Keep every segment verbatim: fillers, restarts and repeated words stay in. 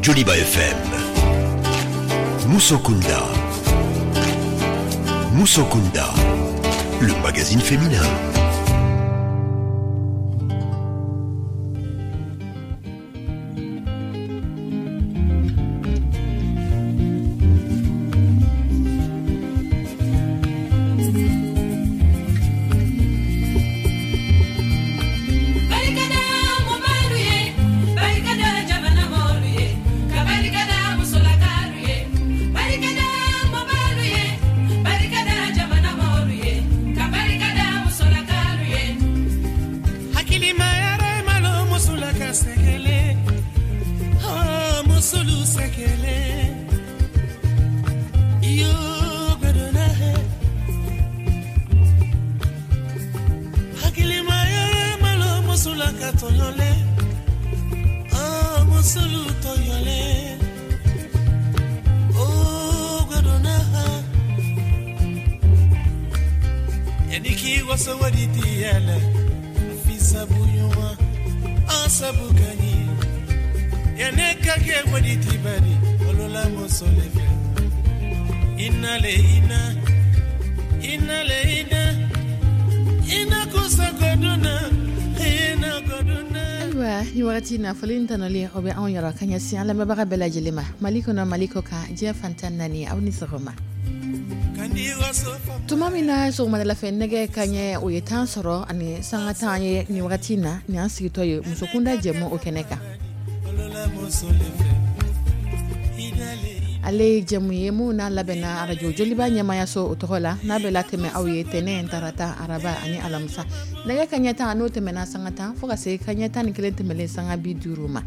Joliba F M. Musokunda. Musokunda, le magazine féminin. Nafolo tanɔlen o bɛ anw yɔrɔ ka ɲɛsin an lamɛnbaga bɛɛ lajɛlen ma Mali kɔnɔ, Mali kɔ kan, diɲɛ fantan naani, aw ni sɔgɔma. Tuma min na sɔgɔmadala fɛ nɛgɛ kaɲɛ o ye tan sɔrɔ ani sanga tan ye nin wagati na, nin an sigitɔ ye musokunda jɛmu o kɛnɛ kan. Ale ye jɛmu ye mun n'a labɛnna arajo Joliba ɲɛmayaso o tɔgɔ la, n'a bɛ latɛmɛ aw ye tɛnɛn, tarata, araba ani alamisa nɛgɛ kaɲɛ tan n'o tɛmɛna sanga tan fo ka se kaɲɛ tan ni kelen tɛmɛlen sanga bi duuru ma.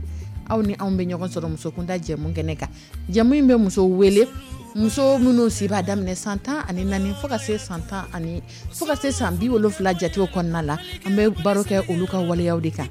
Aw ni anw bɛ ɲɔgɔn sɔrɔ musokunda jɛmu kɛnɛ kan. Jɛmu in bɛ muso wele, muso minnu si b'a daminɛ san tan ani naani fo ka se san tan ani fo ka se san bi wolonfila jatew kɔnɔna la. An bɛ baro kɛ olu ka waleyaw de kan.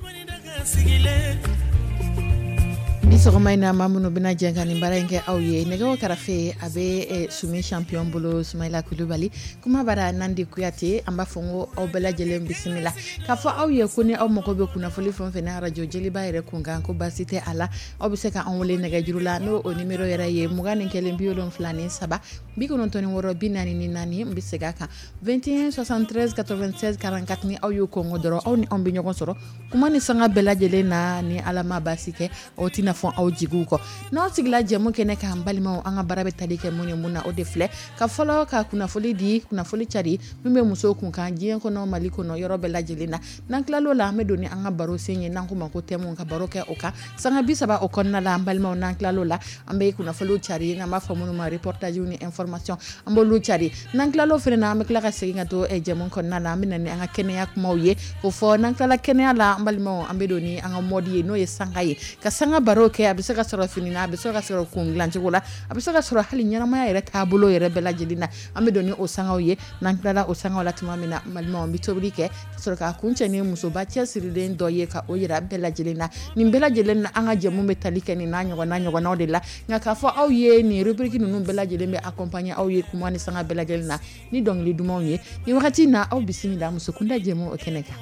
Ni sɔgɔma in na, maa minnu bɛna jɛ ka nin baara in kɛ aw ye, nɛgɛw karafe a bɛ Sumi Champion bolo, Sumayila Kulubali, kuma bara Nandi Kuyate. An b'a fɔ n ko aw bɛɛ lajɛlen bisimila k'a fɔ aw ye ko ni aw mago bɛ kunnafoli fɛn fɛn na arajo Joliba yɛrɛ kunkan, ko baasi tɛ a la, aw bɛ se ka an wele nɛgɛjuru la, n'o o numéro yɛrɛ ye mugan ni kelen bi wolonfila ni saba bi kɔnɔntɔn ni wɔɔrɔ bi naani ni naani. N bɛ segin a kan, vingt et un soixante-treize quatre-vingt-seize quarante-quatre. Ni aw y'o kɔngɔ dɔrɔn, aw ni anw bɛ ɲɔgɔn sɔrɔ kuma ni sanga bɛɛ lajɛlen na. Ni Ala ma baasi kɛ, aw tɛna fɔ aw jigiw kɔ. N'aw sigila jɛmu kɛnɛ k'an balimaw, an ka baara bɛ tali kɛ mun ni mun na, o de filɛ ka fɔlɔ ka kunnafoli di, kunnafoli cari min bɛ musow kun kan diɲɛ kɔnɔ, Mali kɔnɔ, yɔrɔ bɛɛ lajɛlen na. N'an tilal'o la, an bɛ don ni an ka baro sen ye, n'an ko ma ko thème, ka baro kɛ o kan sanga bi saba o kɔnɔna la. An balimaw, n'an tilal'o la, an bɛ kunnafoliw cari, n'an b'a fɔ minnu ma reportage ni information, an b'olu cari. N'an tilal'o fana na, an bɛ tila ka segin ka to jɛmu kɔnɔna la, an bɛ na ni an ka kɛnɛya kumaw ye k'o fɔ. N'an tilala kɛnɛya la, an balimaw, an bɛ don ni an ka mode ye, n'o ye sanga ye, ka sanga baro kɛ. A bɛ se ka sɔrɔ fini na, a bɛ se ka sɔrɔ kun dilancogo la, a bɛ se ka sɔrɔ hali ɲɛnamaya yɛrɛ taabolo yɛrɛ bɛɛ lajɛlen na. An bɛ don ni o sangaw ye. N'an tilala o sangaw la tuma min na, balimaw, an bɛ tobili kɛ ka sɔrɔ k'a kuncɛ ni musoba cɛsirilen dɔ ye, ka o yira bɛɛ lajɛlen na. Nin bɛɛ lajɛlen na, an ka jɛmu bɛ tali kɛ nin n'a ɲɔgɔnna ɲɔgɔnnaw de la. Nka k'a fɔ aw ye, nin rubrique ninnu bɛɛ lajɛlen bɛ accompagner aw ye kuma ni sanga bɛɛ lajɛlen na ni dɔnkili dumanw ye. Nin wagati in na, aw bisimila musokunda jɛmu o kɛnɛ kan.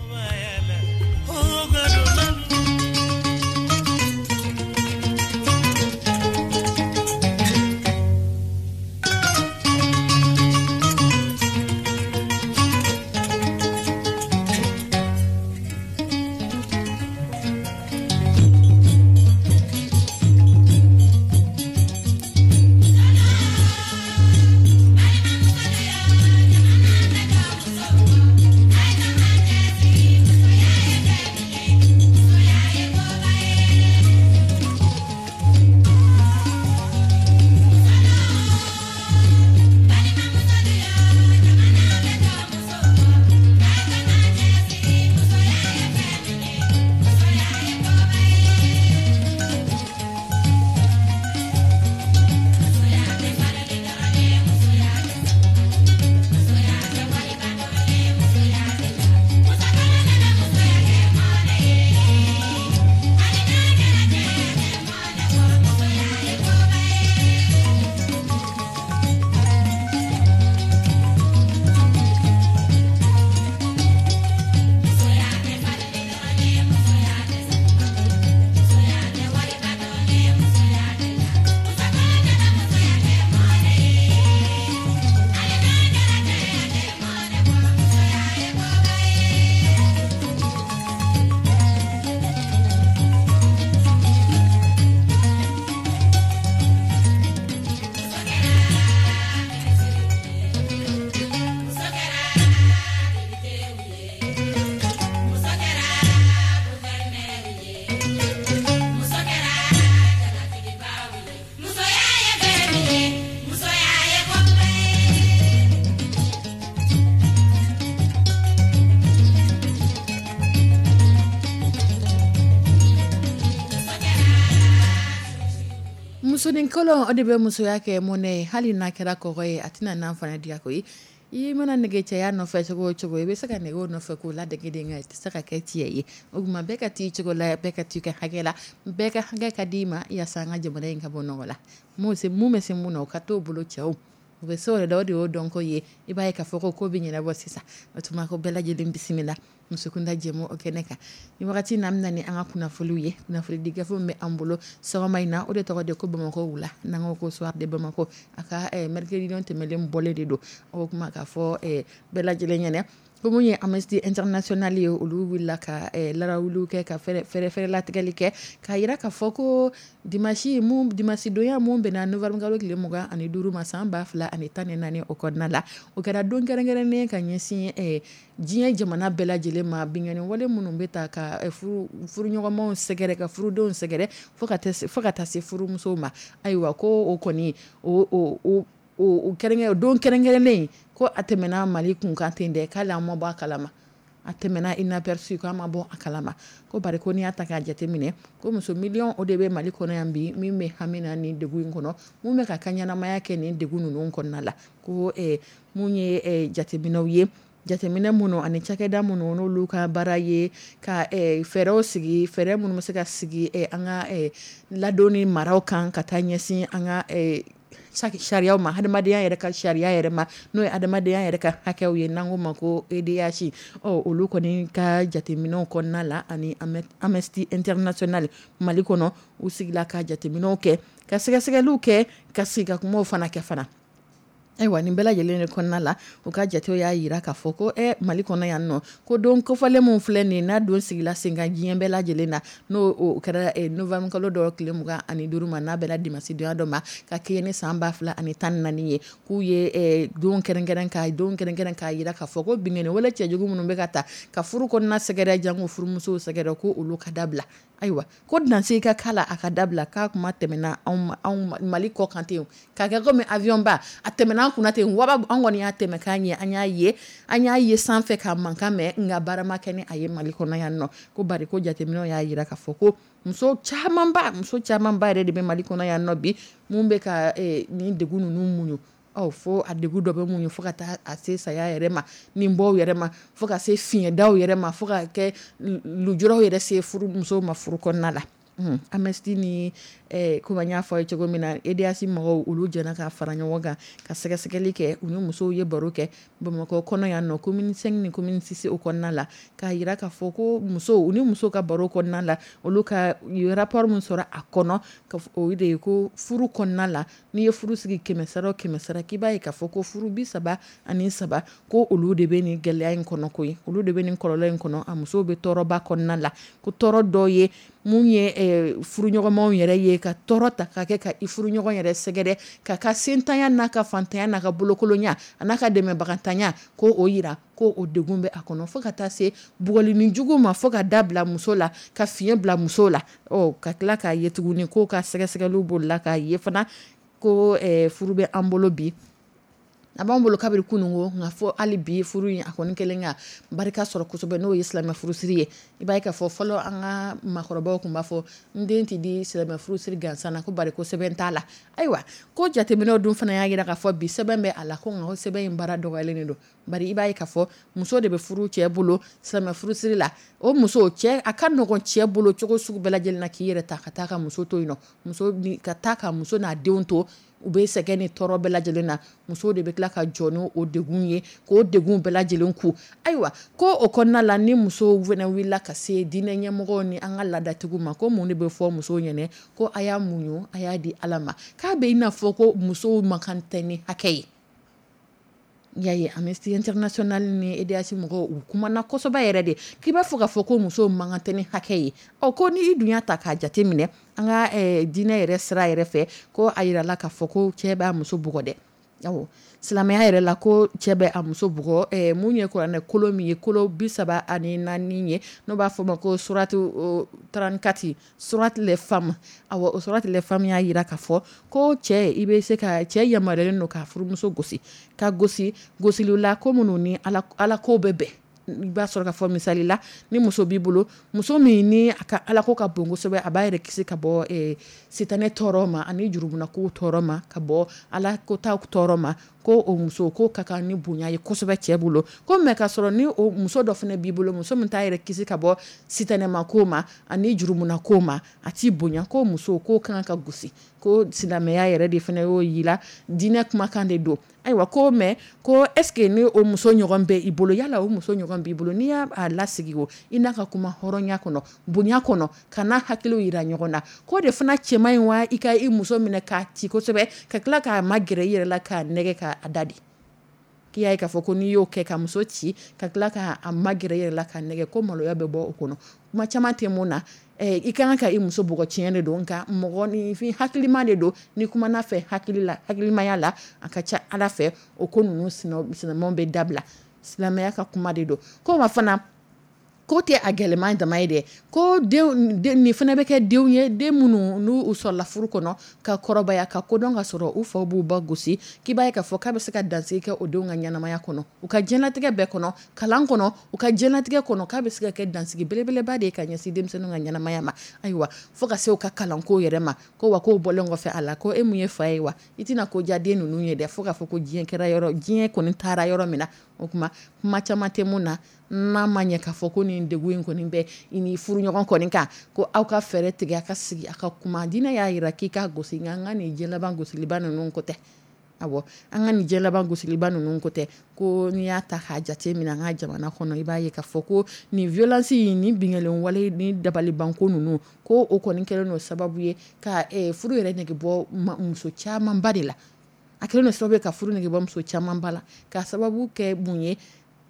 Musonin kolon o de bɛ musoya kɛ mɔnɛ ye, hali n'a kɛra kɔgɔ ye, a tɛna n'a fana diya koyi. I mana nege cɛya nɔfɛ cogo o cogo, i bɛ se ka nege o nɔfɛ k'o ladege de, nka i tɛ se ka kɛ cɛ ye. O tuma bɛɛ ka t'i cogo la, bɛɛ ka t'i ka hakɛ la, bɛɛ ka hakɛ ka d'i ma yaasa an ka jamana in ka bɔ nɔgɔ la. Mun se mun bɛ se mun na, o ka t'o bolo cɛw. U bɛ se o de la, o de y'o dɔnko ye. I b'a ye k'a fɔ ko ko bɛ ɲɛnabɔ sisan. O tuma ko bɛɛ lajɛlen bisimila Musokunda jɛmu o kɛnɛ kan. Ni wagati n'an bɛna ni an ka kunnafoniw ye, kunnafoni di gafe min bɛ an bolo sɔgɔma in na, o de tɔgɔ de ko Bamakɔ wula, n'an ko ko Soir de Bamako. A ka mercredi don tɛmɛnen bɔlen de don. O kuma k'a fɔ bɛɛ lajɛlen ɲɛna ko mun ye Amnesty International ye, olu wulila ka larawuliw kɛ, ka fɛrɛ fɛrɛ latigɛli kɛ, k'a yira k'a fɔ ko dimanche mun dimanche donya mun bɛnna novembre kalo tile mugan ani duuru ma san ba fila ani tan ni naani o kɔnɔna la, o kɛra don kɛrɛnkɛrɛnnen ka ɲɛsin diɲɛ jamana bɛɛ lajɛlen ma, binkanni wale minnu bɛ ta ka furu furuɲɔgɔnmaw sɛgɛrɛ, ka furudenw sɛgɛrɛ fo ka fo ka taa se furumusow ma. Ayiwa, ko o kɔni o o o kɛrɛnkɛrɛn don kɛrɛnkɛrɛnnen ko a tɛmɛna Mali kun kan ten dɛ, k'ale an ma bɔ a kalama, a tɛmɛna inaperçu, k'an ma bɔ a kalama. Ko bari ko n'i y'a ta k'a jateminɛ, ko muso miliyɔn o de bɛ Mali kɔnɔ yan bi, min bɛ hami na nin degun in kɔnɔ, mun bɛ ka ka ɲɛnamaya kɛ nin degun ninnu kɔnɔna la. Ko mun ye jateminɛw ye, jateminɛ minnu ani cakɛda minnu n'olu ka baara ye ka fɛɛrɛw sigi, fɛɛrɛ minnu bɛ se ka sigi an ka ladonni maraw kan ka taa ɲɛsin an ka sariyaw ma, hadamadenya yɛrɛ ka sariya yɛrɛ ma, n'o ye hadamadenya yɛrɛ ka hakɛw ye, n'an ko ma ko E D H. Ɔ olu kɔni ka jateminɛw kɔnɔna la, ani Amnesty International Mali kɔnɔ, u sigila ka jateminɛw kɛ, ka sɛgɛsɛgɛliw kɛ, ka sigi ka kumaw fana kɛ fana. Ayiwa, nin bɛɛ lajɛlen de kɔnɔna la, u ka jatew y'a yira k'a fɔ ko ɛ Mali kɔnɔ yan nɔ, ko don kofɔlen min filɛ nin n'a don sigila sen kan diɲɛ bɛɛ lajɛlen na, n'o o kɛra novembre kalo dɔ tile mugan ani duuru ma, n'a bɛnna dimanche donya dɔ ma, ka kɛɲɛ ni san ba fila ani tan ni naani ye, k'u ye don kɛrɛnkɛrɛn ka don kɛrɛnkɛrɛn k'a yira k'a fɔ ko binkanni wale cɛjugu minnu bɛ ka ta ka furu kɔnɔna sɛgɛrɛ, janko furumusow sɛgɛrɛ, ko olu ka dabila. Ayiwa, ko dansigi ka k'a la, a ka dabila, k'a kuma tɛmɛna anw anw Mali kɔ kan ten, k'a kɛ komi avion ba, a tɛmɛna an kunna ten, waba an kɔni y'a tɛmɛ k'an ye, an y'a ye an y'a ye sanfɛ ka mankan mɛn, nka baara ma kɛ ni a ye Mali kɔnɔ yan nɔ. Ko bari ko jateminɛw y'a yira k'a fɔ ko muso camanba muso camanba yɛrɛ de bɛ Mali kɔnɔ yan nɔ bi, mun bɛ ka nin degun ninnu muɲu. Ɔ fo a degun dɔ bɛ mun ye, fo ka taa a se saya yɛrɛ ma, nin bɔw yɛrɛ ma, fo ka se fiɲɛdaw yɛrɛ ma, fo ka kɛ lujuraw yɛrɛ se furu musow ma furu kɔnɔna la. Amnesty ni komi an y'a fɔ aw ye cogo min na, E D H mɔgɔw olu jɛna ka fara ɲɔgɔn kan ka sɛgɛsɛgɛli kɛ, u ni musow ye baro kɛ Bamakɔ kɔnɔ yan nɔ, commune cinq ni commune six o kɔnɔna la, k'a yira k'a fɔ ko musow u ni musow ka baro kɔnɔna la, olu ka u ye rapport min sɔrɔ a kɔnɔ, o de ye ko furu kɔnɔna la, n'i ye furu sigi kɛmɛ sara o kɛmɛ sara, k'i b'a ye k'a fɔ ko furu bi saba ani saba ko olu de bɛ nin gɛlɛya in kɔnɔ koyi, olu de bɛ nin kɔlɔlɔ in kɔnɔ, a musow bɛ tɔɔrɔba kɔnɔna la. Ko tɔɔrɔ dɔ ye mun ye furuɲɔgɔnmaw yɛrɛ ye, ka tɔɔrɔ ta ka kɛ ka i furuɲɔgɔn yɛrɛ sɛgɛrɛ, ka ka sentanya n'a ka fantanya n'a ka bolokolonya a n'a ka dɛmɛbagantanya, ko o yira ko o degun bɛ a kɔnɔ, fo ka taa se bugɔli jugu ma, fo ka da bila muso la, ka fiɲɛ bila muso la. Ɔ ka tila k'a ye tuguni k'o ka sɛgɛsɛgɛliw bolila k'a ye fana ko furu bɛ an bolo bi, a b'an bolo kabiri kunungo, nka fɔ hali bi furu in a kɔni kɛlen ka barika sɔrɔ kosɛbɛ, n'o ye silamɛ furusiri ye. I b'a ye k'a fɔ fɔlɔ an ka maakɔrɔbaw tun b'a fɔ n den tɛ di silamɛ furusiri gansan na, ko bari ko sɛbɛn t'a la. Ayiwa, ko jateminɛw dun fana y'a jira k'a fɔ bi sɛbɛn bɛ a la, ko nka sɛbɛn in baara dɔgɔyalen de don. Bari i b'a ye k'a fɔ muso de bɛ furu cɛ bolo silamɛ furusiri la, o muso cɛ a ka nɔgɔn cɛ bolo cogo sugu bɛɛ lajɛlen na k'i yɛrɛ ta ka taa ka muso to yen nɔ, muso ka taa ka muso n'a denw to, u bɛ sɛgɛn ni tɔɔrɔ bɛɛ lajɛlen na, muso de bɛ tila ka jɔ n'o degun ye, k'o degun bɛɛ lajɛlen ku. Ayiwa, ko o kɔnɔna la, ni musow fana wulila ka se diinɛ ɲɛmɔgɔw ni an ka laadatigiw ma, ko mun de bɛ fɔ musow ɲɛna, ko a y'a muɲu, a y'a di Ala ma, k'a bɛ i n'a fɔ ko musow man kan tɛ ni hakɛ ye. Y'a ye Amnesty International ni E D H mɔgɔw u kumana kosɛbɛ yɛrɛ de, k'i b'a fɔ k'a fɔ ko musow man kan tɛ ni hakɛ ye. Ɔ ko ni i dun y'a ta k'a jate minɛ an ka diinɛ yɛrɛ sira yɛrɛ fɛ, ko a yirala k'a fɔ ko cɛ b'a muso bugɔ dɛ. Awɔ, silamɛya yɛrɛ la ko cɛ bɛ a muso bugɔ, mun ye kuranɛ kolo min ye, kolo bi saba ani naani ye, n'o b'a fɔ ma ko suratu trente-quatre, suratu les femmes. Awɔ, o suratu les femmes y'a yira k'a fɔ ko cɛ, i bɛ se ka cɛ yamaruyalen don ka furumuso gosi, ka gosi gosili la ko minnu ni ala ala ko bɛ bɛn. I b'a sɔrɔ ka fɔ misali la, ni muso b'i bolo, muso min ni a ka alako ka bon kosɛbɛ, a b'a yɛrɛ kisi ka bɔ sitanɛ tɔɔrɔ ma ani jurumunako tɔɔrɔ ma, ka bɔ ala kota tɔɔrɔ ma, ko o muso ko ka kan ni bonya ye kosɛbɛ cɛ bolo. Ko mais ka sɔrɔ ni o muso dɔ fana b'i bolo, muso min t'a yɛrɛ kisi ka bɔ sitanɛma ko ma ani jurumunako ma, a t'i bonya, ko muso ko kan ka gosi. Ko silamɛya yɛrɛ de fana y'o yira, diinɛ kumakan de don. Ayiwa, ko mais ko est-ce que ni o muso ɲɔgɔn bɛ i bolo, yala o muso ɲɔgɔn b'i bolo, n'i y'a lasigi o i n'a ka kuma hɔrɔnya kɔnɔ, bonya kɔnɔ, ka n'a hakiliw yira ɲɔgɔn na, k'o de fana cɛman in wa i ka i muso minɛ k'a ci kosɛbɛ, ka tila k'a magɛrɛ i yɛrɛ la, k'a nɛgɛ, k'a da di. K'i y'a ye k'a fɔ ko n'i y'o kɛ ka muso ci, ka tila k'a magɛrɛ i yɛrɛ la, k'a nɛgɛ, ko maloya bɛ bɔ o kɔnɔ. Kuma caman tɛ mun na, i ka kan ka i muso bugɔ tiɲɛ de don, nka mɔgɔninfin hakilima de don, ni kumana fɛ hakili la, hakilimaya la, a ka ca ala fɛ o ko ninnu sinamaw bɛ dabila. Silamɛya ka kuma de don. Ko wa fana ko tɛ a gɛlɛman dama ye dɛ, ko denw nin fana bɛ kɛ denw ye, den minnu n'u sɔrɔla furu kɔnɔ ka kɔrɔbaya ka kodɔn ka sɔrɔ u faw b'u ba gosi, k'i b'a ye k'a fɔ k'a bɛ se ka dansigi kɛ o denw ka ɲɛnamaya kɔnɔ, u ka diɲɛlatigɛ bɛɛ kɔnɔ, kalan kɔnɔ, u ka diɲɛlatigɛ kɔnɔ, k'a bɛ se ka kɛ dansigi belebeleba de ye ka ɲɛsin denmisɛnninw ka ɲɛnamaya ma. Ayiwa, fo ka se u ka kalanko yɛrɛ ma. Ko wa k'o bɔlen kɔfɛ a la, ko e mun ye fa ye wa, i tɛna ko diya den ninnu ye dɛ, fo k'a fɔ ko diɲɛ kɛra yɔrɔ, diɲɛ kɔni taara yɔrɔ min na. O tuma kuma caman tɛ mun na, n'a ma ɲɛ k'a fɔ ko nin degun in kɔni bɛ i ni furuɲɔgɔn kɔni kan, ko aw ka fɛɛrɛ tigɛ, a ka sigi, a ka kuma. Diinɛ y'a jira k'i ka gosi, nka an ka nin diɲɛ laban gosiliba ninnu ko tɛ. Awɔ, an ka nin diɲɛ laban gosiliba ninnu ko tɛ. Ko n'i y'a ta k'a jate minɛ an ka jamana kɔnɔ, i b'a ye k'a fɔ ko nin violence nin binkanni wale ni dabalibanko ninnu, ko o kɔni kɛlen don sababu ye ka furu yɛrɛ nege bɔ muso camanba de la. A kɛlen don sababu ye ka furu nege bɔ muso camanba la, ka sababu kɛ mun ye,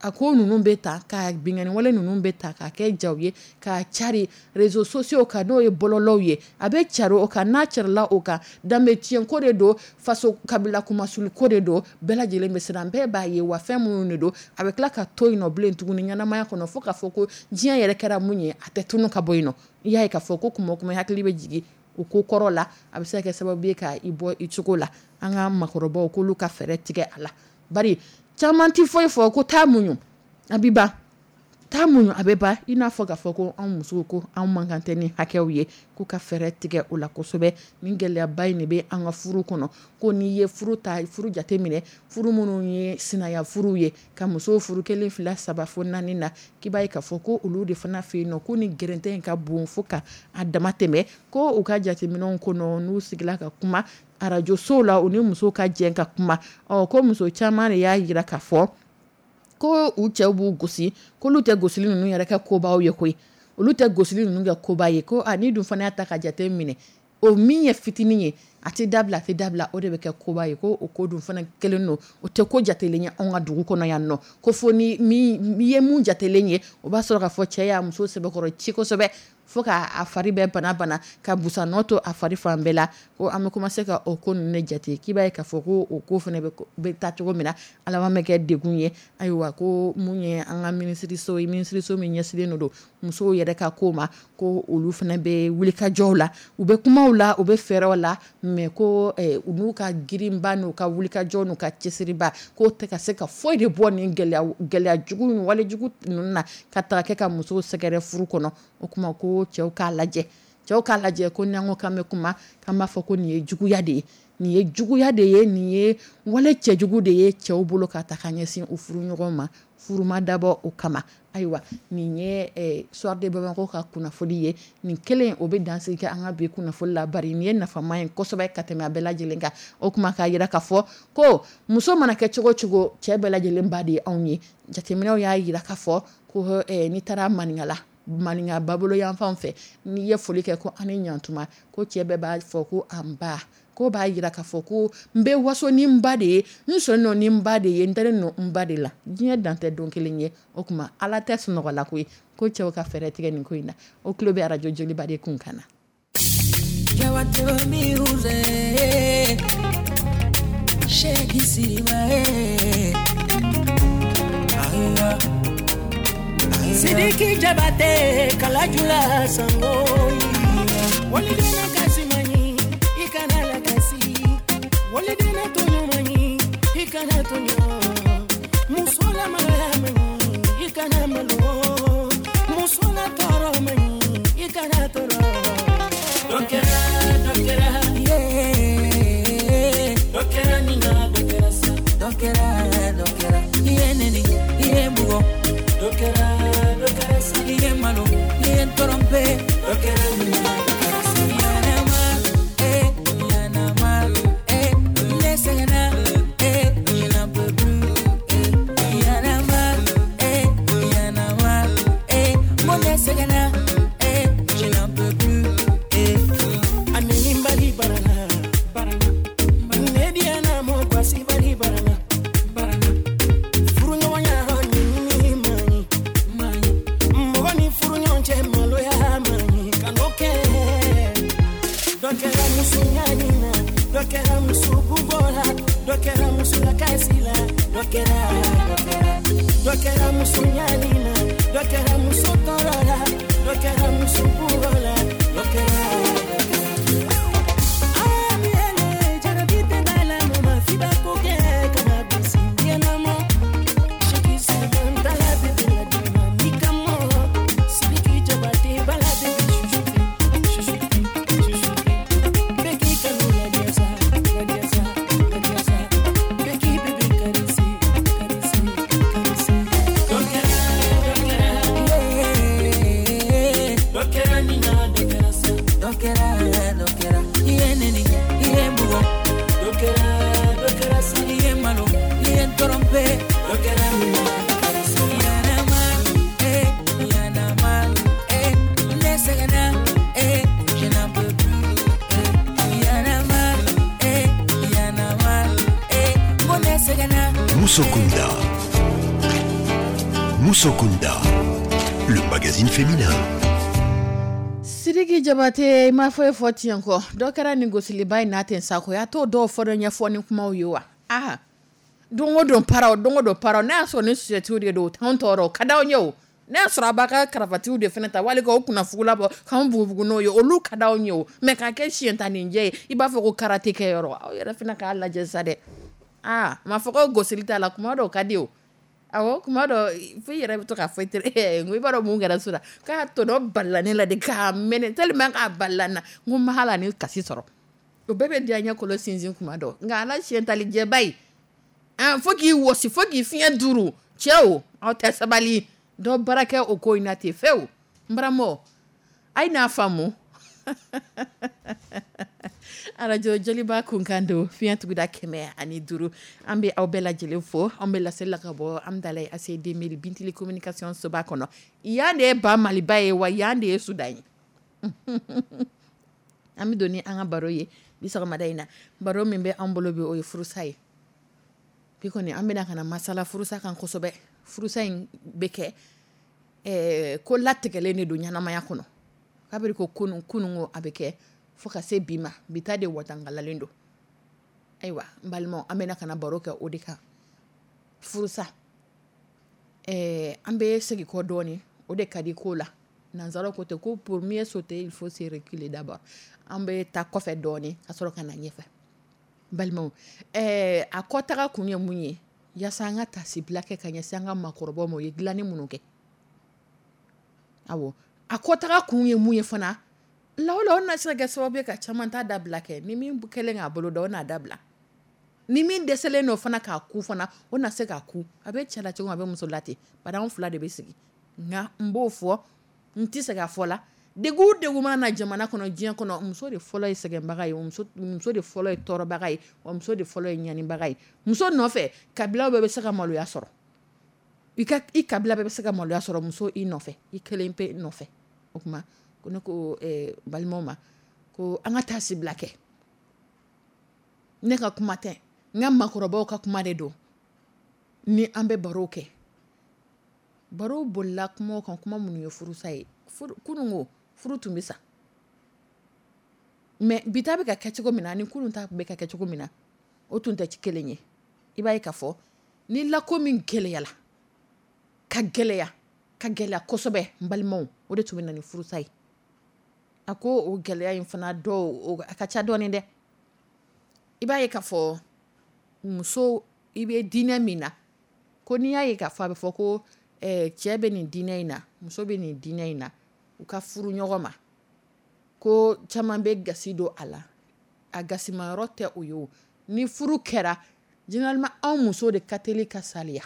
a ko ninnu bɛ ta ka binkanni wale ninnu bɛ ta ka kɛ jaw ye, ka cari réseaux sociaux kan, n'o ye bɔlɔlɔw ye, a bɛ cari o kan. N'a carila o kan, danbe tiɲɛ ko de don, faso kabila kumasuli ko de don, bɛɛ lajɛlen bɛ siran, bɛɛ b'a ye wa fɛn minnu de don, a bɛ tila ka to yen nɔ bilen tuguni ɲɛnamaya kɔnɔ, fo k'a fɔ ko diɲɛ yɛrɛ kɛra mun ye, a tɛ tunu ka bɔ yen nɔ. I y'a ye k'a fɔ ko kuma o kuma hakili bɛ jigin o ko kɔrɔ la, a bɛ se ka kɛ sababu ye ka i bɔ i cogo la. An ka makɔrɔbaw k'olu ka fɛɛrɛ tigɛ a la, bari caman tɛ foyi fɔ ko taa muɲu a bɛ ban, taa muɲu a bɛ ban. I n'a fɔ k'a fɔ ko anw musow ko anw man kan tɛ ni hakɛw ye, k'u ka fɛɛrɛ tigɛ o la kosɛbɛ. Nin gɛlɛyaba in de bɛ an ka furu kɔnɔ. Ko n'i ye furu ta, furu jate minɛ, furu minnu ye sinaya furu ye, ka musow furu kelen, fila, saba fo naani na, k'i b'a ye k'a fɔ ko olu de fana fɛ yen nɔ, ko ni gɛrɛntɛ in ka bon fo ka a dama tɛmɛ. Ko u ka jateminɛw kɔnɔ, n'u sigila ka kuma arajo sow la, u ni musow ka jɛ ka kuma, ɔ ko muso caman de y'a jira k'a fɔ ko u cɛw b'u gosi, k'olu tɛ gosili ninnu yɛrɛ kɛ kobaw ye koyi, olu tɛ gosili ninnu kɛ koba ye. Ko a ni dun fana y'a ta ka jate minɛ, o min ye fitinin ye, a tɛ dabila, a tɛ dabila, o de bɛ kɛ koba ye. Ko o ko dun fana kelen don, o tɛ ko jatelen ye anw ka dugu kɔnɔ yan nɔ. Ko fo ni min ye mun jatelen ye, o b'a sɔrɔ k'a fɔ cɛ y'a muso sɛbɛkɔrɔ ci kosɛbɛ, fo k'a fari bɛɛ bana bana, ka busan nɔ to a fari fan bɛɛ la. Ko an bɛ commencer ka o ko ninnu de jate, k'i b'a ye k'a fɔ ko o ko fana bɛ taa cogo min na, a laban bɛ kɛ degun ye. Ayiwa, ko mun ye an ka minisiriso ye, minisiriso min ɲɛsinnen don musow yɛrɛ ka ko ma, ko olu fana bɛ wulikajɔw la, u bɛ kumaw la, u bɛ fɛɛrɛw la, mais ko u n'u ka girinba n'u ka wulikajɔ n'u ka cɛsiriba, k'o tɛ ka se ka foyi de bɔ nin gɛlɛya gɛlɛya jugu ni walejugu ninnu na, ka taga kɛ ka musow sɛgɛrɛ furu kɔnɔ. O kuma ko cɛw k'a lajɛ, cɛw k'a lajɛ, ko n'an ko k'an bɛ kuma, k'an b'a fɔ ko nin ye juguya de ye, nin ye juguya de ye, nin ye wale cɛjugu de ye cɛw bolo ka ta ka ɲɛsin u furuɲɔgɔn ma, furu ma dabɔ o kama. Ayiwa, nin ye Soir de Bamako ka kunnafoni ye. Nin kelen o bɛ dansigi kɛ an ka bi kunnafoni la, bari nin ye nafama ye kosɛbɛ ka tɛmɛ a bɛɛ lajɛlen kan. O kuma k'a jira k'a fɔ ko muso mana kɛ cogo cogo, cɛ bɛɛ lajɛlen ba de ye anw ye. Jateminɛw y'a jira k'a fɔ ko n'i taara Maninkala, Maninka babolo yan fan fɛ, n'i ye foli kɛ ko an ni ɲantuma, ko cɛ bɛɛ b'a fɔ ko an ba, ko b'a jira k'a fɔ ko n bɛ waso ni n ba de ye, n sɔnnen ni n ba de ye, n dalen don n ba de la. Diɲɛ dan tɛ don kelen ye. O tuma ala tɛ sunɔgɔ la koyi, ko cɛw ka fɛɛrɛ tigɛ nin ko in na. O tulo bɛ arajo Joliba de kun kan na. Sidiki Jabate kalajula sango walidena kasimani ikana la kasi walidena toɲɔmani ikana toɲɔ musola malamani. Kana malo muso la tɔɔrɔ man ɲi, i kana tɔɔrɔ. Dɔ kɛra, dɔ kɛra, yeah. Dɔ kɛra nin na, dɔ kɛra sa. Dɔ kɛra, dɔ kɛra. I ye neni, i ye bugɔ. Dɔ kɛra, dɔ kɛra sa. I ye malo, i ye tromper. Dɔ kɛra nin na, dɔ kɛra sa. Y'en a marre, eh, y'en a marre, eh, ne sɛgɛnna, eh, je n'en peux plus, eh, y'en a marre, eh, y'en a marre, eh, mo ne sɛgɛnna, eh, je n'en peux plus, eh. Ani bali barana, barana, ne diana mo kwasi bali barana, barana. Furuɲɔgɔnya ɲinini man ɲi, man ɲi. Mɔgɔ ni furuɲɔgɔn cɛ maloya man ɲi, kan'o kɛ. Dɔ kɛra muso ɲani na, dɔ kɛra muso bugɔ la, dɔ kɛra muso lakasi la, dɔ kɛra, dɔ kɛra. Dɔ kɛra muso ɲani na, dɔ kɛra muso tɔɔrɔ la, dɔ kɛra muso bugɔ la, dɔ kɛra, dɔ kɛra. Amiele, jarabi tɛ da la, mama f'i b'a ko kɛ kana bisi ɲɛnama. Shiki sibantala bebe la dima mikamo. Sidiki Jabate bala bebe chuchuti, chuchuti, chuchuti. Beki kanu la diasa, la diasa, la diasa. Beki bebe karisi, karisi, karisi. Dɔ kɛra, dɔ kɛra, yeah. Dɔ kɛra nin na, dɔ kɛra sa. Dɔ kɛra, dɔ kɛra. I ye neni, i ye bugɔ. Dɔ kɛra, dɔ kɛra sa. I ye malo, i ye tromper. Dɔ kɛra nin na, dɔ kɛra sa. Y'en a marre, eh, y'en a marre, eh, ne sɛgɛnna, eh, je n'en peux plus, eh, y'en a marre, eh, y'en a marre, eh, mo ne sɛgɛnna. Musokunda. Musokunda. Le magazine féminin. Sidiki Jabate, i ma foyi fɔ tiɲɛ kɔ. Dɔ kɛra nin gosiliba in n'a ten sakoya t'o dɔw fɔ dɔ ɲɛfɔ ni kumaw ye wa? Aha, don o don paraw, don o don paraw. N'a y'a sɔrɔ ni suyɛtiw de don, o t'anw tɔɔrɔ, o ka d'anw ye. O n'a y'a sɔrɔ a b'a ka karavatiw de fana ta wali k'o kunnafugula bɔ k'anw bugubugu n'o ye, olu ka d'anw ye. O mɛ k'a kɛ siɲɛ tan nin jɛ ye, i b'a fɔ ko karate kɛyɔrɔ. Aw yɛrɛ fana k'a lajɛ sa dɛ. Aa, ma fɔ ko gosili t'a la, kuma dɔw ka di o. Awɔ, kuma dɔ fo i yɛrɛ bɛ to k'a fɔ i teri n ko i b'a dɔn mun kɛra so la, k'a tɔnɔ balila ne la de k'a mɛnɛ tellement k'a balila n na, n ko n ma hali ani kasi sɔrɔ. O bɛɛ bɛ diya n ɲɛ kolo sinsin kuma dɔ, nka ala siɲɛ tali jɛba ye fo k'i wɔsi, fo k'i fiɲɛ duuru. Cɛw, aw tɛ sabali dɔ baara kɛ o ko in na ten fewu. N baramɔ, a ye n'a faamu. Arajo Joliba kunkan don, fiɲɛ tuguda kɛmɛ ani duuru. An bɛ aw bɛɛ lajɛlen fo. An bɛ laseli la ka bɔ Amudalayi A C deux mille Bintili communication soba kɔnɔ. Yan de ye ba Maliba ye wa, yan de ye Sudan ye. An bɛ don ni an ka baro ye bi sɔgɔmada in na. Baro min bɛ an bolo bi, o ye furusa ye. Bi kɔni, an bɛna ka na masala furusa kan kosɛbɛ. Furusa in bɛ kɛ ɛɛ ko latigɛlen de don ɲɛnamaya kɔnɔ kabiri ko kunun kunun, a bɛ kɛ fo ka se bi ma. Bi ta de watankalalen don. Ayiwa, n balimaw, an bɛna ka na baro kɛ o de kan, furusa. ɛɛ an bɛ segin kɔ dɔɔni, o de ka di ko la. Nanzaraw ko ten ko pour mieux sauter, il faut se reculer d'abord. An bɛ taa kɔfɛ dɔɔni ka sɔrɔ ka na ɲɛfɛ. Balimaw, ɛɛ a kɔtaga kun ye mun ye? Yaasa an ka tasibila kɛ ka ɲɛsin an ka maakɔrɔbaw ma, o ye dilanni minnu kɛ. Awɔ, a kɔtaga kun ye mun ye fana? Lawala o na se ka kɛ sababu ye ka caman ta dabila kɛ. Ni min kɛlen k'a bolo da, o n'a dabila. Ni min dɛsɛlen don fana k'a ku fana, o na se k'a ku. A bɛ cɛ la cogo min, a bɛ muso la ten, bari anw fila de bɛ sigi. Nka n b'o fɔ, n tɛ segin a fɔ la. Degun o degun mana na jamana kɔnɔ, diɲɛ kɔnɔ, muso de fɔlɔ ye sɛgɛnbaga ye, muso muso de fɔlɔ ye tɔɔrɔbaga ye, wa muso de fɔlɔ ye ɲanibaga ye. Muso nɔfɛ, kabilaw bɛɛ bɛ se ka maloya sɔrɔ. I ka i kabila bɛɛ bɛ se ka maloya sɔrɔ muso i nɔfɛ, i kelen pe nɔfɛ. O tuma ko ne ko eh, balimaw ma ko an ka taa sibila kɛ. Ne ka kuma tɛ, n ka maakɔrɔbaw ka kuma de don. Ni an bɛ baro kɛ, baro bolila kuma kan, kuma minnu ye furusa ye. Kunun ko furu tun bɛ sa, mɛ bi ta bɛ ka kɛ cogo min na ni kunun ta bɛ ka kɛ cogo min na, o tun tɛ kelen ye. I b'a ye k'a fɔ ni lako min gɛlɛyala ka gɛlɛya ka gɛlɛya kosɛbɛ, n balimaw, o de tun bɛ na ni furusa ye. A ko o gɛlɛya in fana dɔw a ka ca dɔɔnin dɛ. I b'a ye k'a fɔ muso, i bɛ diinɛ min na, ko n'i y'a ye k'a fɔ a bɛ fɔ ko Cɛ bɛ nin diinɛ in na, muso bɛ nin diinɛ in na, u ka furu ɲɔgɔn ma, ko caman bɛ gasi don a la. A gasimayɔrɔ tɛ o ye o. Ni furu kɛra, généralement anw muso de ka teli ka saliya,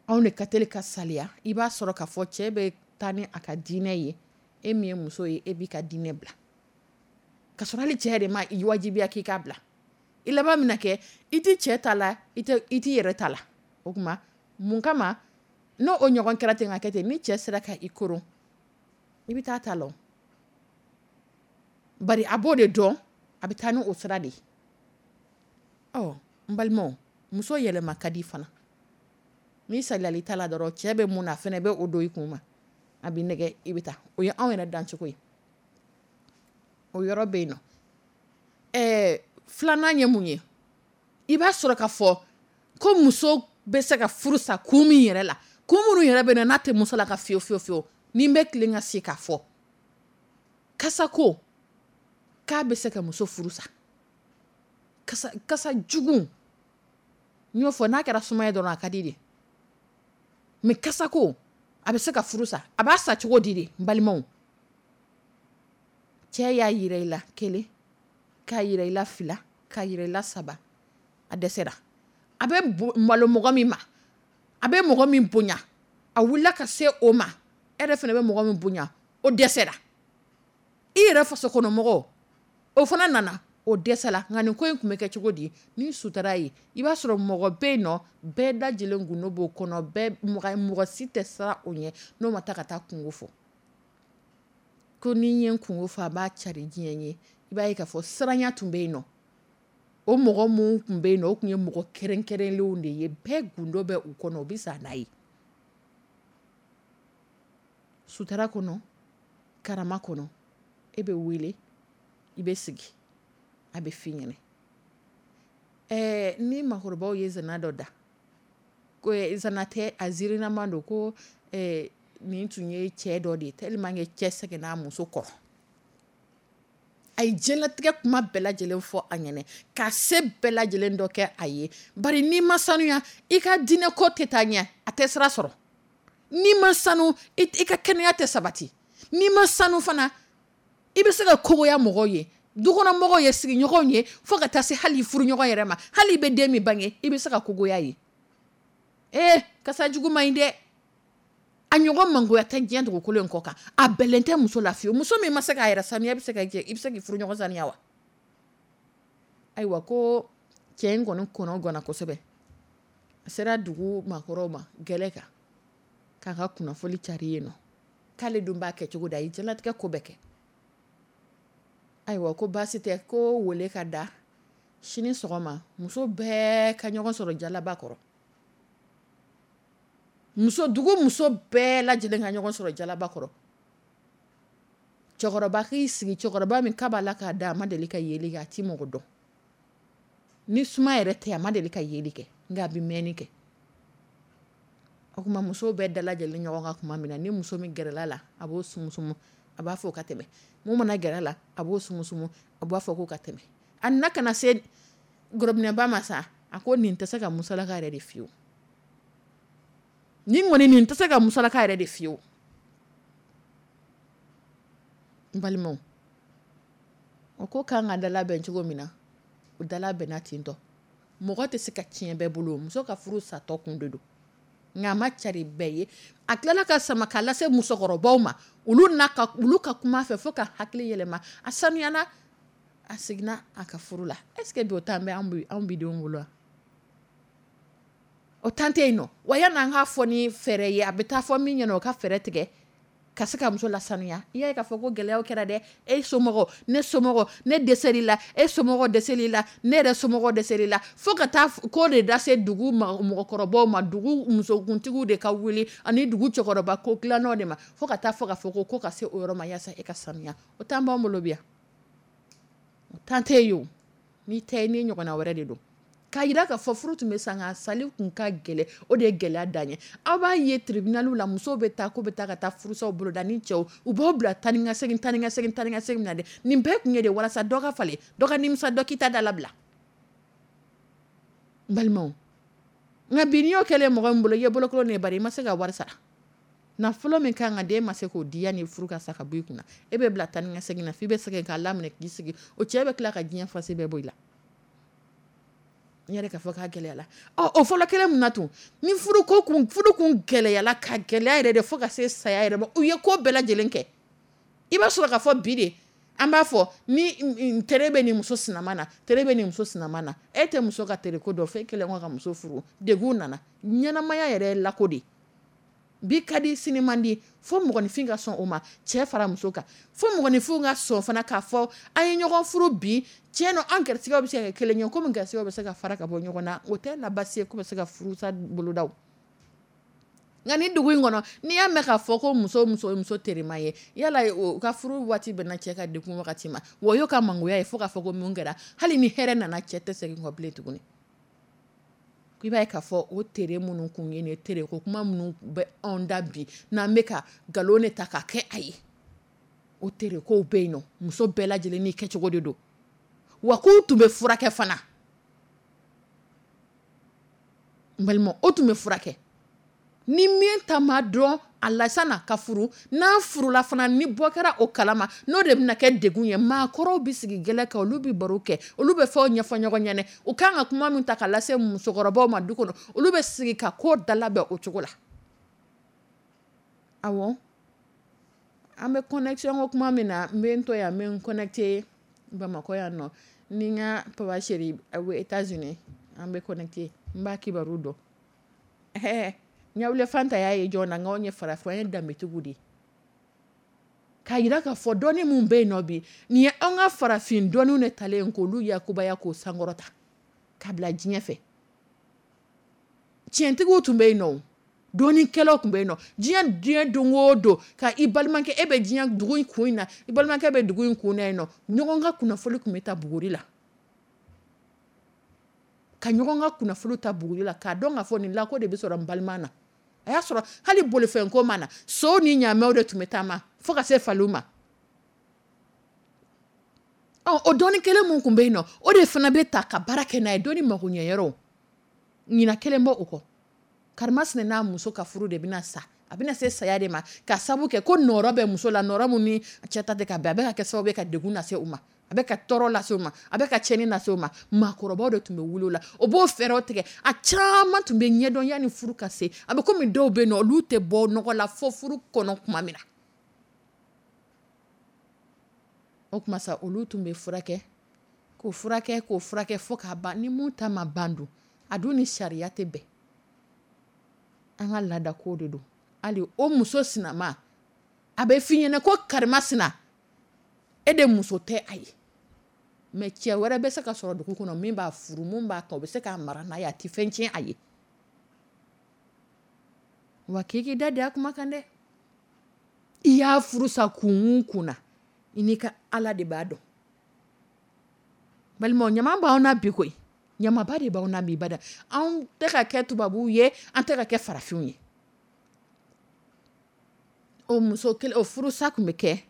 anw de ka teli ka saliya. I b'a sɔrɔ k'a fɔ cɛ bɛ taa ni a ka diinɛ ye, e min ye muso ye, e b'i ka diinɛ bila, ka sɔrɔ hali cɛ yɛrɛ ma i wajibiya k'i k'a bila. I laban min kɛ, i tɛ cɛ ta la, i t'i yɛrɛ ta la. O tuma mun kama n'o o ɲɔgɔn kɛra ten ka kɛ ten, ni cɛ sera ka i koron, i bɛ taa ta la. Bari a b'o de dɔn, a bɛ taa ni o sira de ye. Ɔ n balimaw, muso yɛlɛma ka di fana. N'i saliyala i ta la dɔrɔn, cɛ bɛ mun na, a fana bɛ o don i kun ma, a b'i nɛgɛ, i bɛ taa. O ye anw yɛrɛ dancogo ye. O yɔrɔ bɛ yen nɔ. Ɛɛ filanan ye mun ye? I b'a sɔrɔ k'a fɔ ko muso bɛ se ka furu sa kun min yɛrɛ la, kun minnu yɛrɛ bɛ na n'a tɛ muso la ka fiyewu fiyewu fiyewu, ni n bɛ tilen ka se k'a fɔ kasako k'a bɛ se ka muso furu sa. Kasa kasa jugu, n y'o fɔ, n'a kɛra sumaya dɔrɔn a ka di de, mais kasako a bɛ se ka furu sa. A b'a sa cogo di de? N balimaw, cɛ y'a yira i la kelen, k'a yira i la fila, k'a yira i la saba, a dɛsɛra. A bɛ malo mɔgɔ min ma, a bɛ mɔgɔ min bonya, a wulila ka se o ma, e yɛrɛ fana bɛ mɔgɔ min bonya, o dɛsɛra. I yɛrɛ faso kɔnɔ mɔgɔ, o fana nana, o dɛsɛla. Nka nin ko in tun bɛ kɛ cogo di? Ni sutara ye, i b'a sɔrɔ mɔgɔ bɛ yen nɔ, bɛɛ lajɛlen gundo b'o kɔnɔ, bɛɛ mɔgɔ mɔgɔ si tɛ siran o ɲɛ n'o ma taa ka taa kungo fɔ. Ko ni ye kungo fɔ, a b'a cari diɲɛ ye. I b'a ye k'a fɔ siranya tun bɛ yen nɔ. O mɔgɔ minnu tun bɛ yen nɔ, o tun ye mɔgɔ kɛrɛnkɛrɛnlenw de ye, bɛɛ gundo bɛ u kɔnɔ, u bɛ sa n'a ye. Sutara kɔnɔ, karama kɔnɔ, e bɛ wele, i bɛ sigi, a bɛ f'i ɲɛna. Ɛɛ ni maakɔrɔbaw ye zana dɔ da, ko zana tɛ, a ziirinama don, ko ɛɛ nin tun ye cɛ dɔ de ye, tellement que cɛ sɛgɛnna a muso kɔrɔ. A ye diɲɛlatigɛ kuma bɛɛ lajɛlen fɔ a ɲɛna, ka se bɛɛ lajɛlen dɔ kɛ a ye. Bari n'i ma sanuya, i ka diinɛ ko tɛ taa ɲɛ, a tɛ sira sɔrɔ. N'i ma sanu, i ka kɛnɛya tɛ sabati. N'i ma sanu fana, i bɛ se ka kogoya mɔgɔw ye, dukɔnɔmɔgɔw ye, sigiɲɔgɔnw ye, fo ka taa se hali furuɲɔgɔn yɛrɛ ma. Hali i bɛ den min bange, i bɛ se ka kogoya ye. Ee kasa jugu man ɲi dɛ. A ɲɔgɔn mangoya tɛ diɲɛ dugukolo in kɔ kan. A bɛlɛn tɛ muso la fiyewu. Muso min ma se k'a yɛrɛ sanuya, i bɛ se ka i bɛ se k'i furuɲɔgɔn sanuya wa? Ayiwa, ko cɛ in kɔni kɔnɔ ganna kosɛbɛ. A sera dugu maakɔrɔw ma gɛlɛ kan, k'a ka kunnafoni cari yen nɔ, k'ale dun b'a kɛ cogo di, a ye diɲɛlatigɛ ko bɛɛ kɛ. Ayiwa, ko baasi tɛ, ko wele ka da sini sɔgɔma, muso bɛɛ ka ɲɔgɔn sɔrɔ jalaba kɔrɔ. Muso, dugu muso bɛɛ lajɛlen ka ɲɔgɔn sɔrɔ jalaba kɔrɔ. Cɛkɔrɔba k'i sigi, cɛkɔrɔba min k'a b'a la k'a da, a ma deli ka yeli kɛ, a ti mɔgɔ dɔn. Ni suma yɛrɛ tɛ, a ma deli ka yeli kɛ, nka a bɛ mɛnni kɛ. O tuma musow bɛɛ dalajɛlen ɲɔgɔn kan tuma min na, ni muso min gɛrɛla la, a b'o sumusumu, a b'a fɔ ka tɛmɛ. Mun mana gɛrɛ la, a b'o sumusumu, a b'a fɔ k'o ka tɛmɛ. A nana ka na se gorobinɛba ma sa, a ko nin tɛ se ka musalaka yɛrɛ de fiyewu. Nin kɔni, nin tɛ se ka musalaka yɛrɛ de fiyewu. N balimaw, o ko kan ka dalabɛn cogo min na, o dalabɛnna ten tɔ. Mɔgɔ tɛ se ka tiɲɛ bɛɛ bolo, muso ka furu satɔ kun de don. Nka a ma cari bɛɛ ye. A tilala ka sama k'a lase musokɔrɔbaw ma, olu n'a ka olu ka kuma fɛ fo ka hakili yɛlɛma. A sanuyana, a seginna a ka furu la. Est-ce que bi o temps bɛ anw bi denw bolo wa? O temps tɛ yen nɔ. Wa yanni an k'a fɔ ni fɛɛrɛ ye, a bɛ taa fɔ min ɲɛna, o ka fɛɛrɛ tigɛ ka se ka muso lasanuya. I y'a ye k'a fɔ ko gɛlɛyaw kɛra dɛ. E somɔgɔ, ne somɔgɔ, ne dɛsɛr'i la, e somɔgɔ dɛsɛr'i la, ne yɛrɛ somɔgɔ dɛsɛr'i la, fo ka taa ko de lase dugu mɔgɔkɔrɔbaw ma, dugu musokuntigiw de ka wuli ani dugu cɛkɔrɔba ko dilannaw de ma, fo ka taa fɔ k'a fɔ ko ko ka se o yɔrɔ ma yaasa e ka sanuya. O temps b'anw bolo bi yan. O temps tɛ yen o. N'i tɛ, n'i ɲɔgɔnna wɛrɛ de don. K'a jira k'a fɔ furu tun bɛ sa, nka sali tun ka gɛlɛn, o de ye gɛlɛya dan ye. Aw b'a ye tribunal la, musow bɛ taa k'u bɛ taa ka taa furusaw boloda ni cɛw, u b'aw bila taa ni ka segin, taa ni ka segin, taa ni ka segin na dɛ. Nin bɛɛ tun ye de walasa dɔ ka falen, dɔ ka nimisa, dɔ k'i ta da labila. N balimaw, Nka bi n'i y'o kɛlen mɔgɔ min bolo, i ye bolokolon de bari i ma se ka wari sara. Nafolo min kan ka d'e ma se k'o di yanni furu ka sa ka bɔ i kunna. E bɛ bila taa ni ka segin na f'i bɛ sɛgɛn k'a laminɛ k'i sigi. O cɛ bɛ tila ka diɲɛ fasi bɛɛ bɔ i la. N yɛrɛ k'a fɔ k'a gɛlɛyala. Ɔ, o fɔlɔ kelen mun na tun, ni furu ko kun, furu kun gɛlɛyala ka gɛlɛya yɛrɛ de fo ka se saya yɛrɛ ma, u ye ko bɛɛ lajɛlen kɛ. I b'a sɔrɔ k'a fɔ bi de, an b'a fɔ ni tere bɛ nin muso sinama na, tere bɛ nin muso sinama na. E tɛ muso ka tere ko dɔn f'e kɛlen kɔ ka muso furu. Degun nana. Ɲɛnamaya yɛrɛ ye lako de ye. Bi ka di sini man di, fo mɔgɔninfin ka sɔn o ma, cɛ fara muso kan. Fo mɔgɔninfin ka sɔn fana k'a fɔ an ye ɲɔgɔn furu bi, tiɲɛ don an garisigɛw bɛ se ka kɛ kelen ye, komi garisigɛw bɛ se ka fara ka bɔ ɲɔgɔn na, o tɛ na baasi ye k'u bɛ se ka furusa boloda. Nka ni dugu in kɔnɔ, n'i y'a mɛn k'a fɔ ko muso muso ye muso terima ye, yala o ka furu waati bɛnna cɛ ka degun wagati ma, wa o y'o ka mangoya ye fo k'a fɔ ko mun kɛra, hali ni hɛrɛ nana cɛ tɛ segin kɔ bilen tuguni. I b'a ye k'a fɔ o tere minnu kun ye nin tere ko kuma minnu bɛ anw da bi, n'an bɛ ka nkalon de ta ka kɛ a ye, o tere kow bɛ yen nɔ, muso bɛɛ lajɛlen n'i kɛcogo de don. Wa k'u tun bɛ furakɛ fana. N balima, o tun bɛ furakɛ. Ni min ta ma dɔn a la sanna ka furu, n'a furula fana ni bɔ kɛra o kalama, n'o de bɛna kɛ degun ye, maakɔrɔw bɛ sigi gɛlɛ kan, olu bɛ baro kɛ, olu bɛ fɛnw ɲɛfɔ ɲɔgɔn ɲɛna, u kan ka kuma min ta ka lase musokɔrɔbaw ma du kɔnɔ, olu bɛ sigi ka ko dalabɛn o cogo la. Awɔ, an bɛ connexion ko kuma min na, n bɛ n to yan, n bɛ n connecté Bamakɔ yan nɔ, ni n ka papa chéri a bɛ États-Unis, an bɛ connecté, n b'a kibaru dɔn. Ɛhɛ, ɲawule fanta y'a ye jɔn na, nka anw ye farafin, an ye danbetigiw de ye. K'a yira k'a fɔ dɔnni min bɛ yen nɔ bi, nin ye an ka farafin dɔnniw de talen k'olu yakubaya k'o sankɔrɔta k'a bila diɲɛ fɛ. Tiɲɛtigiw tun bɛ yen nɔ, dɔnnikɛlaw tun bɛ yen nɔ. Diɲɛ diɲɛ don o don, ka i balimakɛ, e bɛ diɲɛ dugu in kun in na, i balimakɛ bɛ dugu in kun na yen nɔ, ɲɔgɔn ka kunnafoni tun bɛ ta buguri la. Ka ɲɔgɔn ka kunnafoni ta buguri la, k'a dɔn k'a fɔ nin lako de bɛ sɔrɔ n balima na. A y'a sɔrɔ hali bolifɛn ko ma na, sow ni ɲaamɛw de tun bɛ taama fo ka se faliw ma. Ɔ, o dɔnni kelen mun tun bɛ yen nɔ, o de fana bɛ ta ka baara kɛ n'a ye, dɔnni magoɲɛyɔrɔw. Ɲina kelen bɔ o kɔ. Karimasina n'a muso ka furu de bɛna sa. A bɛna se saya de ma, ka sabu kɛ ko nɔrɔ bɛ muso la, nɔrɔ mun ni cɛ ta tɛ ka bɛn, a bɛ ka kɛ sababu ye ka degun lase u ma, a bɛ ka tɔɔrɔ lase u ma, a bɛ ka tiɲɛni lase u ma. Maakɔrɔbaw de tun bɛ wuli o la, o b'o fɛɛrɛw tigɛ. A caman tun bɛ ɲɛdɔn yanni furu ka se. A bɛ komi dɔw bɛ yen nɔ, olu tɛ bɔ nɔgɔ la fo furu kɔnɔ tuma min na. O tuma sa, olu tun bɛ furakɛ, k'o furakɛ, k'o furakɛ fo k'a ban. Ni mun ta ma ban dun, a dun ni sariya tɛ bɛn. An ka laada ko de don. Hali o muso sinama, a bɛ f'i ɲɛna ko karimasina, e de muso tɛ a ye. Mais cɛ wɛrɛ bɛ se ka sɔrɔ dugu kɔnɔ min b'a furu, mun b'a ta, o bɛ se k'a mara n'a ye, a tɛ fɛn tiɲɛ a ye. Wa k'i k'i da de a kuma kan dɛ. I y'a furu sa kun o kun na, i n'i ka Ala de b'a dɔn. Balimaw, ɲama b'anw na bi koyi. Ɲamaba de b'anw na bi bada. Anw tɛ ka kɛ tubabuw ye, an tɛ ka kɛ farafinw ye. O muso kelen, o furusa tun bɛ kɛ,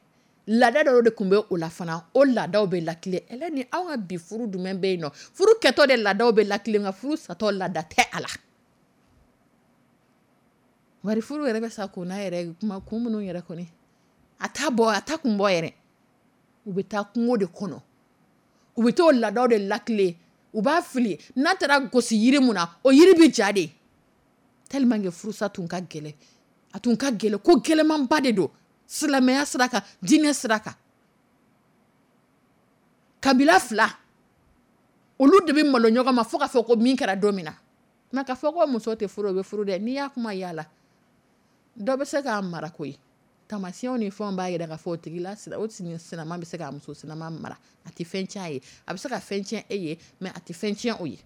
laada dɔw de tun bɛ o la fana, o laadaw bɛ lakile. Ɛlɛ ni anw ka bi furu jumɛn bɛ yen nɔ, furu kɛtɔ de laadaw bɛ lakile, nka furu satɔ laada tɛ a la. Bari furu yɛrɛ bɛ sa kun n'a yɛrɛ kuma kun minnu yɛrɛ kɔni, a t'a bɔ, a t'a kun bɔ yɛrɛ. U bɛ taa kungo de kɔnɔ, u bɛ t'o laadaw de lakile, u b'a fili, n'a taara gosi yiri mun na, o yiri bɛ ja de. Tellement que furusa tun ka gɛlɛn, a tun ka gɛlɛn, ko gɛlɛnmanba de don silamɛya sira kan, diinɛ sira kan. Kabila fila, olu de bɛ malo ɲɔgɔn ma fo k'a fɔ ko min kɛra don min na. Nka k'a fɔ ko muso tɛ furu, o bɛ furu dɛ. N'i y'a kuma yala, dɔ bɛ se k'a mara koyi. Taamasiyɛnw ni fɛnw b'a yira k'a fɔ o tigi la, o sinama bɛ se k'a muso sinama mara, a tɛ fɛn tiɲɛ a ye, a bɛ se ka fɛn tiɲɛ e ye, mais a tɛ fɛn tiɲɛ o ye.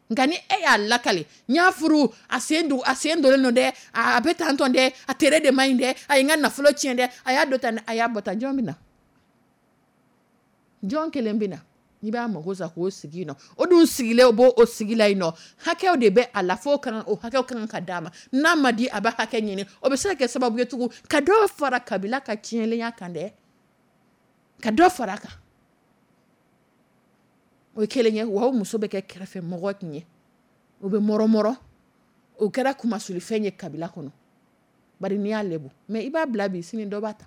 Nka ni e y'a lakale, n y'a furu, a sen don, a sen donnen don dɛ, a bɛ tan tɔn dɛ, a tere de man ɲi dɛ, a ye n ka nafolo tiɲɛ dɛ, a y'a dɔ tan dɛ, a y'a bɔ tan, jɔn bɛ na? Jɔn kelen bɛ na? N'i b'a mago sa k'o sigi yen nɔ, o dun sigilen o b'o sigi la yen nɔ, hakɛw de bɛ a la f'o kan, o hakɛw kan ka d'a ma. N'a ma di, a bɛ hakɛ ɲini, o bɛ se ka kɛ sababu ye tugun ka dɔ fara kabila ka tiɲɛlenya kan dɛ, ka dɔ fara a kan. O ye kelen ye, wa o muso bɛ kɛ kɛrɛfɛ mɔgɔ tun ye, o bɛ mɔrɔmɔrɔ, O kɛra kumasulifɛn ye kabila kɔnɔ, bari n'i y'a lebu mais i b'a bila bi, sini dɔ b'a ta,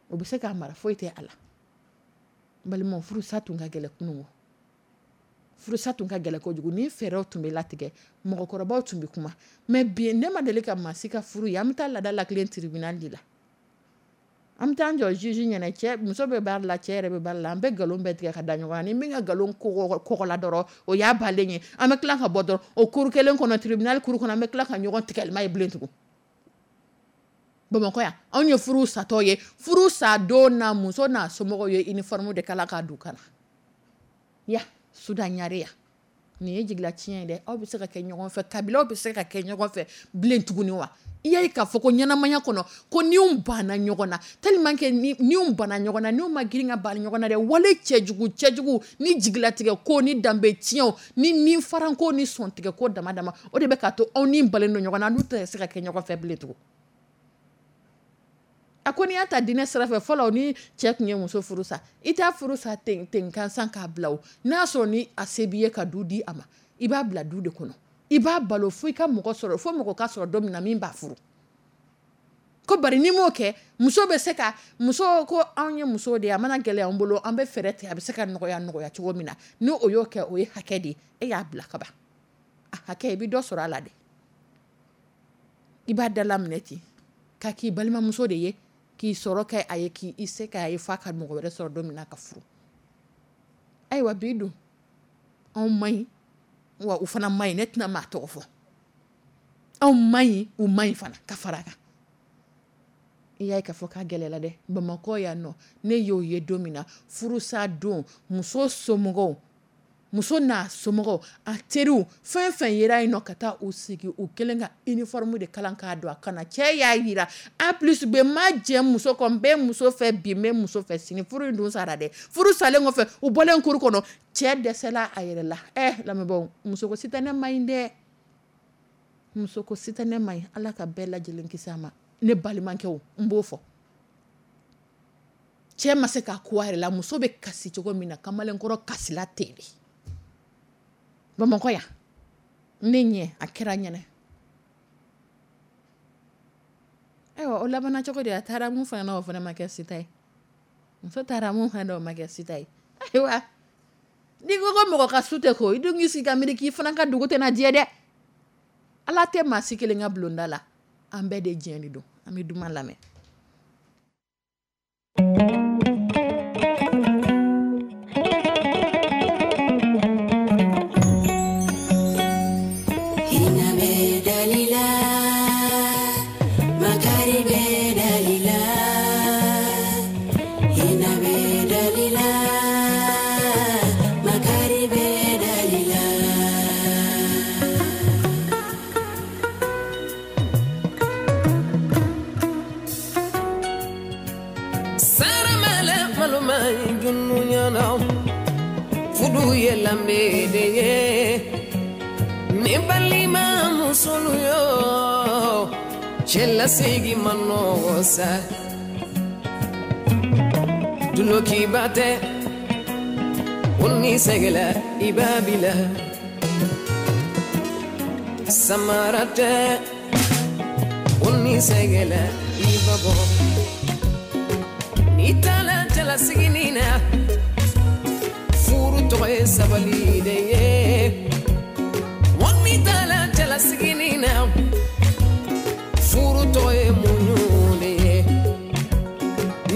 o bɛ se k'a mara, foyi tɛ a la. N balimaw, furusa tun ka gɛlɛn kunun, furusa tun ka gɛlɛn kojugu. Ni fɛɛrɛw tun bɛ latigɛ, mɔgɔkɔrɔbaw tun bɛ kuma. Mais bi, ne ma deli ka maa si ka furu ye. An bɛ taa laada latilen tribunal de la, an bɛ taa an jɔ juge ɲɛna. Cɛ, muso bɛ baara la, cɛ yɛrɛ bɛ baara la, an bɛ nkalon bɛɛ tigɛ ka da ɲɔgɔn kan. Ni min ka nkalon kɔgɔ la dɔrɔn, o y'a balen ye. An bɛ tila ka bɔ dɔrɔn, o cour kelen kɔnɔ, tribunal cour kɔnɔ, an bɛ tila ka ɲɔgɔn tigɛlima ye bilen tugun. Bamakɔ yan, anw ye furu satɔ ye. Furu sa don na, muso n'a somɔgɔw ye uniforme de kala k'a don ka na ya Sudan ɲare ya. Nin ye jigila tiɲɛ ye dɛ. Aw bɛ se ka kɛ ɲɔgɔn fɛ, kabilaw bɛ se ka kɛ ɲɔgɔn fɛ bilen tuguni wa? I y'a ye k'a fɔ ko ɲɛnamaya kɔnɔ, ko niw banna ɲɔgɔn na, tellement que niw banna ɲɔgɔn na, niw ma girin ka ban ɲɔgɔn na dɛ. Wale cɛjugu cɛjugu ni jigilatigɛ ko ni danbe tiɲɛw ni ni faranko ni sɔntigɛ ko dama dama, o de bɛ k'a to aw ni balen don ɲɔgɔn na, n'u tɛ se ka kɛ ɲɔgɔn fɛ bilen tugun. A ko n'i y'a ta diinɛ sira fɛ, fɔlɔ ni cɛ tun ye muso furu sa, i t'a furu sa ten ten gansan k'a bila o. N'a sɔrɔ ni a se b'i ye ka du di a ma, i b'a bila du de kɔnɔ, i b'a balo fo i ka mɔgɔ sɔrɔ, fo mɔgɔ ka sɔrɔ don min na min b'a furu. Ko bari n'i m'o kɛ, muso bɛ se ka muso ko anw ye muso de ye, a mana gɛlɛya an bolo, an bɛ fɛɛrɛ tigɛ, a bɛ se ka nɔgɔya nɔgɔya cogo min na. Ni o y'o kɛ, o ye hakɛ de ye, e y'a bila ka ban, a hakɛ, i bɛ dɔ sɔrɔ a la dɛ. I b'a dalaminɛ ten k'a k'i balimamuso de ye, k'i sɔrɔ kɛ a ye, k'i se k'a ye f'a ka mɔgɔ wɛrɛ sɔrɔ don min na ka furu. Ayiwa, bi dun, anw man ɲi wa u fana man ɲi. Ne tɛna maa tɔgɔ fɔ. Anw man ɲi, u man ɲi fana ka fara a kan. I y'a ye k'a fɔ k'a gɛlɛyala dɛ. Bamakɔ yan nɔ, ne y'o ye don min na, furusa don, muso somɔgɔw, muso n'a somɔgɔw, a teriw, fɛn fɛn yera yen nɔ, ka taa u sigi, u kɛlen ka uniforme de kalan k'a don a kana. Cɛ y'a yira A plus B, ma jɛ muso kɔ, n bɛ muso fɛ bi, n bɛ muso fɛ sini. Furu in dun sara dɛ. Furu salen kɔfɛ, u bɔlen cour kɔnɔ, cɛ dɛsɛla a yɛrɛ la. Ɛ lamɛnbaaw, muso ko sitanɛ man ɲi dɛ, muso ko sitanɛ man ɲi. Ala ka bɛɛ lajɛlen kisi a ma. Ne balimakɛw, n b'o fɔ, cɛ ma se k'a ko a yɛrɛ la. Muso bɛ kasi cogo min na, kamalenkɔrɔ kasila ten de. Bamakɔ yan, ne ɲɛ a kɛra ɲɛnɛ. Ayiwa, o labanna cogo di? A taara mun fana na, o fana ma kɛ sita ye. Muso taara mun fana na, o ma kɛ sita ye. Ayiwa, n'i ko ko mɔgɔ ka su tɛ ko, i dun k'i sigi ka miiri k'i fana ka dugu tɛna jɛ dɛ. Ala tɛ maa si kelen ka bulonda la, an bɛɛ de jɛ de don. An bɛ duman lamɛn. Ne balima musolu yo, cɛlasigi ma nɔgɔ sa, dulokiba tɛ, o ni sɛgɛla i b'a bila, samara tɛ, o ni sɛgɛla i b'a bɔ. N'i taara cɛlasigi nin na, furu tɔgɔ ye sabali de ye. N'i taara cɛlasigi nin na, furu tɔgɔ ye muɲu de ye.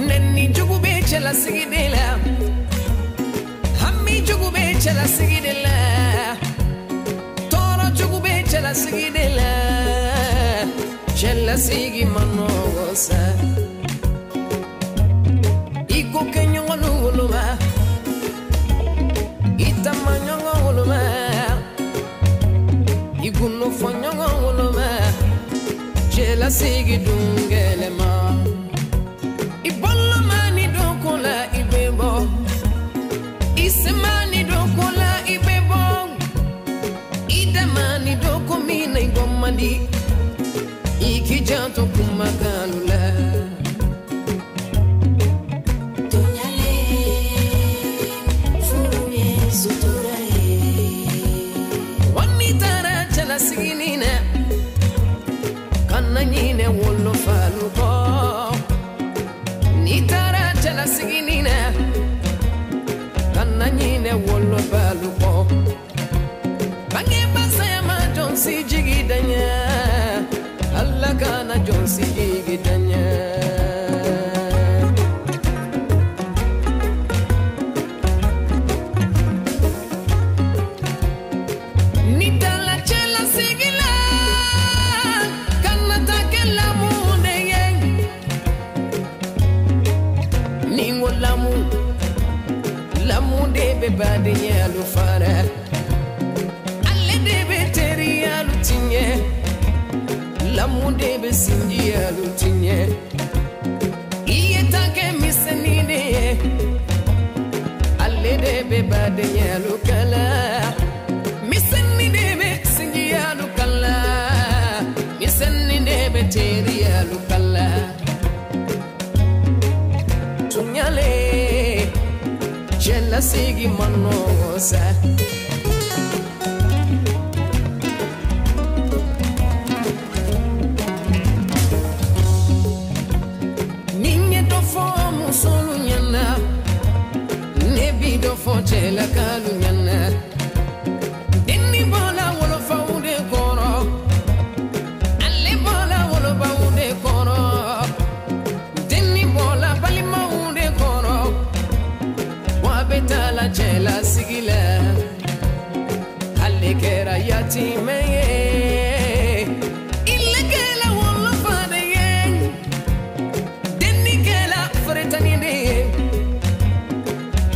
Nɛni jugu bɛ cɛlasigi de la, hami jugu bɛ cɛlasigi de la, tɔɔrɔ jugu bɛ cɛlasigi de la. Cɛlasigi ma nɔgɔ sa, i ko kɛ ɲɔgɔn woloma, i taama ɲɔgɔn woloma, i gundo fɔ ɲɔgɔn woloma, cɛlasigi dun gɛlɛma. I boloma ni don ko la i bɛ bɔ, i sema ni don ko la i bɛ bɔ, i dama ni don ko min na i bɔ man di, i k'i janto kumakan la. cɛlasigi nin na, kana ɲinɛ wolofalu kɔ. N'i taara cɛlasigi nin na, kana ɲinɛ wolofalu kɔ. Bangebaa saya ma jɔn si jigi da ɲɛ, Ala kana jɔn si jigi da ɲɛ. N'i taara cɛlasigi la, kana taa kɛ lamu de ye. Ni n ko lamu, lamu de bɛ badenyalu fara. Ale de bɛ teriyalu tiɲɛ. Lamu de bɛ sinjiyalu tiɲɛ. I ye ta kɛ misɛnnin de ye. Ale de bɛ badenyalu kala. Misɛnnin de bɛ sinjiyalu kala. Misɛnnin de bɛ teriyalu kala. Tuɲale, cɛlasigi man nɔgɔn sa. Ni n ye dɔ fɔ musolu ɲɛna, ne bi dɔ fɔ cɛlakalu ɲɛna. Denni bɔla wolofaw de kɔrɔ, ale bɔla wolobaw de kɔrɔ. Denni bɔla balimaw de kɔrɔ, wa bɛ taa la cɛlasigi la. Ale kɛra yatimɛ ye, ile kɛra wolofa de ye. Denni kɛra faritani de ye,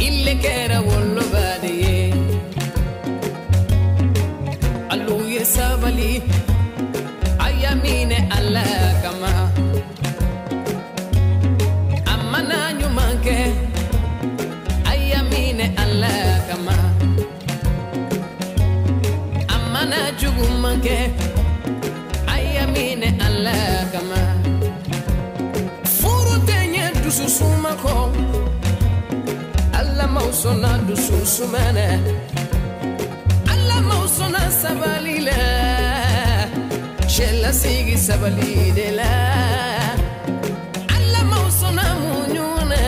ile kɛra woloba de ye. Alu ye sabali, a y'a minɛ Ala kama. A mana ɲuman kɛ, a y'a minɛ Ala kama. A mana juguman kɛ, a y'a minɛ Ala kama. Furu tɛ ɲɛ dusu suma kɔ, Ala m'aw sɔnna dusu suma na. Ala m'aw sɔnna sabali la, cɛlasigi sabali de la. Ala m'aw sɔnna muɲu na,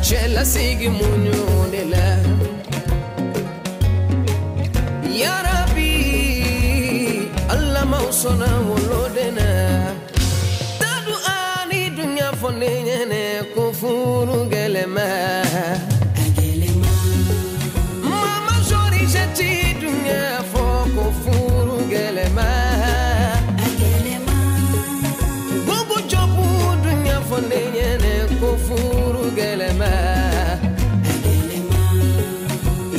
cɛlasigi muɲu de la. Ya Rabbi, Ala m'aw sɔnna woloden na. Tadu ani dunya fɔ ne ɲɛnɛ ko furu gɛlɛma. Mama Georgette dunya fɔ ko furu gɛlɛma. Gogo Jobu dunya fɔ ne ɲɛnɛ ko furu gɛlɛma.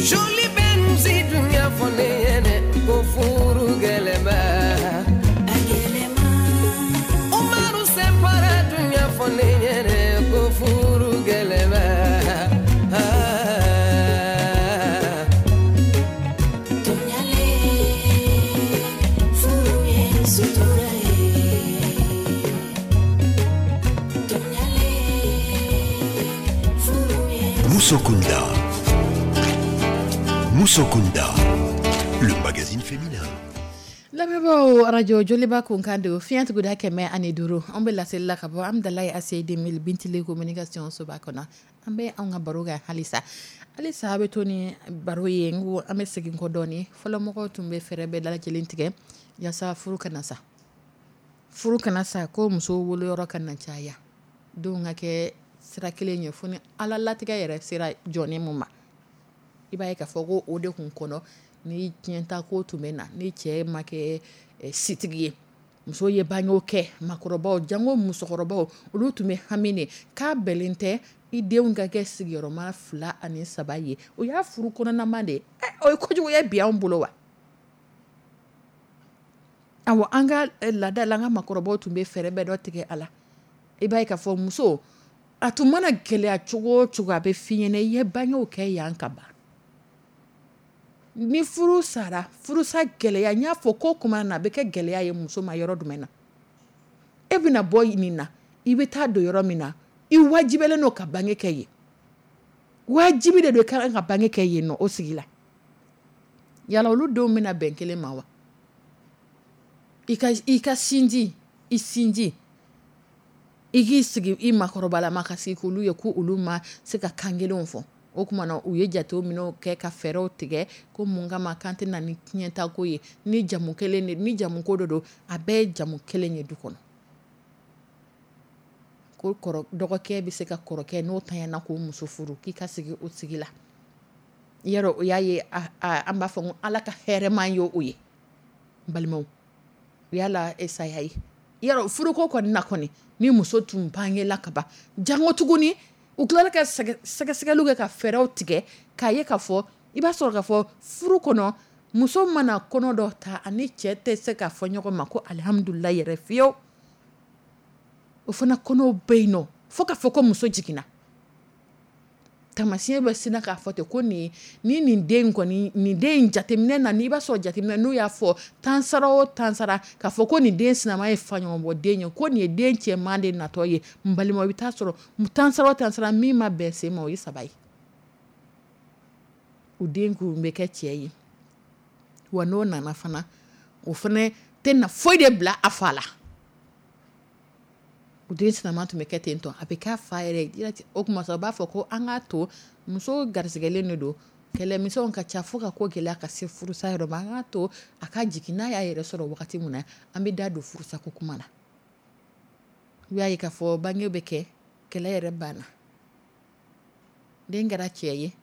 Jolie Benzi dunya fɔ ne ɲɛnɛ ko furu gɛlɛma. Umaru Sempara dunya fɔ ne ɲɛnɛ ko furu gɛlɛma. Ah. Tuɲale, furu ye sutura ye. Tuɲale, furu ye Musokunda. Musokunda, le magazine féminin. Lamɛnbaaw, arajo Joliba kunkan don fiɲɛ tuguda kɛmɛ ani duuru. An bɛ laseli la ka bɔ Amidalayi A C deux mille Bintile communication soba kɔnɔ. An bɛ anw ka baro kɛ halisa halisa. A bɛ to ni baro ye. N ko an bɛ segin kɔ dɔɔni. Fɔlɔmɔgɔw tun bɛ fɛɛrɛ bɛɛ lajɛlen tigɛ yaasa furu kana sa, furu kana sa, ko muso woloyɔrɔ kana caya, denw ka kɛ sira kelen ye, fo ni Ala latigɛ yɛrɛ sera jɔnni mun ma. I b'a ye k'a fɔ ko o de kun kɔnɔ ni tiɲɛta ko tun bɛ na, ni cɛ ma kɛ eh, sitigi ye, muso ye bangew kɛ, makɔrɔbaw, jango musokɔrɔbaw, olu tun bɛ hami de k'a bɛnnen tɛ i denw ka kɛ sigiyɔrɔma fila ani saba ye. O y'a furu kɔnɔnama de ye. Eh, o ye kojugu ye bi anw bolo wa? Awɔ, an ka eh, laada la, an ka makɔrɔbaw tun bɛ fɛɛrɛ bɛɛ dɔ tigɛ a la. I b'a ye k'a fɔ muso, a tun mana gɛlɛya cogo o cogo, a bɛ f'i ɲɛna i ye bangew kɛ yan ka ban. Ni furu sara, furusa gɛlɛya, n y'a fɔ ko kuma na, a bɛ kɛ gɛlɛya ye muso ma yɔrɔ jumɛn na? E bɛna bɔ nin na, i bɛ taa don yɔrɔ min na, i wajibɛlen don ka bange kɛ yen. Wajibi de don i ka kan ka bange kɛ yen nɔ o sigi la. Yala olu denw bɛna bɛn kelen ma wa? I ka i ka sinji, i sinji, i k'i sigi i makɔrɔbalama ka sigi k'olu ye ko olu ma se ka kan kelenw fɔ. O tuma na u ye jateminɛw kɛ ka fɛɛrɛw tigɛ ko mun kama kan tɛ na ni tiɲɛtako ye, ni jamu kelen de, ni jamu ko de don, a bɛɛ ye jamu kelen ye du kɔnɔ. Ko kɔrɔ, dɔgɔkɛ bɛ se ka kɔrɔkɛ n'o tanyana k'o muso furu, k'i ka sigi o sigi la. Yɔrɔ o y'a ye, an b'a fɔ ko Ala ka hɛrɛma ye o ye. N balimaw, o y'a la saya ye. Yɔrɔ furuko kɔni na kɔni, ni muso tun bangela ka ban, jango tuguni u tilala ka sɛgɛsɛgɛliw kɛ ka fɛɛrɛw tigɛ k'a ye k'a fɔ, i b'a sɔrɔ k'a fɔ furu kɔnɔ, muso mana kɔnɔ dɔ ta ani cɛ tɛ se k'a fɔ ɲɔgɔn ma ko alihamudulilayi yɛrɛ fiyewu. O fana kɔnɔw bɛ yen nɔ fo k'a fɔ ko muso jiginna. Taamasiyɛn bɛ sinna k'a fɔ ten ko nin, ni nin den kɔni, nin den in jateminɛ na, n'i b'a sɔrɔ jateminɛ n'u y'a fɔ tan sara o tan sara k'a fɔ ko nin den sinama ye faɲɔgɔnbɔ den ye, ko nin ye den cɛman de natɔ ye. N balimaw, i bɛ taa sɔrɔ tan sara o tan sara min ma bɛn sen ma, o ye saba ye. O den kun bɛ kɛ cɛ ye. Wa n'o nana fana, o fana tɛ na foyi de bila a fa la. O den sinama tun bɛ kɛ ten tɔ, a bɛ k'a fa yɛrɛ ye. O tuma sa, u b'a fɔ ko an k'a to muso garisigɛlen de don, kɛlɛmisɛnw ka ca fo ka ko gɛlɛya ka se furusa yɔrɔ ma, an k'a to a ka jigin, n'a y'a yɛrɛ sɔrɔ wagati min na, an bɛ da don furusako kuma na. U y'a ye k'a fɔ bange bɛ kɛ, kɛlɛ yɛrɛ banna. Den kɛra cɛ ye,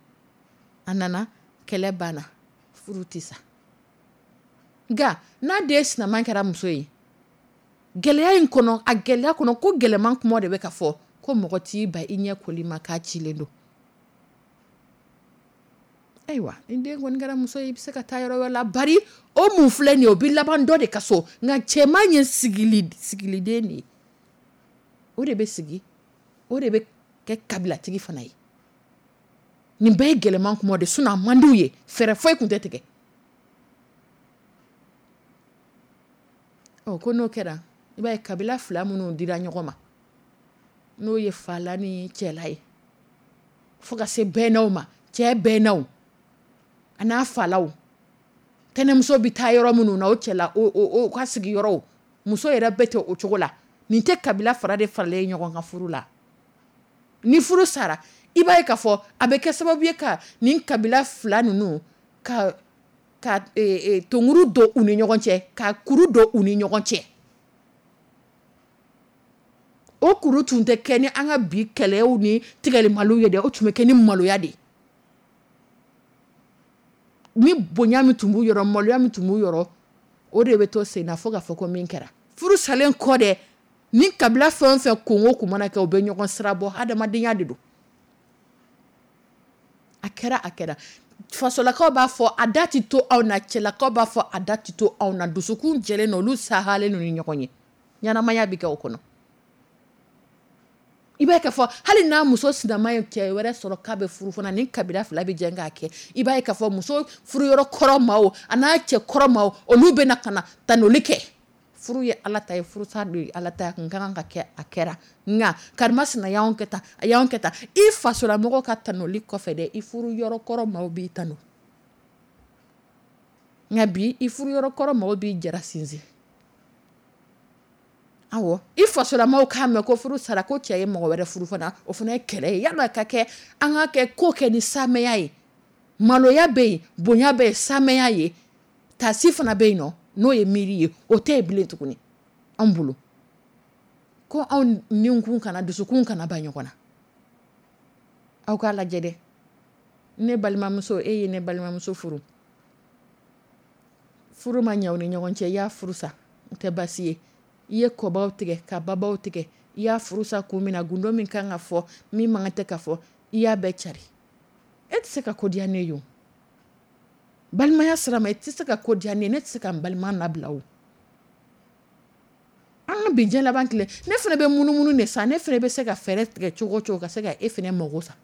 a nana, kɛlɛ banna, furu tɛ sa. Nka n'a den sinama kɛra muso ye, gɛlɛya in kɔnɔ, a gɛlɛya kɔnɔ, ko gɛlɛman kuma de bɛ ka fɔ, ko mɔgɔ t'i ba i ɲɛ koli ma k'a cilen don. Ayiwa, ni den kɔni kɛra muso ye, i bɛ se ka taa yɔrɔ wɛrɛ la, bari o mun filɛ nin ye, o bɛ laban dɔ de ka so. Nka cɛman ye sigili, sigiliden de ye. O de bɛ sigi, o de bɛ kɛ kabilatigi fana ye. Nin bɛɛ ye gɛlɛman kuma de, sinon a man d'u ye, fɛɛrɛ foyi tun tɛ tigɛ. Ɔ, ko n'o kɛra, i b'a ye kabila fila minnu dira ɲɔgɔn ma, n'o ye fala ni cɛla ye, fo ka se bɛnnaw ma, cɛ bɛnnaw a n'a falaw, tɛnɛmuso bɛ taa yɔrɔ minnu na, o cɛla, o, o, o ka sigiyɔrɔw, muso yɛrɛ bɛ ten o cogo la. Nin tɛ kabila fara de faralen ɲɔgɔn kan furu la. Ni furu sara, i b'a ye k'a fɔ a bɛ kɛ sababu ye ka nin kabila fila ninnu ka, ka, e, e, tonguru don u ni ɲɔgɔn cɛ, ka kuru don u ni ɲɔgɔn cɛ. O kuru tun tɛ kɛ ni an ka bi kɛlɛw ni tigɛlimaliw ye dɛ, o tun bɛ kɛ ni maloya de ye. Ni bonya min tun b'u yɔrɔ, maloya min tun b'u yɔrɔ, o de bɛ to sen na fo k'a fɔ ko min kɛra. Furu salen kɔ dɛ, ni kabila fɛn o fɛn kunko kun mana kɛ, u bɛ ɲɔgɔn sira bɔ, hadamadenya de don. A kɛra, a kɛra. Fasolakaw b'a fɔ a da tɛ to anw na, cɛlakaw b'a fɔ a da tɛ to anw na, dusukun jɛlen don, olu sahalen don ni ɲɔgɔn ye. Ɲɛnamaya bɛ kɛ o kɔnɔ. I b'a ye k'a fɔ hali n'a muso sinama ye cɛ wɛrɛ sɔrɔ k'a bɛ furu fana, ni kabila fila bɛ jɛ k'a kɛ. I b'a ye k'a fɔ muso furuyɔrɔ kɔrɔ maaw a n'a cɛ kɔrɔ maaw, olu bɛ na ka na tanuli kɛ. Furu ye Ala ta ye, furusa de ye Ala ta ye, a kun ka kan ka kɛ, a kɛra. Nka karimasina y'anw kɛ tan, a y'anw kɛ tan. I fasolamɔgɔw ka tanuli kɔfɛ dɛ, i furuyɔrɔ kɔrɔ maaw b'i tanu. Nka bi i furuyɔrɔ kɔrɔ maaw b'i jara sinsin. Awɔ, i fasolamɔgɔw k'a mɛn ko furu sara, ko cɛ ye mɔgɔ wɛrɛ furu fana, o fana ye kɛlɛ ye. Yala ka kɛ, an ka kɛ ko kɛ ni samɛya ye. Maloya bɛ yen, bonya bɛ yen, samɛya ye. Tasi fana bɛ yen nɔ, n'o ye miiri ye, o tɛ yen bilen tuguni anw bolo. Ko anw ninkun kana, dusukun kana ban ɲɔgɔn na. Aw k'a lajɛ dɛ. Ne balimamuso, e ye ne balimamuso furu. Furu ma ɲɛ aw ni ɲɔgɔn cɛ, i y'a furu sa, o tɛ baasi ye. I ye kɔbaw tigɛ, ka babaw tigɛ, i y'a furu sa kun min na, gundo min kan ka fɔ, min man kan tɛ ka fɔ, i y'a bɛɛ cari. E tɛ se ka ko diya ne ye o. Balimaya sira ma, i tɛ se ka ko diya ne ye, ne tɛ se ka n balima labila o. An ka bi diɲɛ laban tile, ne fana bɛ munumunu de sa, ne fana bɛ se ka fɛɛrɛ tigɛ cogo o cogo ka se ka e fana mago sa.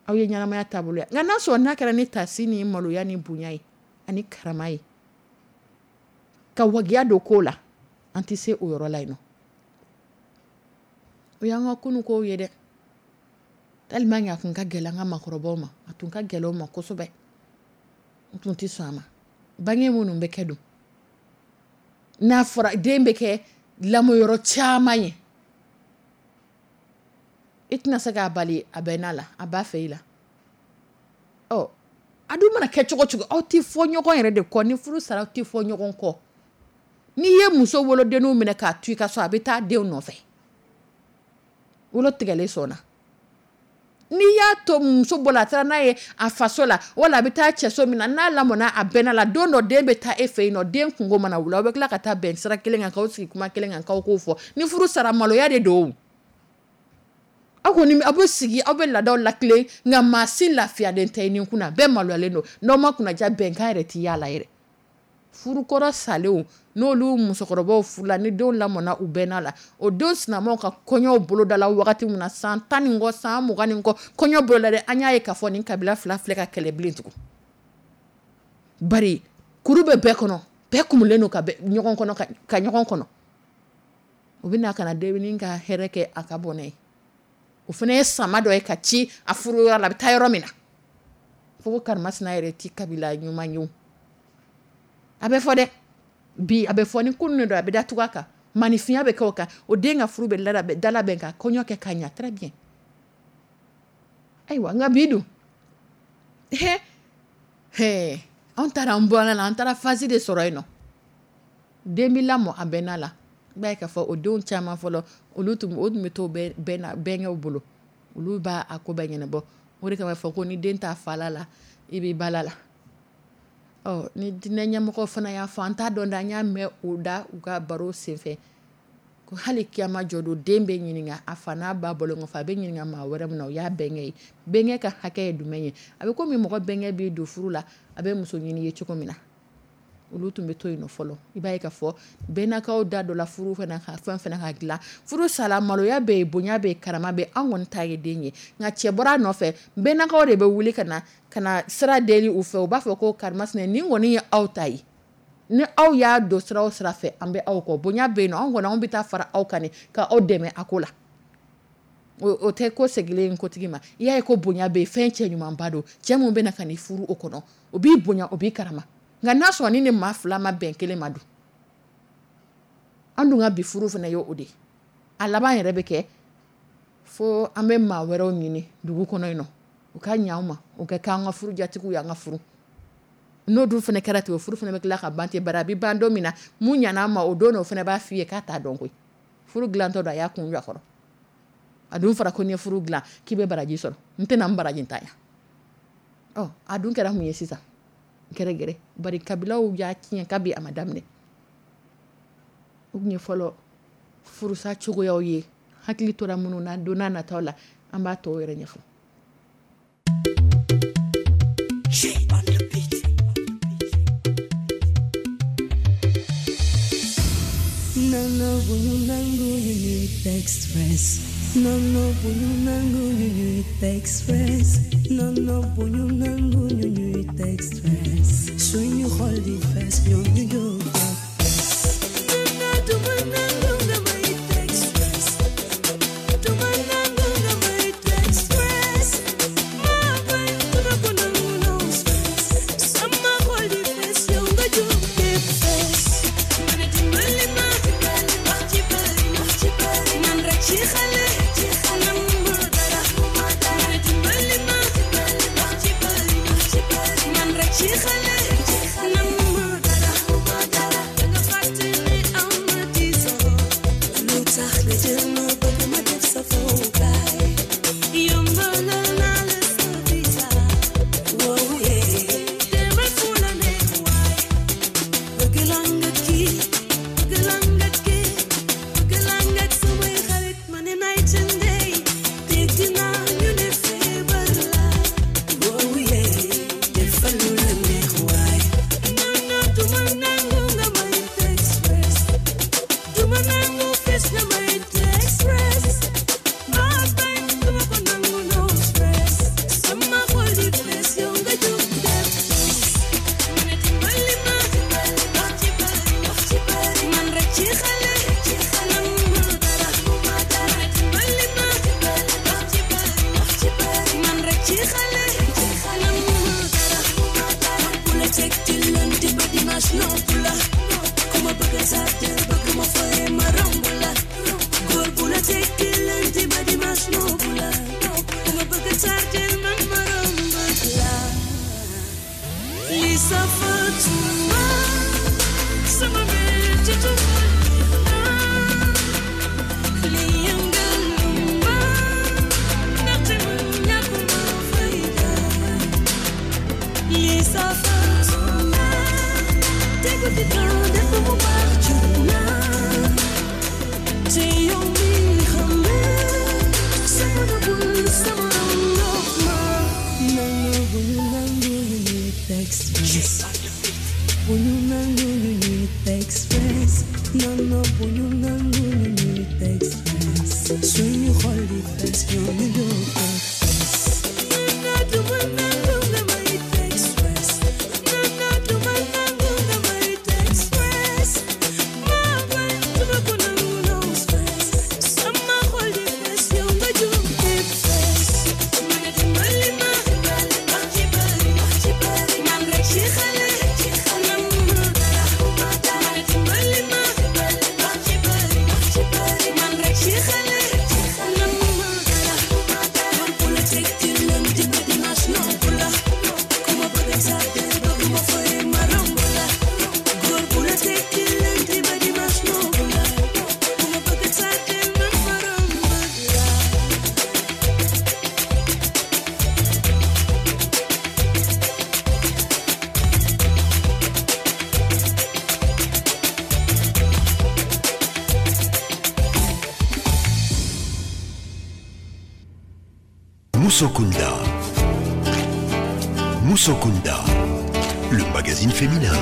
Aw ye ɲɛnamaya taabolo ye. Nka n'a sɔrɔ n'a kɛra ni tasi ni maloya ni bonya ye ani karama ye, ka wajiya don ko la, an tɛ se o yɔrɔ la yen nɔ. O y'an ka kunun kow ye dɛ. Tellement que a tun ka gɛlɛn an ka maakɔrɔbaw ma, a tun ka gɛlɛn u ma kosɛbɛ. U tun tɛ sɔn a ma. Bange minnu bɛ kɛ don, N'a fɔra den bɛ kɛ lamɔyɔrɔ caman ye, i tɛna se k'a bali a bɛnna la, a b'a fɛ i la. Ɔ, a dun mana kɛ cogo cogo, aw tɛ fɔ ɲɔgɔn yɛrɛ de kɔ. Ni furu sara, aw tɛ fɔ ɲɔgɔn kɔ. N'i ye muso wolodenninw minɛ k'a to i ka so, a bɛ taa denw nɔfɛ, wolo tigɛlen sɔnna. N'i y'a to muso bolo, a taara n'a ye a faso la, wala a bɛ taa cɛso min na, n'a lamɔna a bɛnna la, don dɔ den bɛ taa e fɛ yen nɔ. Den kungo mana wuli, aw bɛ tila ka taa bɛn sira kelen kan, k'aw sigi kuma kelen kan, k'aw k'o fɔ. Ni furu sara, maloya de don. Aw kɔni aw bɛ sigi, aw bɛ laadaw latilen, nka maa si lafiyalen tɛ i ni kunna, bɛɛ maloyalen don. N'aw ma kunnaja, bɛnkan yɛrɛ tɛ y'a la yɛrɛ. Furukɔrɔ salenw, n'olu musokɔrɔbaw furula, ni denw lamɔna u bɛnna la, o denw sinamaw ka kɔɲɔw bolodala wagati min na, san tan ni kɔ, san mugan ni kɔ, kɔɲɔ boloda dɛ, an y'a ye k'a fɔ nin kabila fila filɛ ka kɛlɛ bilen tugun. Bari kuru bɛ bɛɛ kɔnɔ, bɛɛ kumulen don ka ɲɔgɔn kɔnɔ, ka ɲɔgɔn kɔnɔ. U bɛ na ka na dennin ka hɛrɛ kɛ a ka bɔnɛ ye. O fana ye sama dɔ ye ka ci a furuyɔrɔ la, a bɛ taa yɔrɔ min na. Fo ko karimasina yɛrɛ ti kabila ɲuman ye. A bɛ fɔ dɛ, bi a bɛ fɔ ni kunun don, a bɛ da tugu a kan, maninfinya bɛ kɛ o kan. O den ka furu bɛ dalabɛn ka kɔɲɔ kɛ ka ɲɛ très bien. Ayiwa, nka bi dun, he he, anw taara an bɔra la, an taara phase de sɔrɔ yen nɔ. Den bɛ lamɔ a bɛnna la, i b'a ye k'a fɔ o denw caman fɔlɔ, olu tun o tun bɛ to bɛnkɛw bolo, olu b'a a ko bɛɛ ɲɛnabɔ. O de kama fɔ ko ni den t'a fa la la, i b'i ba la la. Ɔ, ni diinɛ ɲɛmɔgɔ fana y'a fɔ, an t'a dɔn dɛ, an y'a mɛn o da u ka baro senfɛ, ko hali kiyama jɔ don, den bɛ ɲininka a fa n'a ba bɔlen kɔfɛ, a bɛ ɲininka maa wɛrɛ min na, o y'a bɛnkɛ ye. Bɛnkɛ ka hakɛ ye jumɛn ye? A bɛ komi mɔgɔ bɛnkɛ b'i don furu la, a bɛ muso ɲini ye cogo min na. Olu tun bɛ to yen nɔ fɔlɔ. I b'a ye k'a fɔ bɛnnakaw da dɔ la furu fana ka fɛn fana ka dilan. Furu sala, maloya bɛ yen, bonya bɛ yen, karama bɛ yen, an kɔni ta ye den ye. Nka cɛ bɔra a nɔfɛ, bɛnnakaw de bɛ wuli ka na ka na sira deli u fɛ. U b'a fɔ ko karimasina, nin kɔni ye aw ta ye, ni aw y'a don sira o sira fɛ, an bɛ aw kɔ. Bonya bɛ yen nɔ, anw kɔni anw bɛ taa fara aw kan ka aw dɛmɛ a ko la. O tɛ ko segilen kotigi ma. I y'a ye ko bonya bɛ yen, fɛn cɛ ɲumanba don. Cɛ min bɛ na ka n'i furu o kɔnɔ, o b'i bonya, o b'i karama. Nka n'a sɔrɔ ni ni maa fila ma bɛn kelen ma dun, an dun ka bi furu fana ye o de ye. A laban yɛrɛ bɛ kɛ fo an bɛ maa wɛrɛw ɲini dugu kɔnɔ yen nɔ, u ka ɲɛ anw ma, u ka kɛ an ka furu jatigiw ye, an ka furu. N'o dun fana kɛra ten, o furu fana bɛ tila ka ban ten. Bari a bɛ ban don min na, mun ɲana an ma o don, o fana b'a f'i ye k'a t'a dɔn koyi. Furu dilantɔ don, a y'a kun jɔ a kɔrɔ. A dun fɔra ko n'i ye furu dilan k'i bɛ baraji sɔrɔ, n tɛna n baraji ntanya. Ɔ, a dun kɛra mun ye sisan? Gɛrɛgɛrɛ. Bari kabilaw y'a tiɲɛ kabi a ma daminɛ. O tun ye fɔlɔ furusa cogoyaw ye, hakili tora minnu na, don n'a nataw la an b'a tɔw yɛrɛ ɲɛfɔ. Non, bu ñu nangu ñu ñuy teg stress. Non, non, bu ñu nangu ñu ñuy teg stress. Non, non, bu ñu nangu ñu ñuy teg stress. Suñu xol di fees, ñoom ñu jóg fees. Non, du ma nangu nga may teg stress. Du ma nangu nga may teg stress. Ma bañ, du ma ko nangu, no stress. Sama xol di fees, yow nga jóg di fees. Ma ne dimbali ma, wax ci bari, wax ci bari. Man rek ci xale, ci xale mu dara. Ma ne dimbali ma, wax ci bari, wax ci bari. Man rek ci xale, ci xale mu dara. Da nga fàtte ne am na tiisoo. Lu tax nga jël ma bëgg ma def sa fowukaay. Yombalal naa la sa visa. Wow, yeah. Demal fu la neex waay. Bëgg laa nga kii, bëgg laa nga kii, bëgg laa nga samay xarit, ma ne night and day. Dégg naa ñu ne feebar la. Wow, yeah. Defal lu la neex waay. Non, non, du ma nangu nga may teg stress. Du ma nangu fis nga may teg stress. Ma bañ, du ma ko nangu, no stress. Sama xol di fees, yow nga jóg def stress. Ma ne dimbali ma, wax ci bari, wax ci bari. Man rek ci xale, ci xale mu dara. Ma ne dimbali ma, wax ci bari, wax ci bari. Man rek ci xale, ci xale mu dara. Ku la teg ci lundi ba dimanche nopp la. Ku ma bëgg a sax Musokunda. Musokunda, le magazine féminin.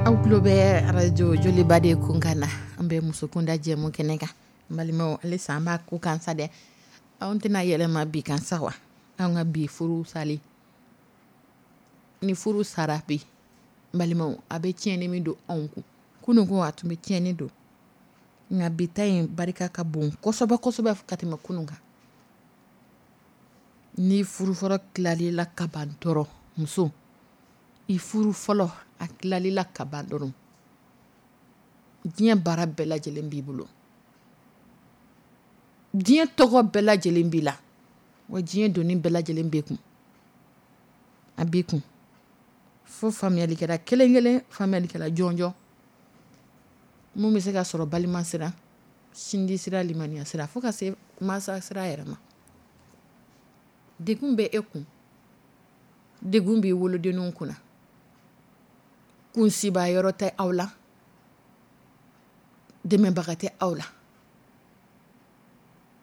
Aw tulo bɛ arajo Joliba de kunkan na. An bɛ Musokunda jɛmu kɛnɛ kan. N balimaw, halisa an b'a ko kan sa dɛ. Anw tɛna yɛlɛma bi kan sa wa? An ka bi furu sali, ni furu sara bi, n balimaw, a bɛ tiɲɛni min don anw kun, kunun ko a tun bɛ tiɲɛni don, nka bi ta in barika ka bon kosɛbɛ kosɛbɛ ka tɛmɛ kunun kan. Ni furu fɔlɔ tilalila ka ban dɔrɔn, muso i furu fɔlɔ a tilalila ka ban dɔrɔn, diɲɛ baara bɛɛ lajɛlen b'i bolo, diɲɛ tɔgɔ bɛɛ lajɛlen b'i la, wa diɲɛ doni bɛɛ lajɛlen b'i kun, a b'i kun. Fo faamuyalikɛla kelen kelen, faamuyalikɛla jɔnjɔn mun bɛ se ka sɔrɔ balima sira, sinji sira, limaniya sira, fo ka se mansa sira yɛrɛ ma. Degun bɛ e kun, degun b'i wolodenninw kunna, kunsiba yɔrɔ tɛ aw la, dɛmɛbaga tɛ aw la.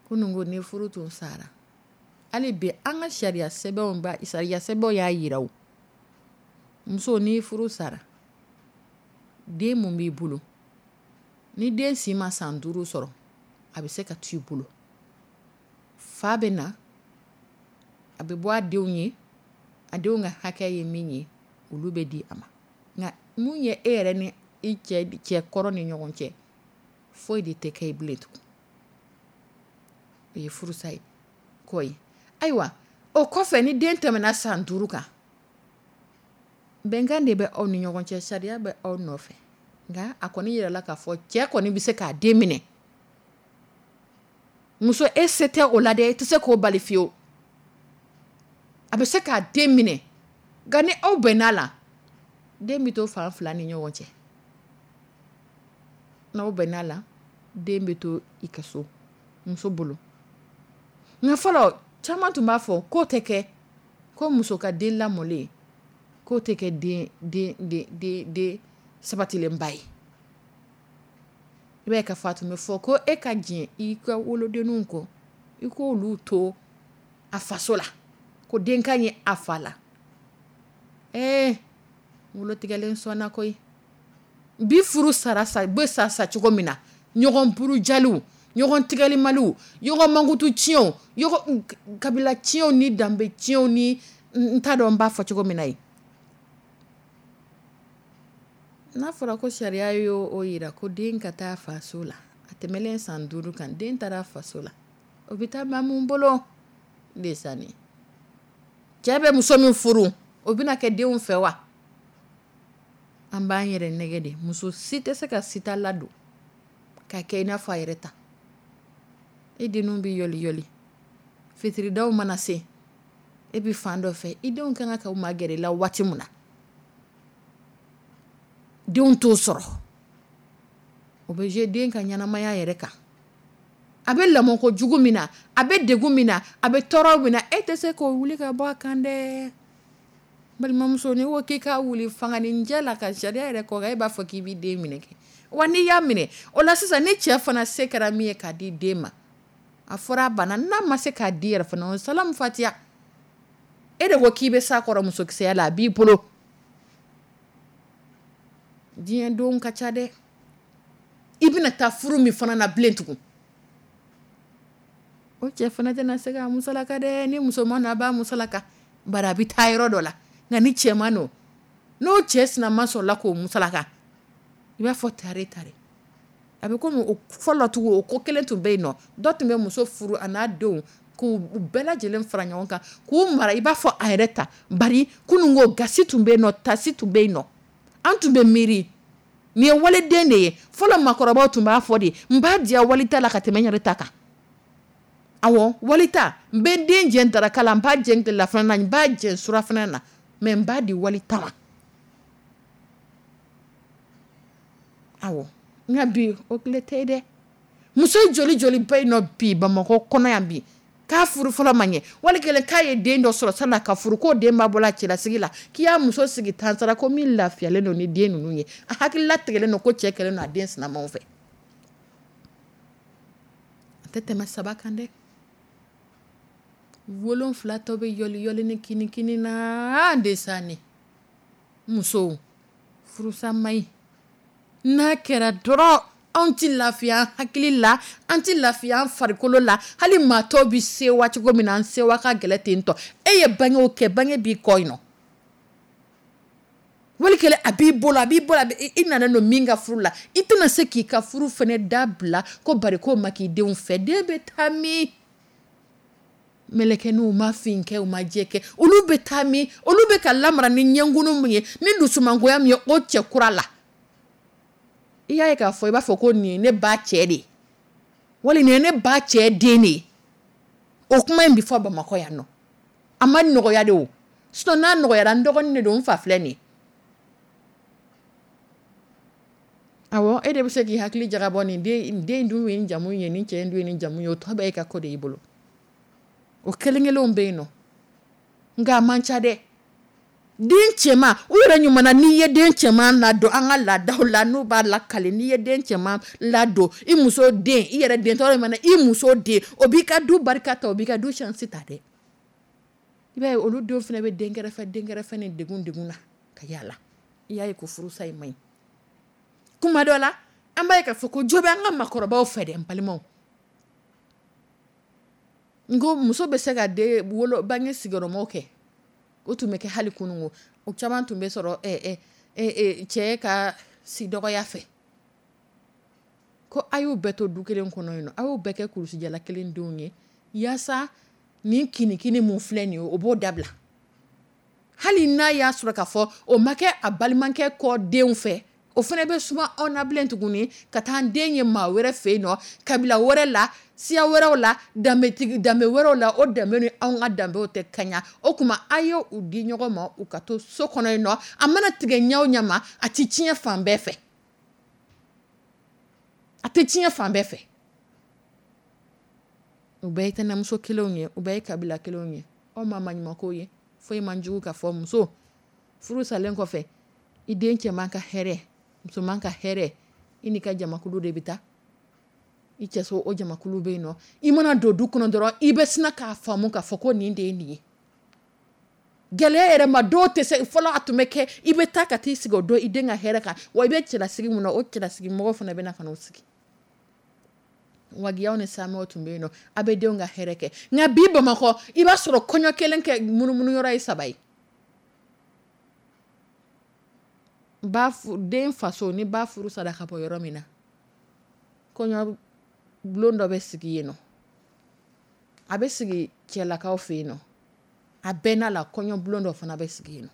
Kunun ko ni furu tun sara, hali bi an ka sariya sɛbɛnw ba sariya sɛbɛnw y'a yira o, muso ni furu sara, den mun b'i bolo, ni den si ma san duuru sɔrɔ, a bɛ se ka to i bolo. Fa bɛ na, a bɛ bɔ a denw ye, a denw ka hakɛ ye min ye, olu bɛ di a ma. Nka mun ye e yɛrɛ ni i cɛ cɛ kɔrɔ ni ɲɔgɔn cɛ, foyi de tɛ kɛ i bilen tugun. O ye furusa ye kɔ ye. Ayiwa, o kɔfɛ ni den tɛmɛna san duuru kan, bɛnkan de bɛ aw ni ɲɔgɔn cɛ, sariya bɛ aw nɔfɛ. Nka a kɔni yirala k'a fɔ cɛ kɔni bɛ se k'a den minɛ. Muso, e se tɛ o la dɛ, e tɛ se k'o bali fiyewu. A bɛ se k'a den minɛ, nka ni aw bɛnna la, den bɛ to fan fila ni ɲɔgɔn cɛ. N'aw bɛnna la, den bɛ to i ka so muso bolo. Nka fɔlɔ caman tun b'a fɔ k'o tɛ kɛ, ko muso ka den lamɔlen k'o tɛ kɛ den den den den den sabatilenba ye. I b'a ye k'a fɔ a tun bɛ fɔ ko e ka jɛn i ka wolodenninw kɔ, i k'olu to a faso la, ko den ka ɲi a fa la. Ee, wolotigɛlen sɔnna koyi. Bi furu sara sa bɛ sa sa cogo min na, ɲɔgɔn burujaliw, ɲɔgɔn tigɛlimaliw, ɲɔgɔn mankutu tiɲɛw, ɲɔgɔn kabila tiɲɛw ni danbe tiɲɛw ni n t'a dɔn n b'a fɔ cogo min na ye. N'a fɔra ko sariya y'o o yira ko den ka taa faso la, a tɛmɛlen san duuru kan, den taara faso la, o bɛ taa maa mun bolo ndesanni. Cɛ bɛ muso min furu, o bɛna kɛ denw fɛ wa? An b'an yɛrɛ nɛgɛ de. Muso si tɛ se ka sita ladon ka kɛ i n'a fɔ a yɛrɛ ta. E denninw bɛ yɔli yɔli, fitiridaw mana se, e bɛ fan dɔ fɛ, i denw kan ka magɛrɛ i la waati min na, denw t'o sɔrɔ. O bɛ jouer den ka ɲɛnamaya yɛrɛ kan. A bɛ lamɔko jugu min na, a bɛ degun min na, a bɛ tɔɔrɔ min na, e tɛ se k'o wuli ka bɔ a kan dɛ. Balimamuso, n'i ko k'i k'a wuli fanganinjɛ la ka sariya yɛrɛ kɔ kan, e b'a fɔ k'i b'i den minɛ kɛ. Wa n'i y'a minɛ, o la sisan ni cɛ fana se kɛra min ye k'a di den ma, a fɔra a banna, n'a ma se k'a di yɛrɛ fana, o salamu fatiya. E de ko k'i bɛ s'a kɔrɔ musokisɛya la, a b'i bolo. Diɲɛ don ka ca dɛ. I bɛna taa furu min fana na bilen tugun, o cɛ fana tɛna se k'a musalaka dɛ. Ni musoman na, a b'a musalaka, bari a bɛ taa yɔrɔ dɔ la. Nka ni cɛman don, n'o cɛ sinama sɔrɔla k'o musalaka, i b'a fɔ tare tare. A bɛ komi o fɔlɔ tugun, o ko kelen tun bɛ yen nɔ. Dɔ tun bɛ muso furu a n'a denw k'u bɛɛ lajɛlen fara ɲɔgɔn kan k'u mara i b'a fɔ a yɛrɛ ta. Bari kunun ko gasi tun bɛ yen nɔ, tasi tun bɛ yen nɔ, an tun bɛ miiri nin ye waliden de ye. Fɔlɔ maakɔrɔbaw tun b'a fɔ de, n b'a diya wali ta la ka tɛmɛ n yɛrɛ ta kan. Awɔ, wali ta, n bɛ n den jɛn daraka la, n b'a jɛn tilelafana na, n b'a jɛn surafana na, mais n b'a di wali ta ma. Awɔ, nka bi o tile tɛ yen dɛ. Muso joli joli bɛ yen nɔ bi Bamakɔ kɔnɔ yan bi, k'a furu fɔlɔ ma ɲɛ, wali kelen k'a ye den dɔ sɔrɔ san'a ka furu, k'o den b'a bolo a cɛlasigi la, k'i y'a muso sigi tansara ko min lafiyalen don ni den ninnu ye, a hakilila tigɛlen don ko cɛ kɛlen don a den sinamaw fɛ. A tɛ tɛmɛ saba kan dɛ. Wolonfila tɔ bɛ yɔliyɔli ni kinikini na de musow, furusa man ɲi. N'a kɛra dɔrɔn, anw tɛ lafiya hakili la, an tɛ lafiya an farikolo la. Hali maa tɔw bɛ sewa cogo min na, an sewa ka gɛlɛn ten tɔ. E ye bangew kɛ, bange b'i kɔ yen nɔ, wali kelen a b'i bolo, a b'i bolo, i nana don min ka furu la, i tɛna se k'i ka furu fana dabila ko bari k'o ma k'i denw fɛ. Den bɛ taa min? Mɛlɛkɛninw ma fin kɛ, u ma jɛ kɛ, olu bɛ taa min? Olu bɛ ka lamara ni ɲɛnkunu min ye, ni dusumangoya min ye o cɛ kura la, i y'a ye k'a fɔ i b'a fɔ ko nin ye ne ba cɛ de ye, wali nin ye ne ba cɛ den de ye. O kuma in bɛ fɔ Bamakɔ yan nɔ. A ma nɔgɔya de o, sinon n'a nɔgɔyara, n dɔgɔnin de don, n fa filɛ nin ye. Awɔ, e de bɛ se k'i hakili jagabɔ, nin den den dun ye nin jamu ye, nin cɛ in dun ye nin jamu ye, o tɔ bɛɛ e ka ko de y'i bolo. O kelen kelenw bɛ yen nɔ, nka a man ca dɛ. Den cɛman, u yɛrɛ ɲuman na, n'i ye den cɛman ladon an ka laadaw la, n'u b'a lakale, n'i ye den cɛman ladon i muso den, i yɛrɛ den tɔɔrɔ mana, i muso den, o b'i ka du barika ta, o b'i ka du chance ta dɛ. I b'a ye olu denw fana bɛ den kɛrɛfɛ den kɛrɛfɛ ni degun degun na ka yaala. I y'a ye ko furusa in man ɲi. Kuma dɔ la, an b'a ye k'a fɔ ko jo bɛ an ka maakɔrɔbaw fɛ dɛ, n balimaw. N ko muso bɛ se ka den wolo bange sigiyɔrɔmaw kɛ, o tun bɛ kɛ hali kununko, o caman tun bɛ sɔrɔ ɛ ɛ cɛ ka si dɔgɔya fɛ, ko a y'u bɛɛ to du kelen kɔnɔ yen nɔ, a y'u bɛɛ kɛ kulusijala kelen denw ye, yaasa nin kinikini mun filɛ nin ye, o b'o dabila. Hali n'a y'a sɔrɔ k'a fɔ o ma kɛ a balimakɛ kɔ denw fɛ, o fana bɛ suma anw na bilen tuguni ka taa an den ye maa wɛrɛ fɛ yen nɔ, kabila wɛrɛ la, siya wɛrɛw la, danbetigi danbe wɛrɛw la, o danbe ni anw ka danbew tɛ kaɲa. O tuma a ye u di ɲɔgɔn ma, u ka to so kɔnɔ yen nɔ. A mana tigɛ ɲɛ o ɲɛ ma, a tɛ tiɲɛ fan bɛɛ fɛ, a tɛ tiɲɛ fan bɛɛ fɛ. U bɛɛ ye tɛnɛmuso kelenw ye, u bɛɛ ye kabila kelenw ye. Aw ma maɲumanko ye, foyi man jugu ka fɔ muso furu salen kɔfɛ, i den cɛman ka hɛrɛ, musoman ka hɛrɛ, i n'i ka jamakulu de bɛ taa i cɛso. O jamakulu bɛ yen nɔ, i mana don du kɔnɔ dɔrɔn, i bɛ sina k'a faamu k'a fɔ ko nin de ye nin ye. Gɛlɛya yɛrɛ ma, dɔw tɛ se. Fɔlɔ a tun bɛ kɛ, i bɛ taa ka t'i sigi o don i den ka hɛrɛ kan, wa i bɛ cɛlasigi mun na, o cɛlasigi mɔgɔw fana bɛ na ka n'o sigi. Wagiyaw ni samɛw tun bɛ yen nɔ, a bɛ denw ka hɛrɛ kɛ. Nka bi Bamakɔ, i b'a sɔrɔ kɔɲɔ kelen kɛ munumunu yɔrɔ ye saba ye. Ba den faso ni ba furu sara ka bɔ yɔrɔ min na, kɔɲɔ bulon dɔ bɛ sigi yen nɔ, a bɛ sigi cɛlakaw fɛ yen nɔ, a bɛɛ n'a la kɔɲɔ bulon dɔ fana bɛ sigi yen nɔ.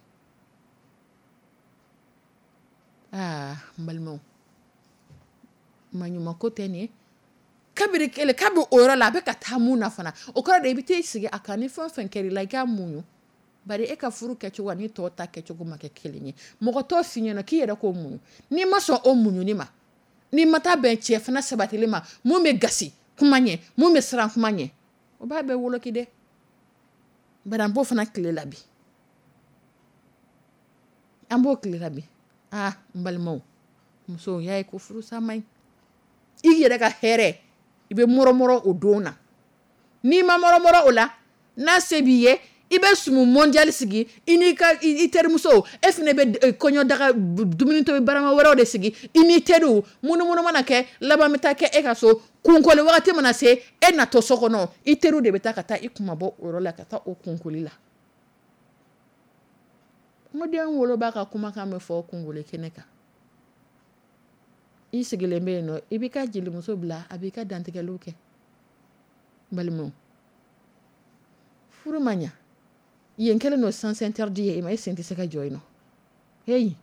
Aa, n balimaw, maɲumanko tɛ nin ye. Kabiri kelen kabi o yɔrɔ la, a bɛ ka taa mun na fana, o kɔrɔ de i bɛ t'i sigi a kan, ni fɛn o fɛn kɛra i la, i k'a muɲu. Bari e ka furu kɛcogo ani tɔw ta kɛcogo ma kɛ kelen ye. Mɔgɔ t'o f'i ɲɛna k'i yɛrɛ k'o muɲu. N'i ma sɔn o muɲuni ma, n'i ma taa bɛn cɛ fana sabatilen ma, mun bɛ gasi kuma ɲɛ, mun bɛ siran kuma ɲɛ, o b'a bɛɛ woloki dɛ. Bari an b'o fana tile la bi, an b'o tile la bi. Aa, n balimaw, musow y'a ye ko furusa man ɲi. I yɛrɛ ka hɛrɛ, i bɛ mɔrɔmɔrɔ o don na. N'i ma mɔrɔmɔrɔ o la, n'a se b'i ye, i bɛ sumu mondial sigi i n'i ka i terimuso, e fana bɛ kɔɲɔdaga dumuni tobi barama wɛrɛw de sigi i n'i teriw. Munumunu mana kɛ, laban bɛ taa kɛ e ka so. Kunkoli wagati mana se, e natɔ so kɔnɔ, i teriw de bɛ taa ka taa i kunmabɔ o yɔrɔ la, ka taa o kunkoli la. N ko den woloba ka kumakan bɛ fɔ kunkoli kɛnɛ kan. I sigilen bɛ yen nɔ, i b'i ka jelimuso bila, a b'i ka dantigɛliw kɛ. N balimaw, furu ma ɲa, yen kɛlen don sens interdit ye i ma, e sen tɛ se ka jɔ yen nɔ. Heyi,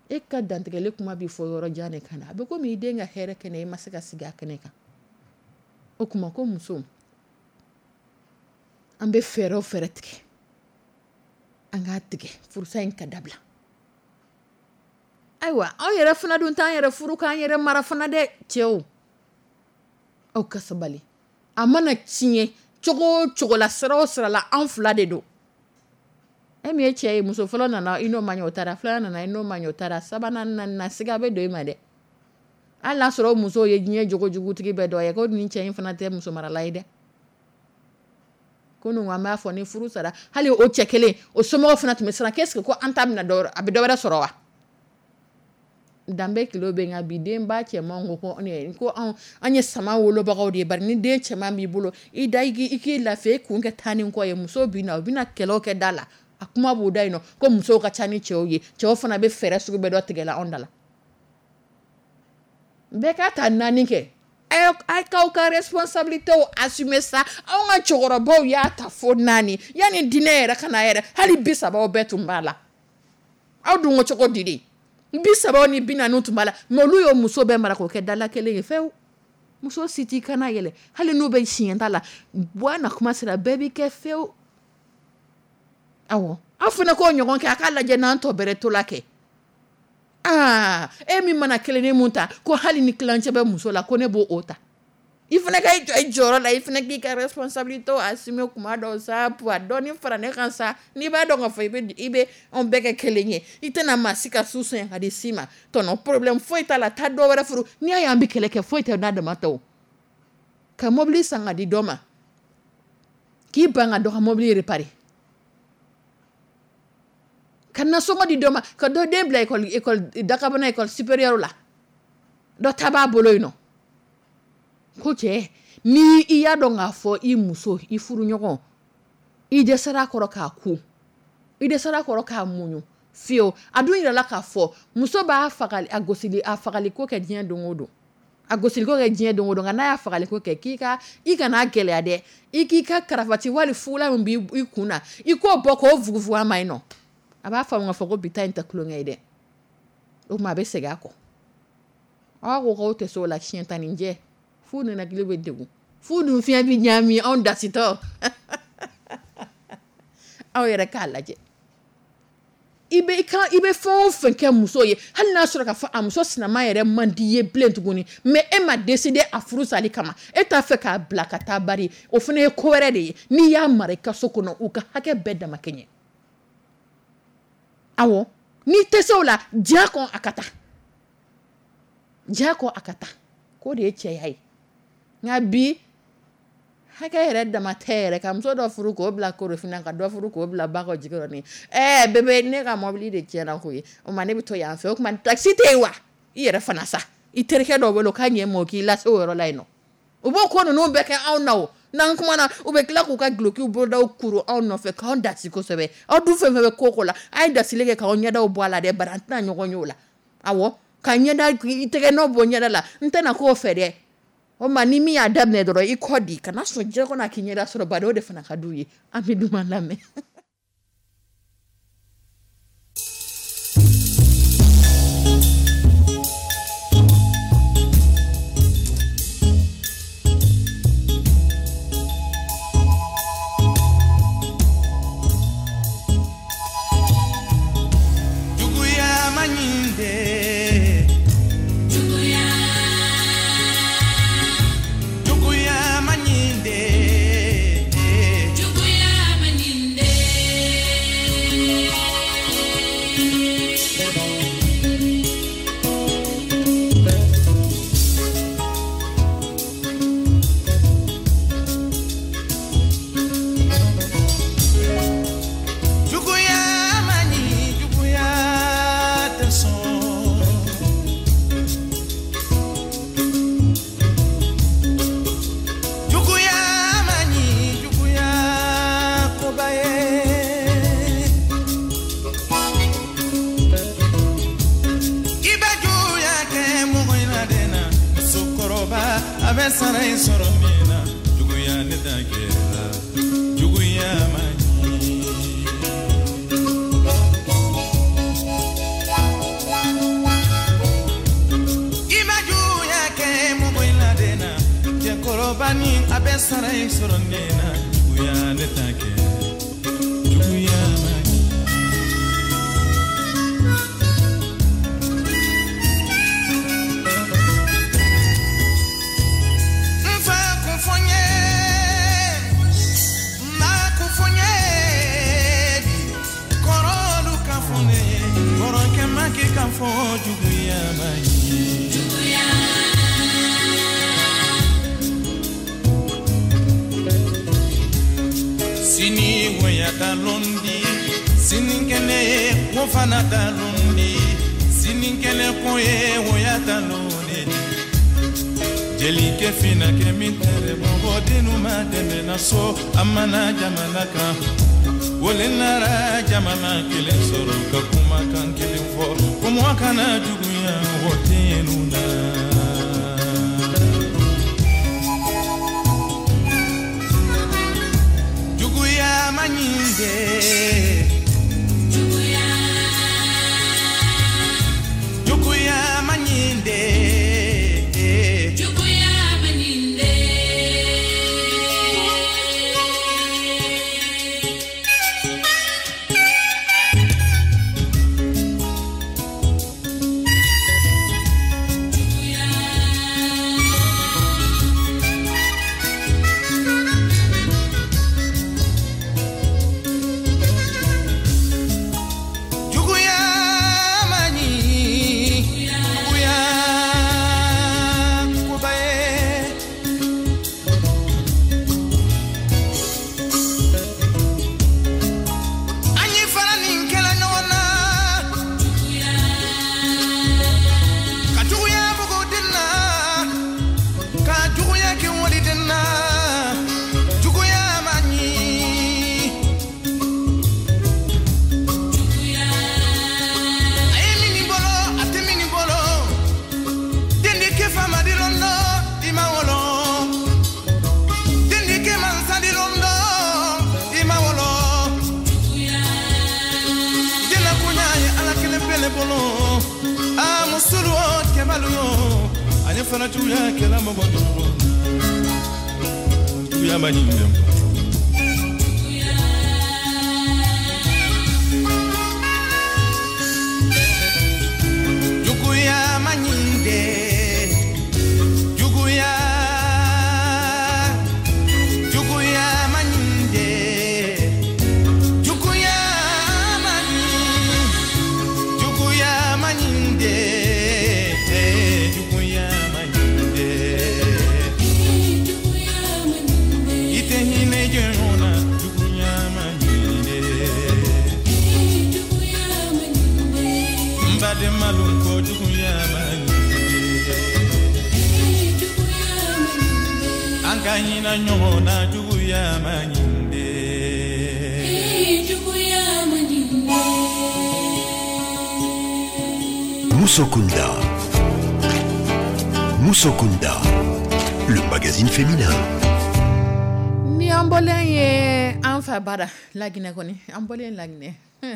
e ka dantigɛli kuma bɛ fɔ yɔrɔ jan de ka na, a bɛ komi i den ka hɛrɛ kɛnɛ, i ma se ka sigi a kɛnɛ kan. O tuma ko muso, an bɛ fɛɛrɛ o fɛɛrɛ tigɛ, an k'a tigɛ furusa in ka dabila. Ayiwa, anw yɛrɛ fana dun t'an yɛrɛ furu k'an yɛrɛ mara fana dɛ. Cɛw, aw ka sabali. A mana tiɲɛ cogo o cogo la, sira o sira la, anw fila de don. E min ye cɛ ye, muso fɔlɔ nana, i n'o ma ɲɛ, o taara. Filanan nana, i n'o ma ɲɛ, o taara. Sabanan, naaninan, siga bɛ don i ma dɛ. Hali n'a sɔrɔ o muso ye diɲɛ jogojugutigi bɛɛ dɔ ye, ko nin cɛ in fana tɛ muso marala ye dɛ. Kunun an b'a fɔ ni furu sara, hali o cɛ kelen o somɔgɔw fana tun bɛ siran qu'est-ce que ko an ta bɛna dɔ a bɛ dɔ wɛrɛ sɔrɔ wa? Danbe kilo bɛ nka bi denba cɛman ko ko ko anw an ye sama wolobagaw de ye, bari ni den cɛman b'i bolo i da i k'i lafiya i kun kɛ taa ni kɔ ye, musow bɛ na u bɛna kɛlɛw kɛ da la, a kuma b'o da yen nɔ ko musow ka ca ni cɛw ye, cɛw fana bɛ fɛɛrɛ sugu bɛɛ dɔ tigɛ la anw da la. Bɛɛ ka ta naani kɛ, a k'aw ka responsabilité assumer sa. Anw ka cɛkɔrɔbaw y'a ta fo naani yanni diinɛ yɛrɛ ka na yɛrɛ, hali bi sabaw bɛɛ tun b'a la. Aw dun ko cogo di de? Bi sabaw ni bi naani tun b'a la, mais olu y'o muso bɛɛ mara k'o kɛ dala kelen ye fewu. Muso si t'i kana yɛlɛ, hali n'u bɛ siɲɛ ta la, bɔ na kuma sera bɛɛ b'i kɛ fewu. Awɔ, aw fana k'o ɲɔgɔn kɛ, a k'a lajɛ n'an tɔ bɛrɛ to la kɛ. Aa, e min mana kelenni mun ta ko hali ni kilancɛ bɛ muso la ko ne b'o o ta, i fana ka i jɔ i jɔyɔrɔ la, i fana k'i ka responsabilité assumer kuma dɔw sa, a dɔɔni fara ne kan sa. N'i b'a dɔn k'a fɔ i bɛ i bɛ anw bɛɛ kɛ kelen ye, i tɛna maa si ka su sonya ka di si ma, tɔnɔ problème foyi t'a la, taa dɔ wɛrɛ furu. N'i y'a ye an bɛ kɛlɛ kɛ, foyi tɛ n'a dama tɛ o. Ka mobili san ka di dɔ ma, k'i ban ka dɔ ka mobili réparer, ka nasɔngɔ di dɔ ma, ka dɔ den bila école école dakabana école supérieure la, dɔ ta b'a bolo yen nɔ. Ko cɛ, ni i y'a dɔn k'a fɔ i muso, i furuɲɔgɔn, i dɛsɛra a kɔrɔ k'a ku, i dɛsɛra a kɔrɔ k'a muɲu fiyewu. A dun yirala k'a fɔ muso b'a fagali, a gosili, a fagaliko kɛ diɲɛ don o don, a gosiliko kɛ diɲɛ don o don, nka n'a y'a fagaliko kɛ, k'i ka i kana gɛlɛya dɛ, i k'i ka karafati wali fugula min b'i kun na, i k'o bɔ k'o fugufugu a ma yen nɔ. A b'a faamu k'a fɔ ko bi ta in tɛ tulonkɛ ye dɛ, o tuma a bɛ segin a kɔ. Aw ko k'aw tɛ se o la, siɲɛ tan ni jɛ f'u ninakili bɛ degun, f'u dun fiɲɛ bɛ ɲaami anw dasitɔ. Aw yɛrɛ k'a lajɛ, i bɛ i kan i bɛ fɛn o fɛn kɛ muso ye, hali n'a sɔrɔ k'a fɔ a muso sinama yɛrɛ man di i ye bilen tuguni, mais e ma décider a furu sali kama, e t'a fɛ k'a bila ka taa bari, o fana ye ko wɛrɛ de ye. N'i y'a mara i ka so kɔnɔ, u ka hakɛ bɛɛ dama kɛɲɛ. Awɔ, n'i tɛ se o la, diya kɔ a ka taa, diya kɔ a ka taa, k'o de ye cɛya ye. Nka bi hakɛ yɛrɛ dama tɛ yɛrɛ, ka muso dɔ furu k'o bila korofina, ka dɔ furu k'o bila ba kɔ jikɔrɔni. Ɛɛ bébé, ne ka mobili de tiɲɛna koyi, o ma ne bɛ to yan fɛ, o tuma taxi tɛ yen wa? I yɛrɛ fana sa, i terikɛ dɔ bolo k'a ɲɛ ma o k'i lase o yɔrɔ la yen nɔ. U b'o ko ninnu bɛɛ kɛ anw na o. N'an kumana, u bɛ tila k'u ka dulokiw bolodaw kuru anw nɔfɛ k'anw dasi kosɛbɛ. Aw dun fɛn fɛn bɛ ko ko la, a ye dasili kɛ k'aw ɲɛdaw bɔ a la dɛ, bari an tɛna ɲɔgɔn ye o la. Awɔ, ka ɲɛda i tɛgɛ nɔ bɔ ɲɛda la, n tɛna k'o fɛ dɛ. O ma ni min y'a daminɛ dɔrɔn i kɔ di, kana sɔn diɲɛ kɔnɔ a k'i ɲɛda sɔrɔ, bari o de fana ka d'u ye. An bɛ duman lamɛn. Juguya ma ɲi dɛ. Juguya. Juguya ma ɲi dɛ. Juguya ma ɲi dɛ. Juguya ma ɲi, juguya tɛ sɔn. Juguya ma ɲi, juguya koba ye. I bɛ juguya kɛ mɔgɔ in na den na, musokɔrɔba a bɛ sara in sɔrɔ min na, juguya ne ta kɛra, juguya ma ɲi. I bɛ juguya kɛ mɔgɔ in na den na, cɛkɔrɔba ni a bɛ sara in sɔrɔ min na, juguya ne ta kɛra, juguya ma ɲi. N fa kun fɔ n ye, n ba kun fɔ n ye bi, kɔrɔlu ka fɔ ne ye, kɔrɔkɛ ma k'i ka fɔ juguya ma ɲi. Sini woya talondi, sininkɛnɛ ye wo fana talondi, sininkɛnɛ ko ye woya talondi. Jelikɛ finakɛ min tɛrɛ bɔbɔ dennu ma tɛmɛna so a mana jamana kan. Wole nara jamana kelen sɔrɔ ka kumakan kelen fɔ ko mɔgɔ kana juguya o dennu na. Juguya ma ɲi dɛ. Juguya. Juguya ma ɲi dɛ. Juguya ma ɲi dɛ. Juguya ma ɲi. Juguya koba ye. An ye fara nin kɛlɛ ɲɔgɔn na. Ka juguya bugu den na. Ka juguya kɛ wali den na. Juguya ma ɲi. A ye min bolo, a tɛ min bolo. Den di kɛ faama di lɔn dɔ, i ma wolo. Den di kɛ mansa di lɔn dɔ, i ma wolo. Den na koɲa ye Ala kelen pe le bolo. A musolu o, cɛbalu o, a ye fana juguya kɛla mɔgɔ duuru na. Juguya ma ɲi dɛ. Juguya ma ɲi dɛ. Juguya. Juguya ma ɲi dɛ. Juguya ma ɲi. Juguya ma ɲi dɛ. Juguya ma ɲi dɛ. I tɛ hinɛ jɔn na. Juguya ma ɲi dɛ. N badenmalu ko juguya ma ɲi dɛ. An ka hinɛ ɲɔgɔn na. Juguya ma ɲi dɛ. Moussokunda. Moussokunda, le magazine féminin. Ni an bɔlen ye an fa bara Laginɛ kɔni, an bɔlen Laginɛ,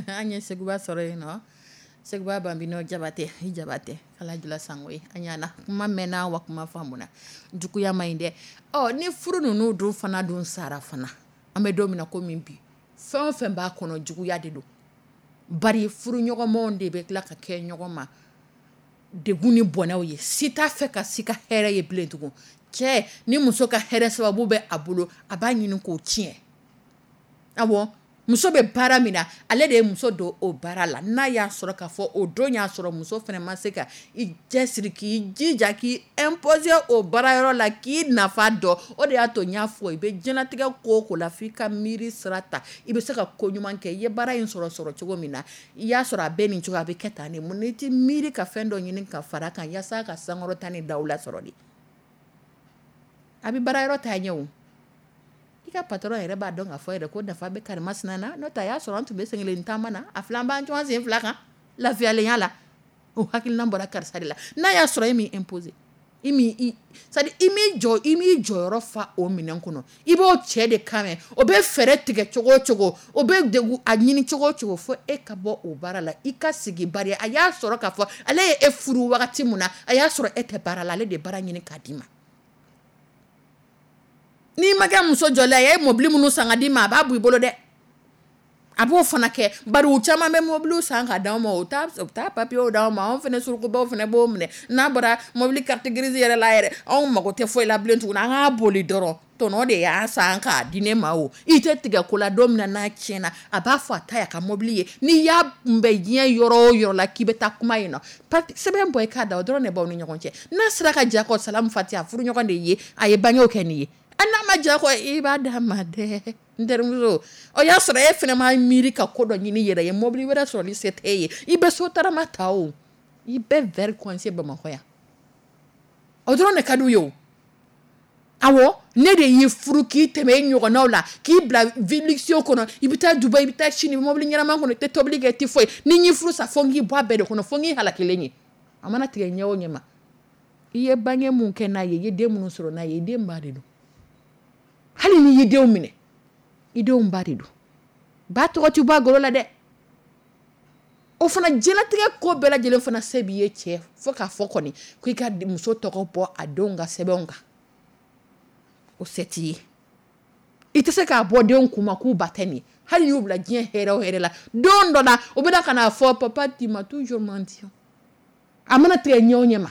an ye Seguba sɔrɔ yen nɔ. Seguba Bambino Jabate, i Jabate, Ala jula sango ye. An ɲana kuma mɛnna wa kuma faamuna. Juguya ma ɲi dɛ. Ɔ ni furu ninnu dun fana dun sara fana, an bɛ don min na komi bi, fɛn o fɛn b'a kɔnɔ juguya de don. Bari furuɲɔgɔnmaw de bɛ tila ka kɛ ɲɔgɔn ma degun ni bɔnɛw ye. Si t'a fɛ ka si ka hɛrɛ ye bilen tugun. Cɛ ni muso ka hɛrɛ sababu bɛ a bolo, a b'a ɲini k'o tiɲɛ. Awɔ, muso bɛ baara min na, ale de ye muso don o baara la. N'a y'a sɔrɔ k'a fɔ o don y'a sɔrɔ muso fana ma se ka i cɛsiri k'i jija k'i imposer o baarayɔrɔ la k'i nafa dɔn. O de y'a to n y'a fɔ i bɛ diɲɛlatigɛ ko o ko la f'i ka miiri sira ta. I bɛ se ka ko ɲuman kɛ. I ye baara in sɔrɔ sɔrɔ cogo min na, i y'a sɔrɔ a bɛ nin cogo, a bɛ kɛ tan de. Mun n'i ti miiri ka fɛn dɔ ɲini ka fara kan yaasa ka sankɔrɔta ni dawula sɔrɔ de. A bɛ baarayɔrɔ taa ɲɛ o. I ka patron yɛrɛ b'a dɔn k'a fɔ yɛrɛ ko nafa bɛ karimasina na. N'o tɛ a y'a sɔrɔ an tun bɛ sen kelen taama na, a filan b'an cɔn sen fila kan lafiyalenya la. O hakilina bɔra karisa de la. N'a y'a sɔrɔ e m'i imposer, i m'i i, c'est à dire i m'i jɔ, i m'i jɔyɔrɔ fa o minɛn kɔnɔ. I b'o cɛ de kan mɛn, o bɛ fɛɛrɛ tigɛ cogo o cogo, o bɛ degun a ɲini cogo o cogo fo e ka bɔ o baara la. I ka sigi bari a y'a sɔrɔ k'a fɔ ale ye e furu wagati min na, a y'a sɔrɔ e tɛ baara la, ale de ye baara ɲini k'a d'i ma. N'i ma kɛ muso jɔlen ye, a ye mobili minnu san ka d'i ma, a b'a bɔ i bolo dɛ. A b'o fana kɛ. Bari u caman bɛ mobili san ka d'anw ma, u t'a, u t'a papiyew d'anw ma, anw fana surukubaw fana b'o minɛ. N'a bɔra mobili carte grise yɛrɛ la yɛrɛ, anw mago tɛ foyi la bilen tuguni, an k'a boli dɔrɔn. Tɔnɔ de y'a san k'a di ne ma o. I tɛ tigɛ ko la don min na n'a tiɲɛna, a b'a fɔ a ta y'a ka mobili ye. N'i y'a kunbɛn diɲɛ yɔrɔ o yɔrɔ la k'i bɛ taa kuma yen nɔ, papi sɛbɛn bɔ i k'a da, o dɔrɔn de b'aw ni ɲɔgɔn cɛ. N'a sera ka ja kɔ salamu fatiya, furuɲɔgɔn de ye, a ye bangew kɛ nin ye. A n'a ma diya kɔ, i b'a d'a ma dɛ, n terimuso. O y'a sɔrɔ e fana ma miiri ka ko dɔ ɲini yɛrɛ ye, mobili wɛrɛ sɔrɔli se t'e ye, i bɛ sotarama ta, o i bɛ verre coincé Bamakɔ yan, o dɔrɔn de ka d'u ye. O awɔ, ne de y'i furu k'i tɛmɛ e ɲɔgɔnnaw la, k'i bila vie luxueux kɔnɔ, i bɛ taa Dubaï, i bɛ taa Chine, mobili ɲɛnama kɔnɔ, i tɛ tobili kɛ, i tɛ foyi. Ni n y'i furu sa, fo n k'i bɔ a bɛɛ de kɔnɔ, fo n k'i halakilen ye. A mana tigɛ ɲɛ o ɲɛ ma, i ye bange mun kɛ n'a ye, i ye den minnu sɔrɔ n'a ye, i den ba de don. Hali n'i y'i denw minɛ, i denw ba de don. Ba tɔgɔ ti bɔ a golo la dɛ. O fana diɲɛlatigɛ ko bɛɛ lajɛlen fana se b'i ye cɛ, fo k'a fɔ kɔni ko i ka muso tɔgɔ bɔ a denw ka sɛbɛnw kan, o se t'i ye. I tɛ se k'a bɔ denw kun ma k'u ba tɛ nin ye. Hali y'u bila diɲɛ hɛrɛ o hɛrɛ la, don dɔ la u bɛna ka n'a fɔ: "Papa, tu m'as toujours menti." A mana tigɛ ɲɛ o ɲɛ ma,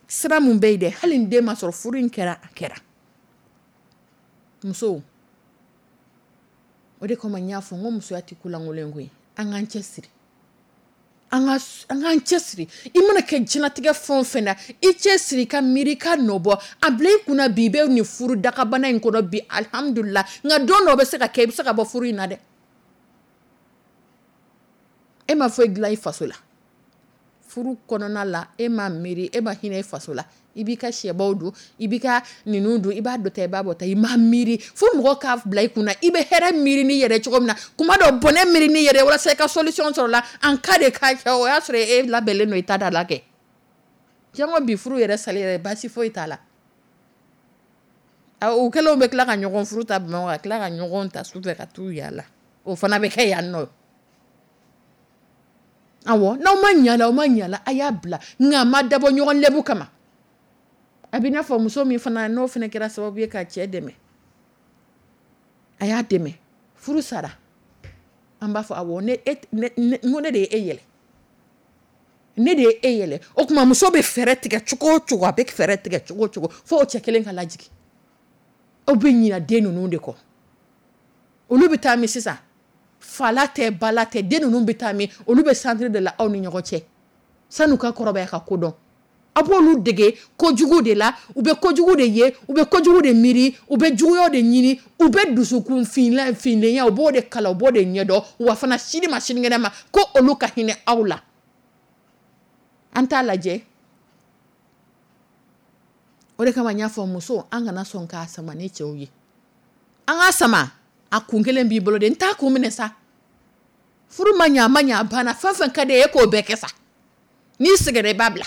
sira mun bɛ yen dɛ, hali ni den ma sɔrɔ, furu in kɛra, a kɛra. Musow, o de kama n y'a fɔ n ko musoya tɛ ko lankolon ye koyi. An k'an cɛ siri, an ka an k'an cɛ siri. I mana kɛ diɲɛlatigɛ fɛn o fɛn na, i cɛ siri, i ka miiri, i ka nɔ bɔ a bila i kunna. Bi i bɛ nin furu dakabana in kɔnɔ bi, alihamudulila, nka don dɔ bɛ se ka kɛ, i bɛ se ka bɔ furu in na dɛ. E ma foyi dilan i faso la furu kɔnɔna la, e ma miiri, e ma hinɛ i faso la. I b'i ka sɛbaw dun, i b'i ka ninnu dun, i b'a dɔ ta, i b'a bɔ ta, i ma miiri fo mɔgɔ k'a bila i kunna. I bɛ hɛrɛ miiri n'i yɛrɛ cogo min na, kuma dɔ bɔnɛ miiri n'i yɛrɛ walasa i ka solution sɔrɔ la en cas de cas kɛ, o y'a sɔrɔ e labɛnlen don, i ta da la kɛ. Jango bi, furu yɛrɛ sali yɛrɛ, baasi foyi t'a la. U kɛlenw bɛ tila ka ɲɔgɔn furu ta Bamakɔ, ka tila ka ɲɔgɔn ta sufɛ ka t'u yaala, o fana bɛ kɛ yan nɔ. Awɔ, n'aw ma ɲa la, aw ma ɲa la, a y'a bila, nka a ma dabɔ ɲɔgɔn lɛbu kama. A bɛ n'a fɔ muso min fana n'o fana kɛra sababu ye ka cɛ dɛmɛ, a y'a dɛmɛ, furu sara, an b'a fɔ awɔ, ne e ne ne ne de ye e yɛlɛ, ne de ye e yɛlɛ. O tuma muso bɛ fɛɛrɛ tigɛ cogo o cogo, a bɛ fɛɛrɛ tigɛ cogo o cogo fo o cɛ kelen ka lajigin. Aw bɛ ɲinɛ den ninnu de kɔ. Olu bɛ taa min sisan? Fala tɛ, bala tɛ, den ninnu bɛ taa min? Olu bɛ centre de la aw ni ɲɔgɔn cɛ san'u ka kɔrɔbaya ka ko dɔn. A b'olu dege kojugu de la, u bɛ kojugu de ye, u bɛ kojugu de miiri, u bɛ juguya de ɲini, u bɛ dusukun finla finlenya, u b'o de kalan, u b'o de ɲɛdɔn. Wa fana, sini ma sinikɛnɛ ma, ko olu ka hinɛ aw la. An t'a lajɛ. O de kama n y'a fɔ, muso, an kana sɔn k'a sama ni cɛw ye. An k'a sama, a kun kelen b'i bolo de, n t'a kun minɛ sa. Furu ma ɲɛ, a ma ɲɛ, a banna. Fɛn fɛn ka di e ye, e k'o bɛɛ kɛ sa. N'i sɛgɛnna, i b'a bila.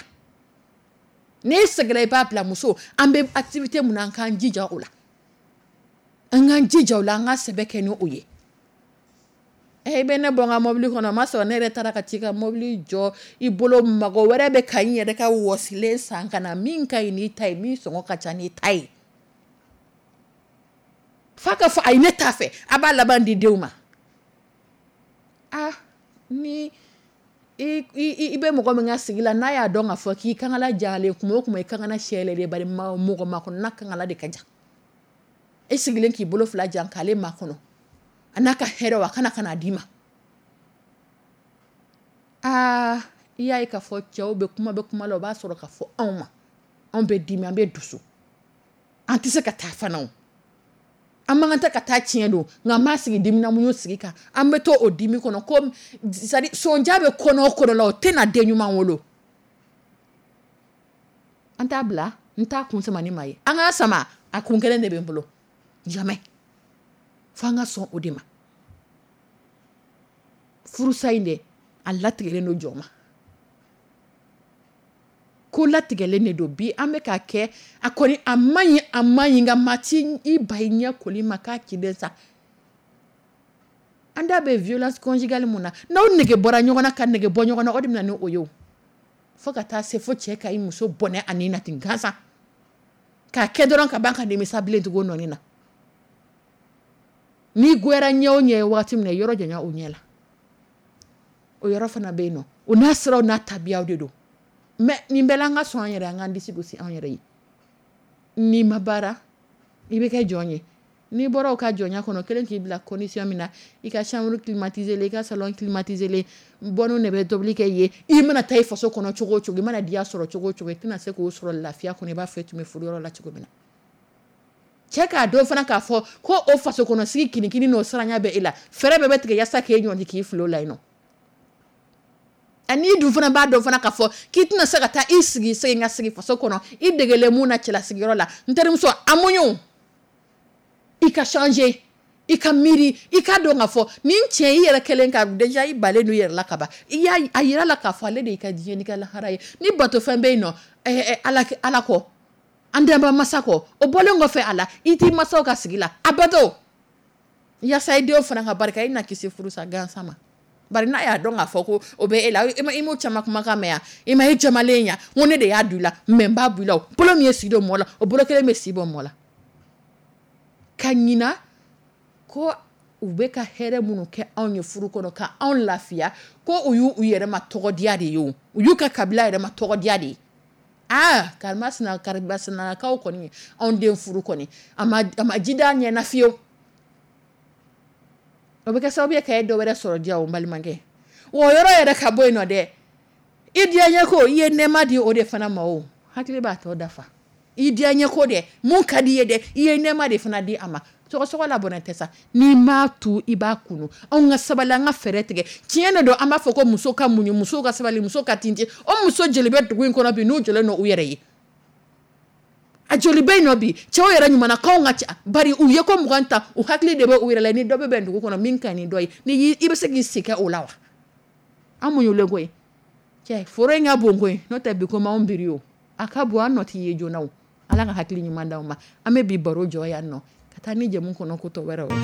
N'i sɛgɛnna, i b'a bila. Muso, an bɛ activité mun na, an k'an jija o la, an k'an jija o la, an ka sɛbɛ kɛ ni o ye. E bɛ ne bɔ n ka mobili kɔnɔ, o ma sɔrɔ ne yɛrɛ taara ka t'i ka mobili jɔ i bolo. Mago wɛrɛ bɛ ka n yɛrɛ ka wɔsilen san ka na, min ka ɲi n'i ta ye, min sɔngɔ ka ca n'i ta ye. F'a ka fɔ ayi, ne t'a fɛ. A b'a laban di denw ma. Ah, ni i i i bɛ mɔgɔ min ka sigi la, n'a y'a dɔn k'a fɔ k'i kankala jalen, kuma o kuma i kankala sɛlɛ de bari, mɔgɔ makɔnɔna kankala de ka jan. E sigilen k'i bolo fila jan k'ale makɔnɔ, a n'a ka hɛrɛ, a kana ka n'a d'i ma. Aa, i y'a ye k'a fɔ cɛw bɛ kuma bɛ kuma la, o b'a sɔrɔ k'a fɔ anw ma, anw bɛ dimi, an bɛ dusu, an tɛ se ka taa fana. O an man kan tɛ ka taa, tiɲɛ don, nka an b'a sigi diminamuɲu sigi kan, an bɛ to o dimi kɔnɔ ko c'est à dire sonja bɛ kɔnɔ o kɔnɔ la, o tɛna den ɲuman wolo. An t'a bila, n t'a kun sama ni maa ye. An k'a sama, a kun kelen de bɛ n bolo. Jamais, fo an ka sɔn o de ma. Furusa in dɛ, a latigɛlen don jɔn ma, ko latigɛlen de don. Bi an bɛ k'a kɛ, a kɔni a man ɲi, a man ɲi, nka maa ti i ba i ɲɛ koli ma k'a ciden sa. An da bɛ violence conjugale mun na, n'aw nege bɔra ɲɔgɔn na, ka nege bɔ ɲɔgɔn na, o de bɛ na ni o ye. O fo ka taa se fo cɛ ka i muso bɔnɛ a ni na ten gansan, k'a kɛ dɔrɔn ka ban ka nimisa bilen tugun nɔni na. N'i goyara ɲɛ o ɲɛ ye waati min na, yɔrɔ janya o ɲɛ la, o yɔrɔ fana bɛ yen nɔ. O n'a siraw n'a tabiyaw de don. Mais nin bɛɛ la, an ka sɔn an yɛrɛ, an k'an disi gosi an yɛrɛ ye. N'i ma baara, i bɛ kɛ jɔn ye. N'i bɔra o ka jɔnya kɔnɔ kelen k'i bila condition min na, i ka chambre climatisée, i ka salon climatisé, bonne de bɛ tobili kɛ yen. I mana taa i faso kɔnɔ cogo o cogo, i mana diya sɔrɔ cogo o cogo, i tɛna se k'o sɔrɔ lafiya kɔnɔ i b'a fɔ i tun bɛ furuyɔrɔ la cogo min na. Cɛ k'a dɔn fana k'a fɔ ko o faso kɔnɔ sigi kinikini n'o siranya bɛ e la, fɛɛrɛ bɛɛ bɛ tigɛ yaasa k'e ɲɔnti k'i fili o la yen nɔ. Ani dun fana b'a dɔn fana k'a fɔ k'i tɛna se ka taa i sigi segin ka sigi faso kɔnɔ i degelen mun na cɛlasigiyɔrɔ la. N terimuso, a muɲu, i ka changer, i ka miiri, i ka dɔn k'a fɔ nin cɛ i yɛrɛ kɛlen ka déjà i balen don i yɛrɛ la ka ban, i y'a a yira la k'a fɔ ale de y'i ka diɲɛ n'i ka lahara ye. Ni batofɛn bɛ yen nɔ, ɛɛ ala ala kɔ, an danba masa kɔ, o bɔlen kɔfɛ a la, i t'i masaw ka sigi la a bato yaasa i denw fana ka barika, i na kisi furusa gansan ma. Bari n'a y'a dɔn k'a fɔ ko o bɛ e la, i m'o caman kumakan mɛn yan, i ma e jamalen yan, n ko ne de y'a don i la, mɛ n b'a bɔ i la. O bolo min ye si don mɔgɔ la, o bolo kelen bɛ si bɔ mɔgɔ la. Ka ɲina ko u bɛ ka hɛrɛ minnu kɛ anw ye furu kɔnɔ ka anw lafiya, ko u y'u yɛrɛ ma tɔgɔdiya de ye, o u y'u ka kabila yɛrɛ ma tɔgɔdiya de ye. Aa, karimasina karimasinakaw kɔni, anw den furu kɔni a ma a ma ji d'a ɲɛ na fiyewu. O bɛ kɛ sababu ye ka e dɔ wɛrɛ sɔrɔ diya o, n balimakɛ. O yɔrɔ yɛrɛ ka bɔ yen nɔ dɛ, i diyaɲɛ ko i ye nɛɛma di o de fana ma, o hakili b'a tɔ dafa. I diyaɲɛ ko dɛ, mun ka di i ye dɛ, i ye nɛɛma de fana di a ma. Sɔgɔsɔgɔ la bɔnɛ tɛ sa, n'i m'a tu i b'a kunu. Anw ka sabali, an ka fɛɛrɛ tigɛ. Tiɲɛ de don, an b'a fɔ ko muso ka muɲu, muso ka sabali, muso ka tintin. O muso jeli bɛ dugu in kɔnɔ bi n'u jɔlen don u yɛrɛ ye? A joli bɛ yen nɔ bi cɛw yɛrɛ ɲumanakaw ka ca, bari u ye ko mugan ta, u hakili de bɛ u yɛrɛ la. Ni dɔ bɛ bɛn dugu kɔnɔ min ka ɲi ni dɔ ye, ni i bɛ se k'i sen kɛ o la wa? An muɲulen koyi cɛ, foro in ka bon koyi, n'o tɛ bi ko m'anw biri o, a ka bon, an nɔ t'i ye joona o. Ala ka hakili ɲuman d'aw ma. An bɛ bi baro jɔ yan nɔ ka taa ni jɛmu kɔnɔ ko tɔ wɛrɛw ye.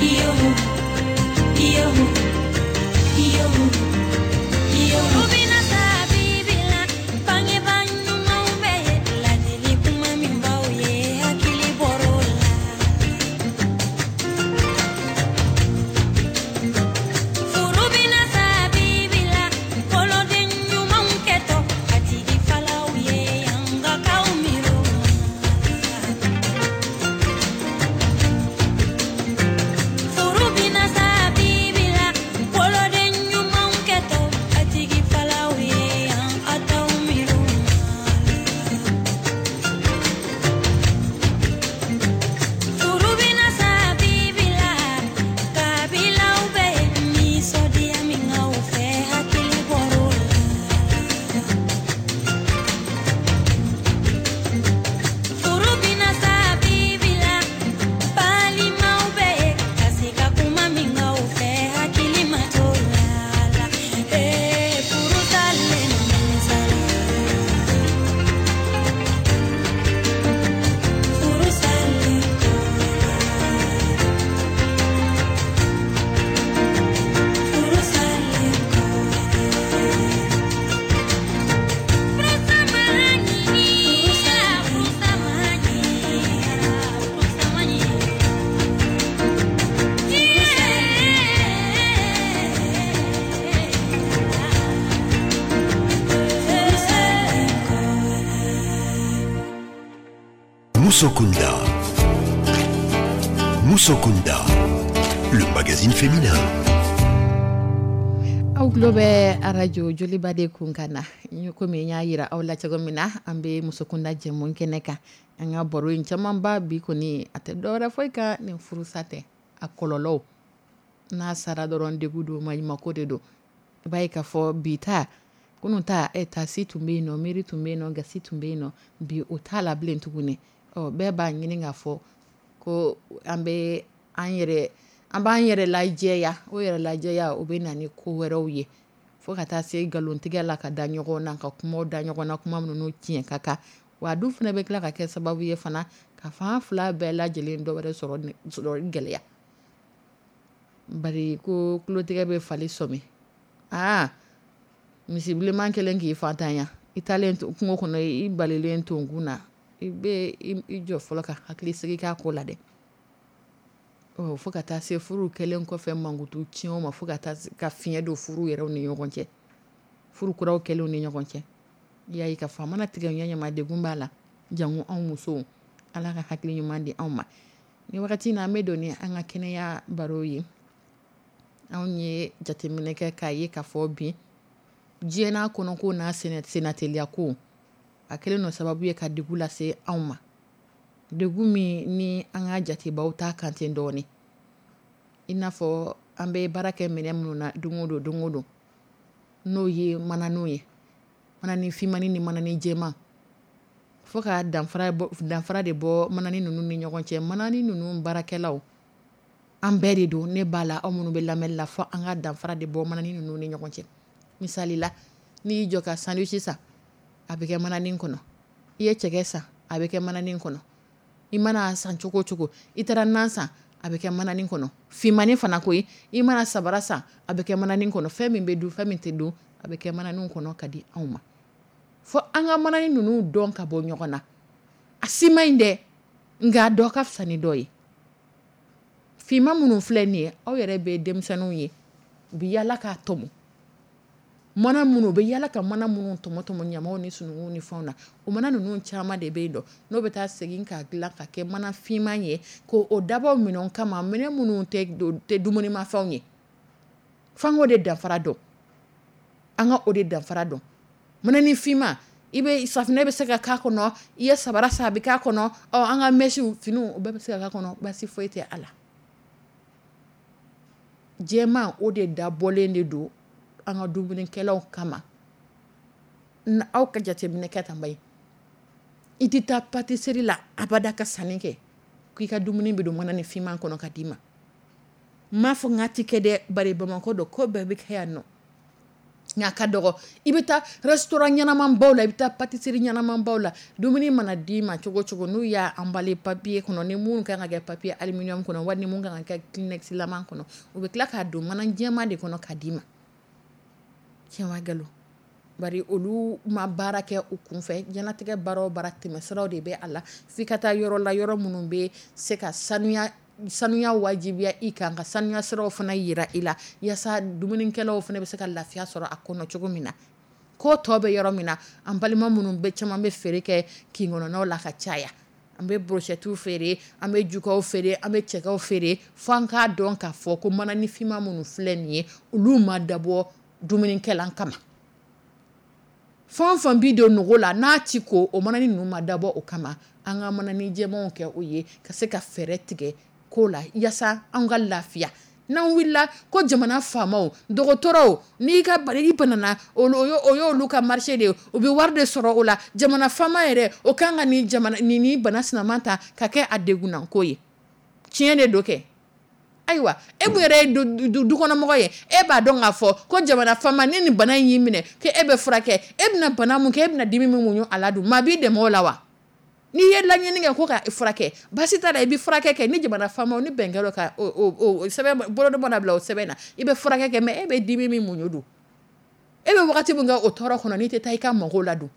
Yo, yo, Musokunda. Musokunda, le magazine féminin. Aw tulo bɛ arajo Joliba de kun kan na. Komi n y'a yira aw la cogo min na, an bɛ Musokunda jɛmu kɛnɛ kan. An ka baro in camanba bi kɔni, a tɛ dɔwɛrɛ foyi kan ni furusa tɛ, a kɔlɔlɔw n'a sara dɔrɔn, degun don, maɲumako de don. I b'a ye k'a fɔ bi ta, kunun ta, e tasi tun bɛ yen nɔ, miiri tun bɛ yen nɔ, gasi tun bɛ yen nɔ. Bi o t'a la bilen tuguni. Ɔ, bɛɛ b'a ɲini k'a fɔ ko an bɛ an yɛrɛ, an b'an yɛrɛ lajɛya. O yɛrɛ lajɛya, o bɛ na ni ko wɛrɛw ye, fo ka taa se nkalontigɛ la, ka da ɲɔgɔn na, ka kumaw da ɲɔgɔn na, kuma minnu tiɲɛ ka kan. Wa a dun fana bɛ tila ka kɛ sababu ye fana ka fan fila bɛɛ lajɛlen dɔ wɛrɛ sɔrɔ sɔrɔ gɛlɛya. Bari ko tulotigɛ bɛ fali sɔmi. Aa, misi bilenman kelen k'i fatanya, i taalen kungo kɔnɔ, i balilen tonkun na, i bɛ i jɔ fɔlɔ ka hakili sigi k'a ko la dɛ. Ɔ, fo ka taa se furu kɛlen kɔfɛ mankutu tiɲɛw ma, fo ka taa ka fiɲɛ don furu yɛrɛw ni ɲɔgɔn cɛ, furu kuraw kɛlenw ni ɲɔgɔn cɛ. I y'a ye k'a fɔ a mana tigɛ ɲɛ ɲɛma, degun b'a la. Jango anw musow, Ala ka hakili ɲuman di anw ma. Ni wagati in na, an bɛ don ni an ka kɛnɛya baro ye. Anw ye jateminɛ kɛ k'a ye k'a fɔ bi diɲɛ n'a kɔnɔko n'a sennateliya ko, a kɛlen don sababu ye ka degun lase anw ma, degun min ni an ka jatebaw ta kan ten dɔɔnin. I n'a fɔ an bɛ baara kɛ minɛn minnu na don o don, don o don, n'o ye mananiw ye, manani finmani ni manani jɛman, fo ka danfara bɔ, danfara de bɔ manani ninnu ni ɲɔgɔn cɛ. Manani ninnu baarakɛlaw, an bɛɛ de don, ne b'a la, aw minnu bɛ lamɛnni la, fo an ka danfara de bɔ manani ninnu ni ɲɔgɔn cɛ. Misali la, n'i y'i jɔ ka sandwich san, a bɛ kɛ manani kɔnɔ. I ye cɛkɛ san, a bɛ kɛ manani kɔnɔ. I mana san cogo o cogo, i taara nan san, a bɛ kɛ manani kɔnɔ. Finmani fana koyi, i mana sabara san, a bɛ kɛ manani kɔnɔ. Fɛn min bɛ dun, fɛn min tɛ dun, a bɛ kɛ manani kɔnɔ ka di anw ma. Fo an ka manani ninnu dɔn ka bɔ ɲɔgɔn na. A si man ɲi dɛ, nka dɔ ka fisa ni dɔ ye. Finman minnu filɛ nin ye, aw yɛrɛ bɛ denmisɛnninw ye, u bɛ yaala k'a tɔmɔ. Mana minnu u bɛ yaala ka mana minnu tɔmɔ tɔmɔ ɲamaw ni sununkun ni fɛnw na, o mana ninnu caman de bɛ yen dɔn, n'o bɛ taa segin k'a dilan ka kɛ mana finman ye, k'o o dabɔ minɛnw kama, minɛn minnu tɛ tɛ dumunimafɛnw ye. F'an k'o de danfara dɔn, an ka o de danfara dɔn. Manani finman, i bɛ safunɛ bɛ se ka k'a kɔnɔ, i ye sabara san, a bɛ k'a kɔnɔ, ɔ, an ka mɛsiw, finiw, o bɛɛ bɛ se ka k'a kɔnɔ, baasi foyi tɛ a la. Jɛman, o de dabɔlen de don an ka dumunikɛlaw kama. Aw ka jateminɛ kɛ tan ba ye, i tɛ taa pâtisserie la abada ka sanni kɛ k'i ka dumuni bɛ don manani finman kɔnɔ ka d'i ma. N m'a fɔ n k'a ti kɛ dɛ, bari Bamakɔ don, ko bɛɛ bɛ kɛ yan nɔ, nka ka dɔgɔ. I bɛ taa restaurant ɲɛnamanbaw la, i bɛ taa pâtisserie ɲɛnamanbaw la, dumuni mana d'i ma cogo o cogo, n'u y'a emballé papier kɔnɔ, ni mun kan ka kɛ papier aluminium kɔnɔ, wali ni mun kan ka kɛ Kleenex laman kɔnɔ, u bɛ tila k'a don mana jɛman de kɔnɔ ka d'i ma. Tiɲɛ wa nkalon? Bari olu ma baara kɛ u kunfɛ. Diɲɛlatigɛ baara o baara, tɛmɛsiraw de bɛ a la. F'i ka taa yɔrɔ la, yɔrɔ minnu bɛ se ka sanuya, sanuya wajibiya i kan, ka sanuya siraw fana yira i la, yaasa dumunikɛlaw fana bɛ se ka lafiya sɔrɔ a kɔnɔ cogo min na. Ko tɔ bɛ yɔrɔ min na, an balima minnu bɛ caman bɛ feere kɛ kin kɔnɔnaw la ka caya, an bɛ brochettes feere, an bɛ jukaw feere, an bɛ cɛkɛw feere, fo an k'a dɔn k'a fɔ ko manani finman minnu filɛ nin ye, olu ma dabɔ dumunikɛlan kama. Fɛn o fɛn bi don nogo la n'a ti ko, o manani ninnu ma dabɔ o kama. An ka manani jɛmanw kɛ o ye, ka se ka fɛɛrɛ tigɛ ko la, yaasa an ka lafiya. N'an wulila ko jamana faamaw, dɔgɔtɔrɔw, n'i ka i banana, o y'olu ka marché de ye, u bɛ wari de sɔrɔ o la. Jamana faama yɛrɛ, o kan ka nin jamana nin ni bana sinama ta ka kɛ a degunnako ye. Tiɲɛ de don kɛ. Ayiwa, e mun yɛrɛ ye dukɔnɔmɔgɔ ye, e b'a dɔn k'a fɔ ko jamana faama, ni nin bana in y'i minɛ, ko e bɛ furakɛ, e bɛna bana mun kɛ, e bɛna dimi min muɲu a la dun, maa b'i dɛmɛ o la wa? N'i ye laɲini kɛ ko ka furakɛ, baasi t'a la, i bɛ furakɛ kɛ. Ni jamana faamaw ni bɛn kɛra ka o sɛbɛn bolodon mana bila o sɛbɛn na, i bɛ furakɛ kɛ. Mais e bɛ dimi min muɲu dun, e bɛ wagati min kɛ o tɔɔrɔ kɔnɔ, n'i tɛ taa i ka mago la dun,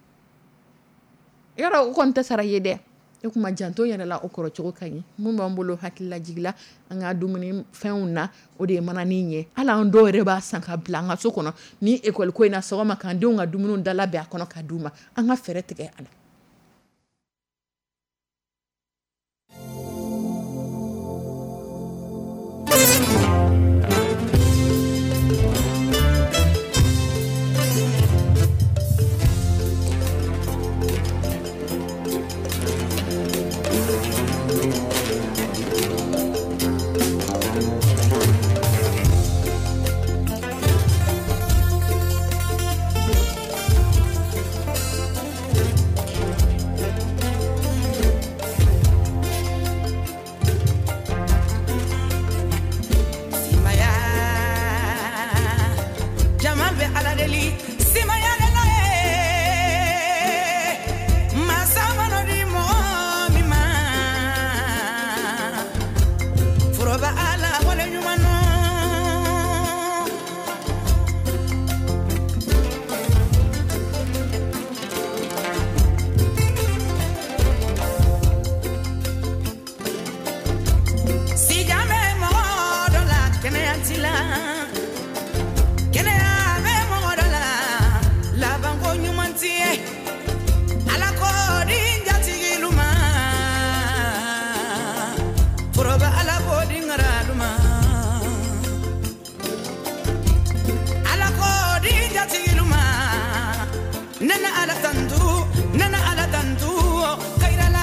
yɔrɔ o kɔni tɛ sara i ye dɛ. E kuma janto yɛrɛ la, o kɔrɔ cogo ka ɲi. Mun b'an bolo hakililajigi la an ka dumuni fɛnw na, o de ye manani ye. Hali an dɔw yɛrɛ b'a san ka bila an ka so kɔnɔ ni école ko in na, sɔgɔma k'an denw ka dumuni da labɛn a kɔnɔ ka d'u ma. An ka fɛɛrɛ tigɛ a la. waati ye Ala ko di jatigilu ma foroba Ala ko di ŋaralu ma Ala ko di jatigilu ma nana Ala tantu nana Ala tantu kairala.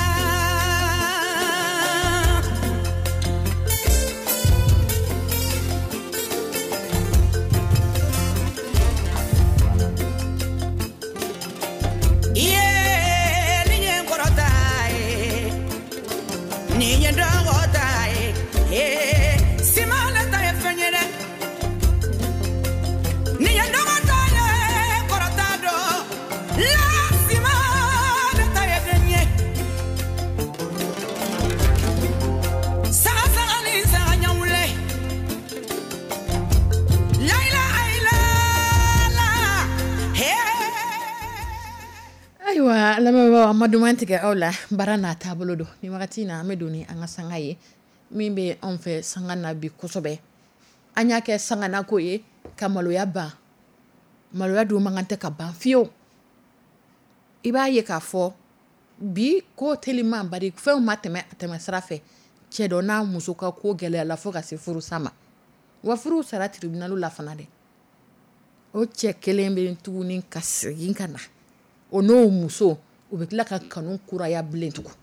Ayiwa lamɛnbagaw, an ma duman tigɛ aw la, baara n'a taabolo don. Ni wagati in na, an bɛ don ni an ka sanga ye min bɛ anw fɛ sanga na bi kosɛbɛ. An y'a kɛ sanganako ye ka maloya ban. Maloya dun man kan tɛ ka ban fiyewu. I b'a ye k'a fɔ bi ko teliman bari fɛnw ma tɛmɛ a tɛmɛ sira fɛ. Cɛ dɔ n'a muso ka ko gɛlɛyala fo ka se furusa ma. Wa furu sara tribunal la fana dɛ. O cɛ kelen bɛ tuguni ka segin ka na. O n'o muso, u bɛ tila ka kanu kuraya bilen tugun.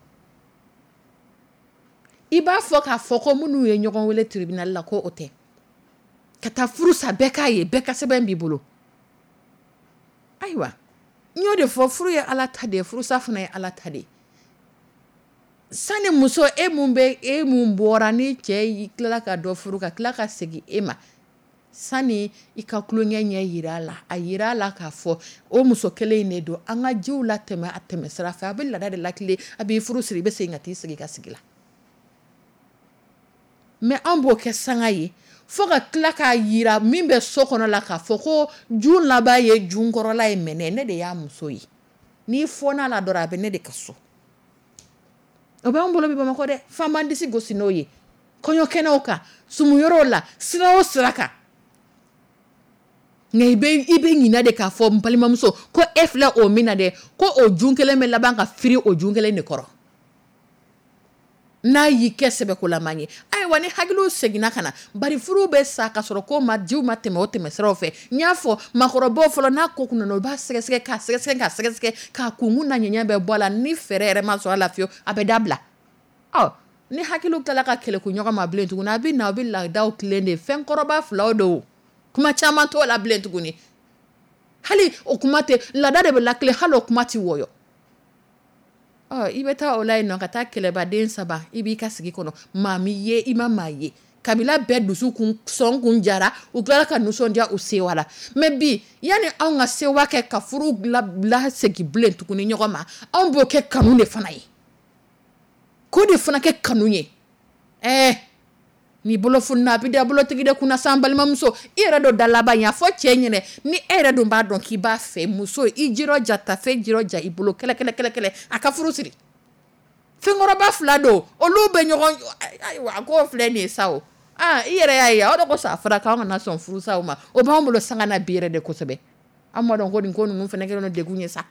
I b'a fɔ k'a fɔ ko minnu ye ɲɔgɔn wele tribunal la ko o tɛ. Ka taa furu sa bɛɛ k'a ye, bɛɛ ka sɛbɛn b'i bolo. Ayiwa, n y'o de fɔ, furu ye Ala ta de ye, furusa fana ye Ala ta de ye. Sani muso e mun bɛ e mun bɔra ni cɛ y'i tilala ka dɔ furu ka tila ka segin e ma, sani i ka tulonkɛ ɲɛ yira a la, a yira a la k'a fɔ o muso kelen in de don. An ka jiw latɛmɛ a tɛmɛ sira fɛ, a bɛ laada de lakile, a b'i furu siri, i bɛ segin ka t'i sigi i ka sigi la. Mais anw b'o kɛ sanga ye fo ka tila k'a yira min bɛ so kɔnɔ la k'a fɔ ko jun laban ye jun kɔrɔla ye mɛnɛ, ne de y'a muso ye. N'i fɔn'a la dɔrɔn a bɛ ne de ka so. O b'an bolo bi Bamakɔ dɛ, f'an b'an disi gosi n'o ye. Kɔɲɔkɛnɛw kan, sumuyɔrɔw la, sira o sira kan. Nka i bɛ i bɛ ɲinɛ de k'a fɔ n balimamuso ko e filɛ o min na dɛ, ko o jun kelen bɛ laban ka firi o jun kelen de kɔrɔ. N'a y'i kɛ sɛbɛkolama ye. Ayiwa ni hakiliw seginna ka na, bari furu bɛ sa ka sɔrɔ ko ma jiw ma tɛmɛ o tɛmɛ siraw fɛ. N y'a fɔ maakɔrɔbaw fɔlɔ n'a ko kun nana, u b'a sɛgɛsɛgɛ k'a sɛgɛsɛgɛ k'a sɛgɛsɛgɛ k'a kunkun n'a ɲɛɲɛ bɛɛ bɔ a la, ni fɛɛrɛ yɛrɛ ma sɔrɔ a la fiyewu, a bɛ dabila. Ɔ ni hakiliw tilala ka kɛlɛku ɲɔgɔn ma bilen tuguni, a bɛ na, a bɛ laadaw tilen de, fɛn kɔrɔba filaw don, kuma caman t'o la bilen tuguni. Hali o kuma tɛ, laada de bɛ lakile, hali o kuma tɛ wɔyɔ. Ɔ i bɛ taa o la yen nɔ ka taa kɛlɛbaden saba, i b'i ka sigi kɔnɔ, maa m'i ye, i ma maa ye. Kabila bɛɛ dusu kun sɔn kun jara, u tilala ka nisɔndiya u sewa la. Mais bi yanni anw ka sewa kɛ ka furu lasegin bilen tuguni ɲɔgɔn ma, anw b'o kɛ kanu de fana ye. K'o de fana kɛ kanu ye. Ɛɛ n'i bolo fununa a bɛ da bolotigi de kunna sa, n balimamuso. I yɛrɛ dɔ da laban ye, a fɔ cɛ ɲɛnɛ ni e yɛrɛ dun b'a dɔn k'i b'a fɛ, muso i jirɔja tafe jirɔja i bolo kɛlɛ kɛlɛ kɛlɛ kɛlɛ a ka furu siri. Fɛnkɔrɔba fila don, olu bɛ ɲɔgɔn, ayiwa a k'o filɛ nin ye sa o. Aa i yɛrɛ y'a ye, aw de ko sa fɔra k'anw kana sɔn furusaw ma. O b'anw bolo sanga na bi yɛrɛ de kosɛbɛ. An b'a dɔn ko nin ko ninnu fana kɛlen don degun ye sa.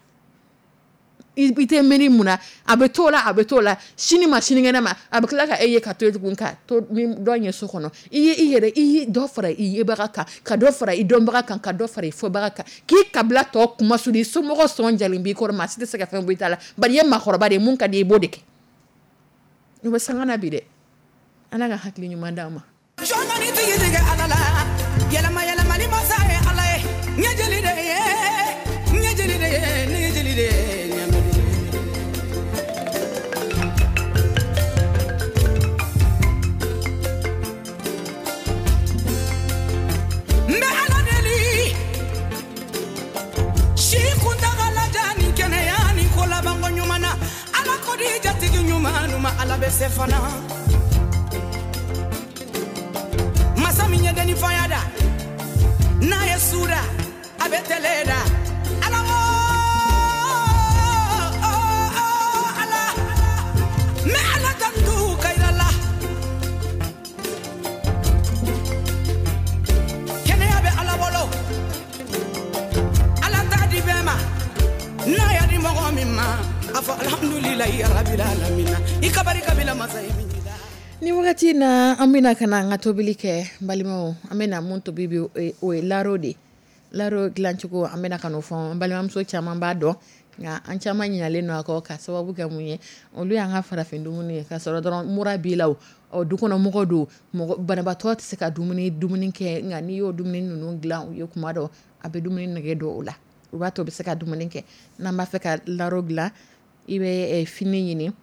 I tɛ miiri mun na, a bɛ t'o la, a bɛ t'o la, sini ma sinikɛnɛ ma, a bɛ tila ka e ye ka to yen tugun ka to ni dɔ ye so kɔnɔ. I ye i yɛrɛ, i ye dɔ fara i yebaga kan, ka dɔ fara i dɔnbaga kan, ka dɔ fara i fɔbaga kan, k'i kabila tɔ kuma suli, i somɔgɔ sɔn jalen b'i kɔrɔ, maa si tɛ se ka fɛn bɔ i ta la, bari i ye maakɔrɔba de ye, mun ka di i ye i b'o de kɛ. I bɛ sanga na bi dɛ. Ala ka hakili ɲuman d'an ma. Jɔn tigi tigɛ Ala la, yɛlɛma yɛlɛmali masa ye Ala ye, ɲɛjeli de ye, ɲɛjeli de ye, ɲɛjeli de ye, ɲɛmɛ de ye. N bɛ Ala deli, si kuntagala jan ni kɛnɛya ni ko labanko ɲuman na, Ala ko di jatigi ɲuman ma, Ala bɛ se fana. Masa min ye denni faya da, n'a ye su da, a bɛ tɛlɛ da. Ala o, Ala, n bɛ Ala tantu kayira la. Kɛnɛya bɛ Ala bolo, Ala t'a di bɛɛ ma. min ma a fɔ alhamdulilayi rabbil alamina i ka barika bila masa ye min da. Ni wagati na an bɛna ka na an ka tobili kɛ, n balimaw. An bɛna mun tobi bi, o ye laro de. Laro dilancogo, an bɛna ka n'o fɔ. N balimamuso caman b'a dɔn, nka an caman ɲinalen don a kɔ ka sababu kɛ mun ye? Olu y'an ka farafin dumuni ye ka sɔrɔ dɔrɔn mura b'i la, o du kɔnɔ mɔgɔ don, mɔgɔ banabaatɔ tɛ se ka dumuni dumuni kɛ, nka n'i y'o dumuni ninnu dilan u ye kuma dɔ, a bɛ dumuni nege don o la, o b'a to u bɛ se ka dumuni kɛ. N'an b'a fɛ ka laro dilan, i bɛ fini ɲini,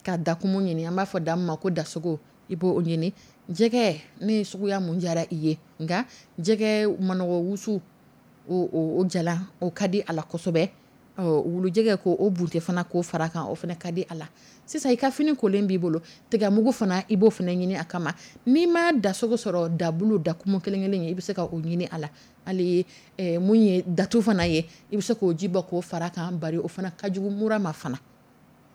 ka dakumu ɲini, an b'a fɔ da ma ko dasogo, i b'o ɲini. Jɛgɛ ne suguya mun diyara i ye, nka jɛgɛ manɔgɔ wusu o o jalan, o ka di a la kosɛbɛ. Wulujɛgɛ ko o bunte fana k'o fara kan, o fana ka di a la. Sisan i ka fini kolen b'i bolo, tigamugu fana i b'o fana ɲini a kama. N'i ma dasogo sɔrɔ, dabulu dakumu kelen kelen ye, i bɛ se ka o ɲini a la. Hali mun ye datu fana ye, i bɛ se k'o ji bɔ k'o fara kan, bari o fana ka jugu mura ma fana.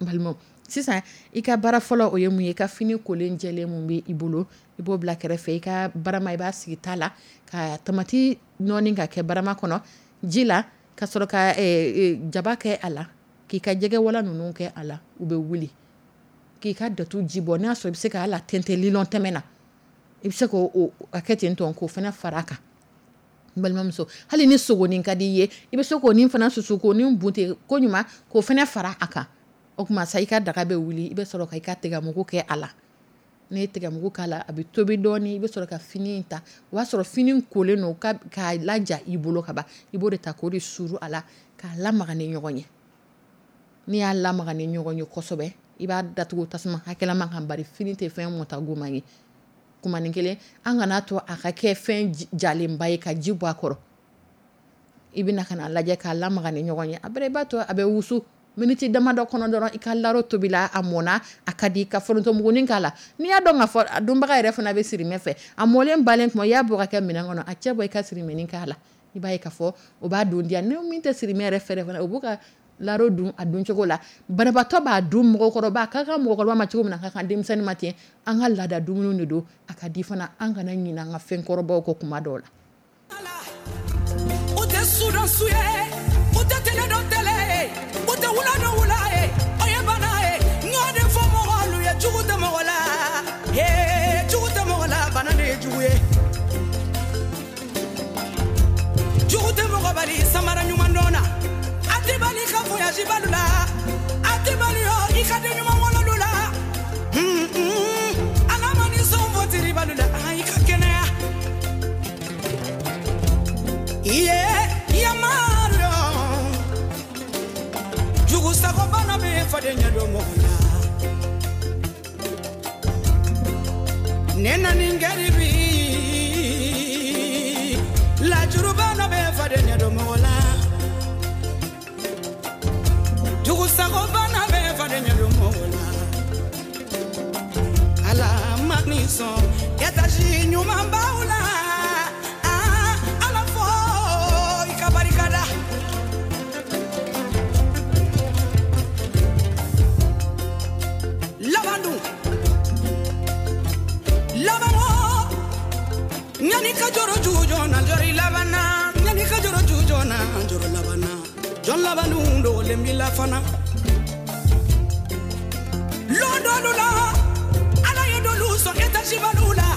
N balimaw, sisan i ka baara fɔlɔ o ye mun ye? I ka fini kolen jɛlen mun bɛ i bolo, i b'o bila kɛrɛfɛ. I ka barama, i b'a sigi ta la ka tamati nɔɔni ka kɛ barama kɔnɔ ji la, ka sɔrɔ ka jaba kɛ a la, k'i ka jɛgɛwala ninnu kɛ a la, u bɛ wuli, k'i ka datu ji bɔ. N'a sɔrɔ i bɛ se k'a la tɛntɛn lilɔn tɛmɛ na, i bɛ se k'o a kɛ ten tɔn k'o fana fara a kan. N balimamuso, hali ni sogonin ka di i ye, i bɛ se k'o ni fana susu k'o ni bunte ko ɲuman k'o fana fara a kan. O tuma sa i ka daga bɛ wuli, i bɛ sɔrɔ ka i ka tigamugu kɛ a la. N'i ye tigamugu k'a la, a bɛ tobi dɔɔni, i bɛ sɔrɔ ka fini in ta. O b'a sɔrɔ fini kolen don k'a laja i bolo ka ban, i b'o de ta k'o de suuru a la k'a lamaga ni ɲɔgɔn ye. N'i y'a lamaga ni ɲɔgɔn ye kosɛbɛ, i b'a datugu tasuma hakɛlama kan, bari fini tɛ fɛn mɔta ye. Kumanin kelen, an kana to a ka kɛ fɛn jalenba ye ka ji bɔ a kɔrɔ. I bɛna ka na lajɛ k'a lamaga ni ɲɔgɔn ye. A bɛrɛ i b'a to a bɛ wusu miniti damadɔ kɔnɔ dɔrɔn, i ka laro tobila, a mɔna, a ka di, ka forontomugunin k'a la. N'i y'a dɔn k'a fɔ a dunbaga yɛrɛ fana bɛ sirimɛ fɛ, a mɔlen balen tuma i y'a bɔ ka kɛ minɛn kɔnɔ, a cɛ bɔ i ka sirimɛnin k'a la, i b'a ye k'a fɔ o b'a dun diya. Ni min tɛ sirimɛ yɛrɛ fɛ fana, o b'u ka laro dun a dun cogo la. Banabaatɔ b'a dun, mɔgɔkɔrɔba a ka kan mɔgɔkɔrɔba ma cogo min na, a ka kan denmisɛnnin ma ten. An ka laada dumuni de don, a ka di fana, an kana ɲinɛ an ka fɛn kɔrɔbaw kɔ kuma dɔw la. U tɛ su dɔn su ye, u tɛ tele dɔn tele ye, u tɛ wula dɔn wula ye, o ye bana ye. N y'o de fɔ mɔgɔlu ye, jugu tɛ mɔgɔ la, ee jugu tɛ mɔgɔ la, bana de ye jugu ye. Jugu tɛ mɔgɔ bali samara ɲuman dɔn na, a tɛ bali ka voyage balu la, a tɛ bali yɔ i ka den ɲuman wololu la. Ala ma ni sɔn fɔ tiri balu la, i ka kɛnɛya. Iye yamaru jugu sago bana bɛ faden ɲɛ dɔn mɔgɔ la. Ne nani garibi lajuru bana bɛ faden ɲɛ dɔn mɔgɔ la. Jugu sago bana bɛ faden ɲɛ dɔn mɔgɔ la. Ala ma ni sɔn étage ɲuman b'aw la. Ala fo i ka barika da. Laban dun laban o ɲani ka jɔrɔ jujɔn na jɔrɔ i laban na, ɲani ka jɔrɔ jujɔn na jɔrɔ laban na, jɔn laban dun dogolen b'i la fana. Lon dɔlu la Ala ye dɔlu sɔn étage balu la.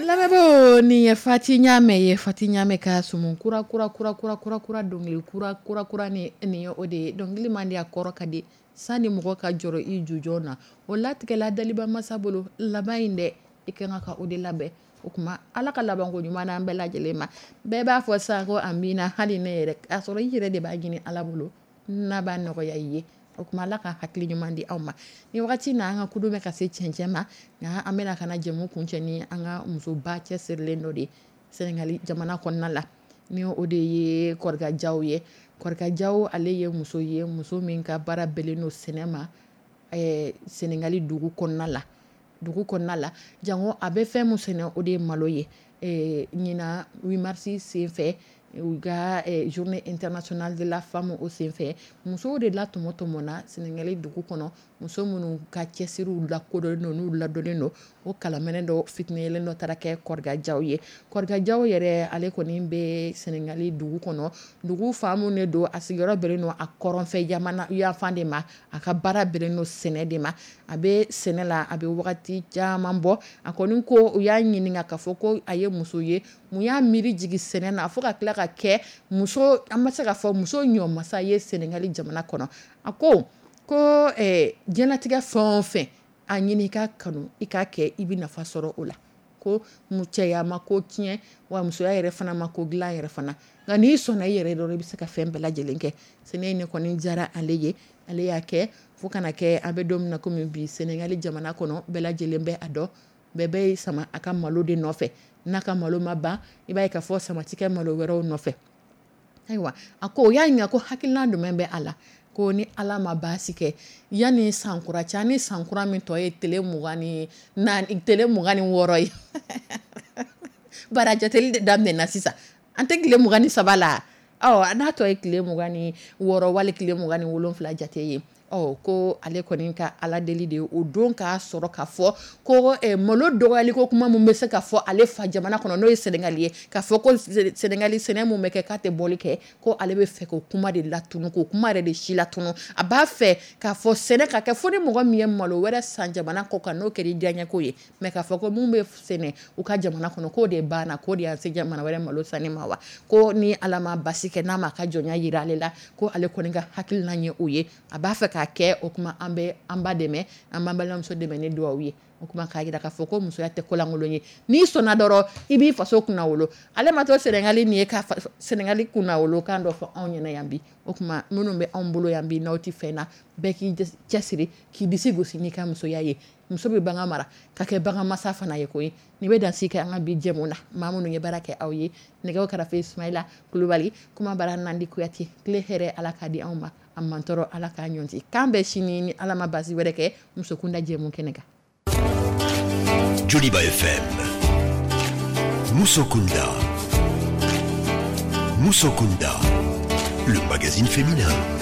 Lamɛnbaaw, nin ye Fati Ɲamɛ ye. Fati Ɲamɛ ka sumu kura kura kura kura kura kura dɔnkili kura kura kura ni nin ye o de ye. Dɔnkili man di, a kɔrɔ ka di. Sani mɔgɔ ka jɔrɔ i jujɔn na, o latigɛla daliba masa bolo laban in dɛ, i ka kan ka o de labɛn. O tuma Ala ka labanko ɲuman n'an bɛɛ lajɛlen ma. Bɛɛ b'a fɔ sa ko amina, hali ne yɛrɛ, k'a sɔrɔ i yɛrɛ de b'a ɲini Ala bolo n'a b'a nɔgɔya i ye. O tuma Ala ka hakili ɲuman di aw ma. Ni wagati na an ka kudu bɛ ka se cɛncɛn ma, nka an bɛna ka na jɛmu kuncɛ ni an ka musoba cɛsirilen dɔ de ye Sɛnɛgali jamana kɔnɔna la, ni o de ye Kɔrika Jaw ye. Kɔrika Jaw, ale ye muso ye, muso min ka baara bɛnnen don sɛnɛ ma ɛɛ Sɛnɛgali dugu kɔnɔna la. Dugu kɔnɔna la, jango a bɛ fɛn min sɛnɛ, o de ye malo ye. Ɛɛ ɲinan huit mars senfɛ, u ka journée internationale de la femme o senfɛ, musow de la tɔmɔ tɔmɔna Sɛnɛgali dugu kɔnɔ Muso minnu ka cɛsiriw lakodɔnnen don, n'u ladɔnnen don, o kalamɛnɛ dɔ fitinɛyɛlɛn dɔ taara kɛ Kɔriga Jaw ye. Kɔriga Jaw yɛrɛ, ale kɔni bɛ Sɛnɛgali dugu kɔnɔ, dugu faamu de don. A sigiyɔrɔ bɛnnen don a kɔrɔnfɛ jamana yanfan de ma. A ka baara bɛnnen don sɛnɛ de ma. A bɛ sɛnɛ la, a bɛ wagati caman bɔ. A kɔni ko u y'a ɲininka k'a fɔ ko a ye muso ye, mun y'a miiri jigin sɛnɛ na fo ka tila ka kɛ muso, an bɛ se k'a fɔ muso ɲɔmasa ye Sɛnɛgali jamana kɔnɔ? A ko ko eh, diɲɛlatigɛ fɛn o fɛn, a ɲini i ka kanu, i k'a kɛ, i bɛ nafa sɔrɔ o la. Ko cɛya ma ko tiɲɛ wa, musoya yɛrɛ fana ma ko dilan yɛrɛ fana, nka n'i sɔnna i yɛrɛ dɔrɔn, i bɛ se ka fɛn bɛɛ lajɛlen kɛ. Sɛnɛ in ne kɔni diyara ale ye, ale y'a kɛ fo kana kɛ an bɛ don min na komi bi, Sɛnɛgali jamana kɔnɔ, bɛɛ lajɛlen bɛ a dɔn, bɛɛ bɛ sama a ka malo de nɔfɛ. N'a ka malo ma ban, i b'a ye k'a fɔ sama ti kɛ malo wɛrɛw nɔfɛ. Ayiwa, a ko o y'a ɲininka ko hakilina jumɛn bɛ a la, ko ni Ala ma baasi kɛ, yanni sankura cɛ, ni sankura min tɔ ye tile mugan ni naani, tile mugan ni wɔɔrɔ ye, bara jateli de daminɛna sisan, an tɛ tile mugan ni saba la, ɔ n'a tɔ ye tile mugan ni wɔɔrɔ wali tile mugan ni wolonfila jate ye, ɔ ko ale kɔni ka Ala deli de ye o don k'a sɔrɔ k'a fɔ ko eh, malo dɔgɔyali ko kuma mun bɛ se ka fɔ ale fa jamana kɔnɔ, n'o ye Sɛnɛgali ye, k'a fɔ ko Sɛnɛgali sɛnɛ mun bɛ kɛ k'a tɛ bɔli kɛ, ko ale bɛ fɛ k'o kuma de latunu, k'o kuma yɛrɛ de si latunu. A b'a fɛ k'a fɔ sɛnɛ ka kɛ fo ni mɔgɔ min ye malo wɛrɛ san jamana kɔ kan, n'o kɛra i diyaɲɛko ye, mɛ k'a fɔ ko mun bɛ sɛnɛ u ka jamana kɔnɔ, k'o de banna, k'o de y'an se jamana wɛrɛ malo sanni ma wa. Ko ni Ala ma basi kɛ, n'a ma ka jɔnya yira ale la, ko ale kɔni ka hakilina ye o ye, a b'a fɛ k'a kɛ. O kuma, an bɛ an ba dɛmɛ, an b'an balimamuso dɛmɛ ni dugawu ye. O kuma k'a jira k'a fɔ ko musoya tɛ kolankolon ye, n'i sɔnna dɔrɔn, i b'i faso kunnawolo. Ale ma to Sɛnɛgali nin ye ka Sɛnɛgali kunnawolo kan dɔ fɔ anw ɲɛna yan bi. O kuma, minnu bɛ anw bolo yan bi, n'aw tɛ fɛn na, bɛɛ k'i cɛsiri k'i disi gosi n'i ka musoya ye. Muso bɛ bagan mara ka kɛ bagan masa fana ye koyi. Nin bɛ dan si kɛ an ka bi jɛmu na. Maa minnu ye baara kɛ aw ye, nɛgɛw karafe Sumayila Kulubali, kuma bara Nandi Kuyate. Tile hɛrɛ, Ala k'a di anw ma, a mantɔrɔ, Ala k'a ɲɔnti. K'an bɛn sini, ni Ala ma basi wɛrɛ kɛ, Musokunda jɛmu kɛnɛ kan. Joliba F M. Musokunda. Musokunda. Le magazine féminin.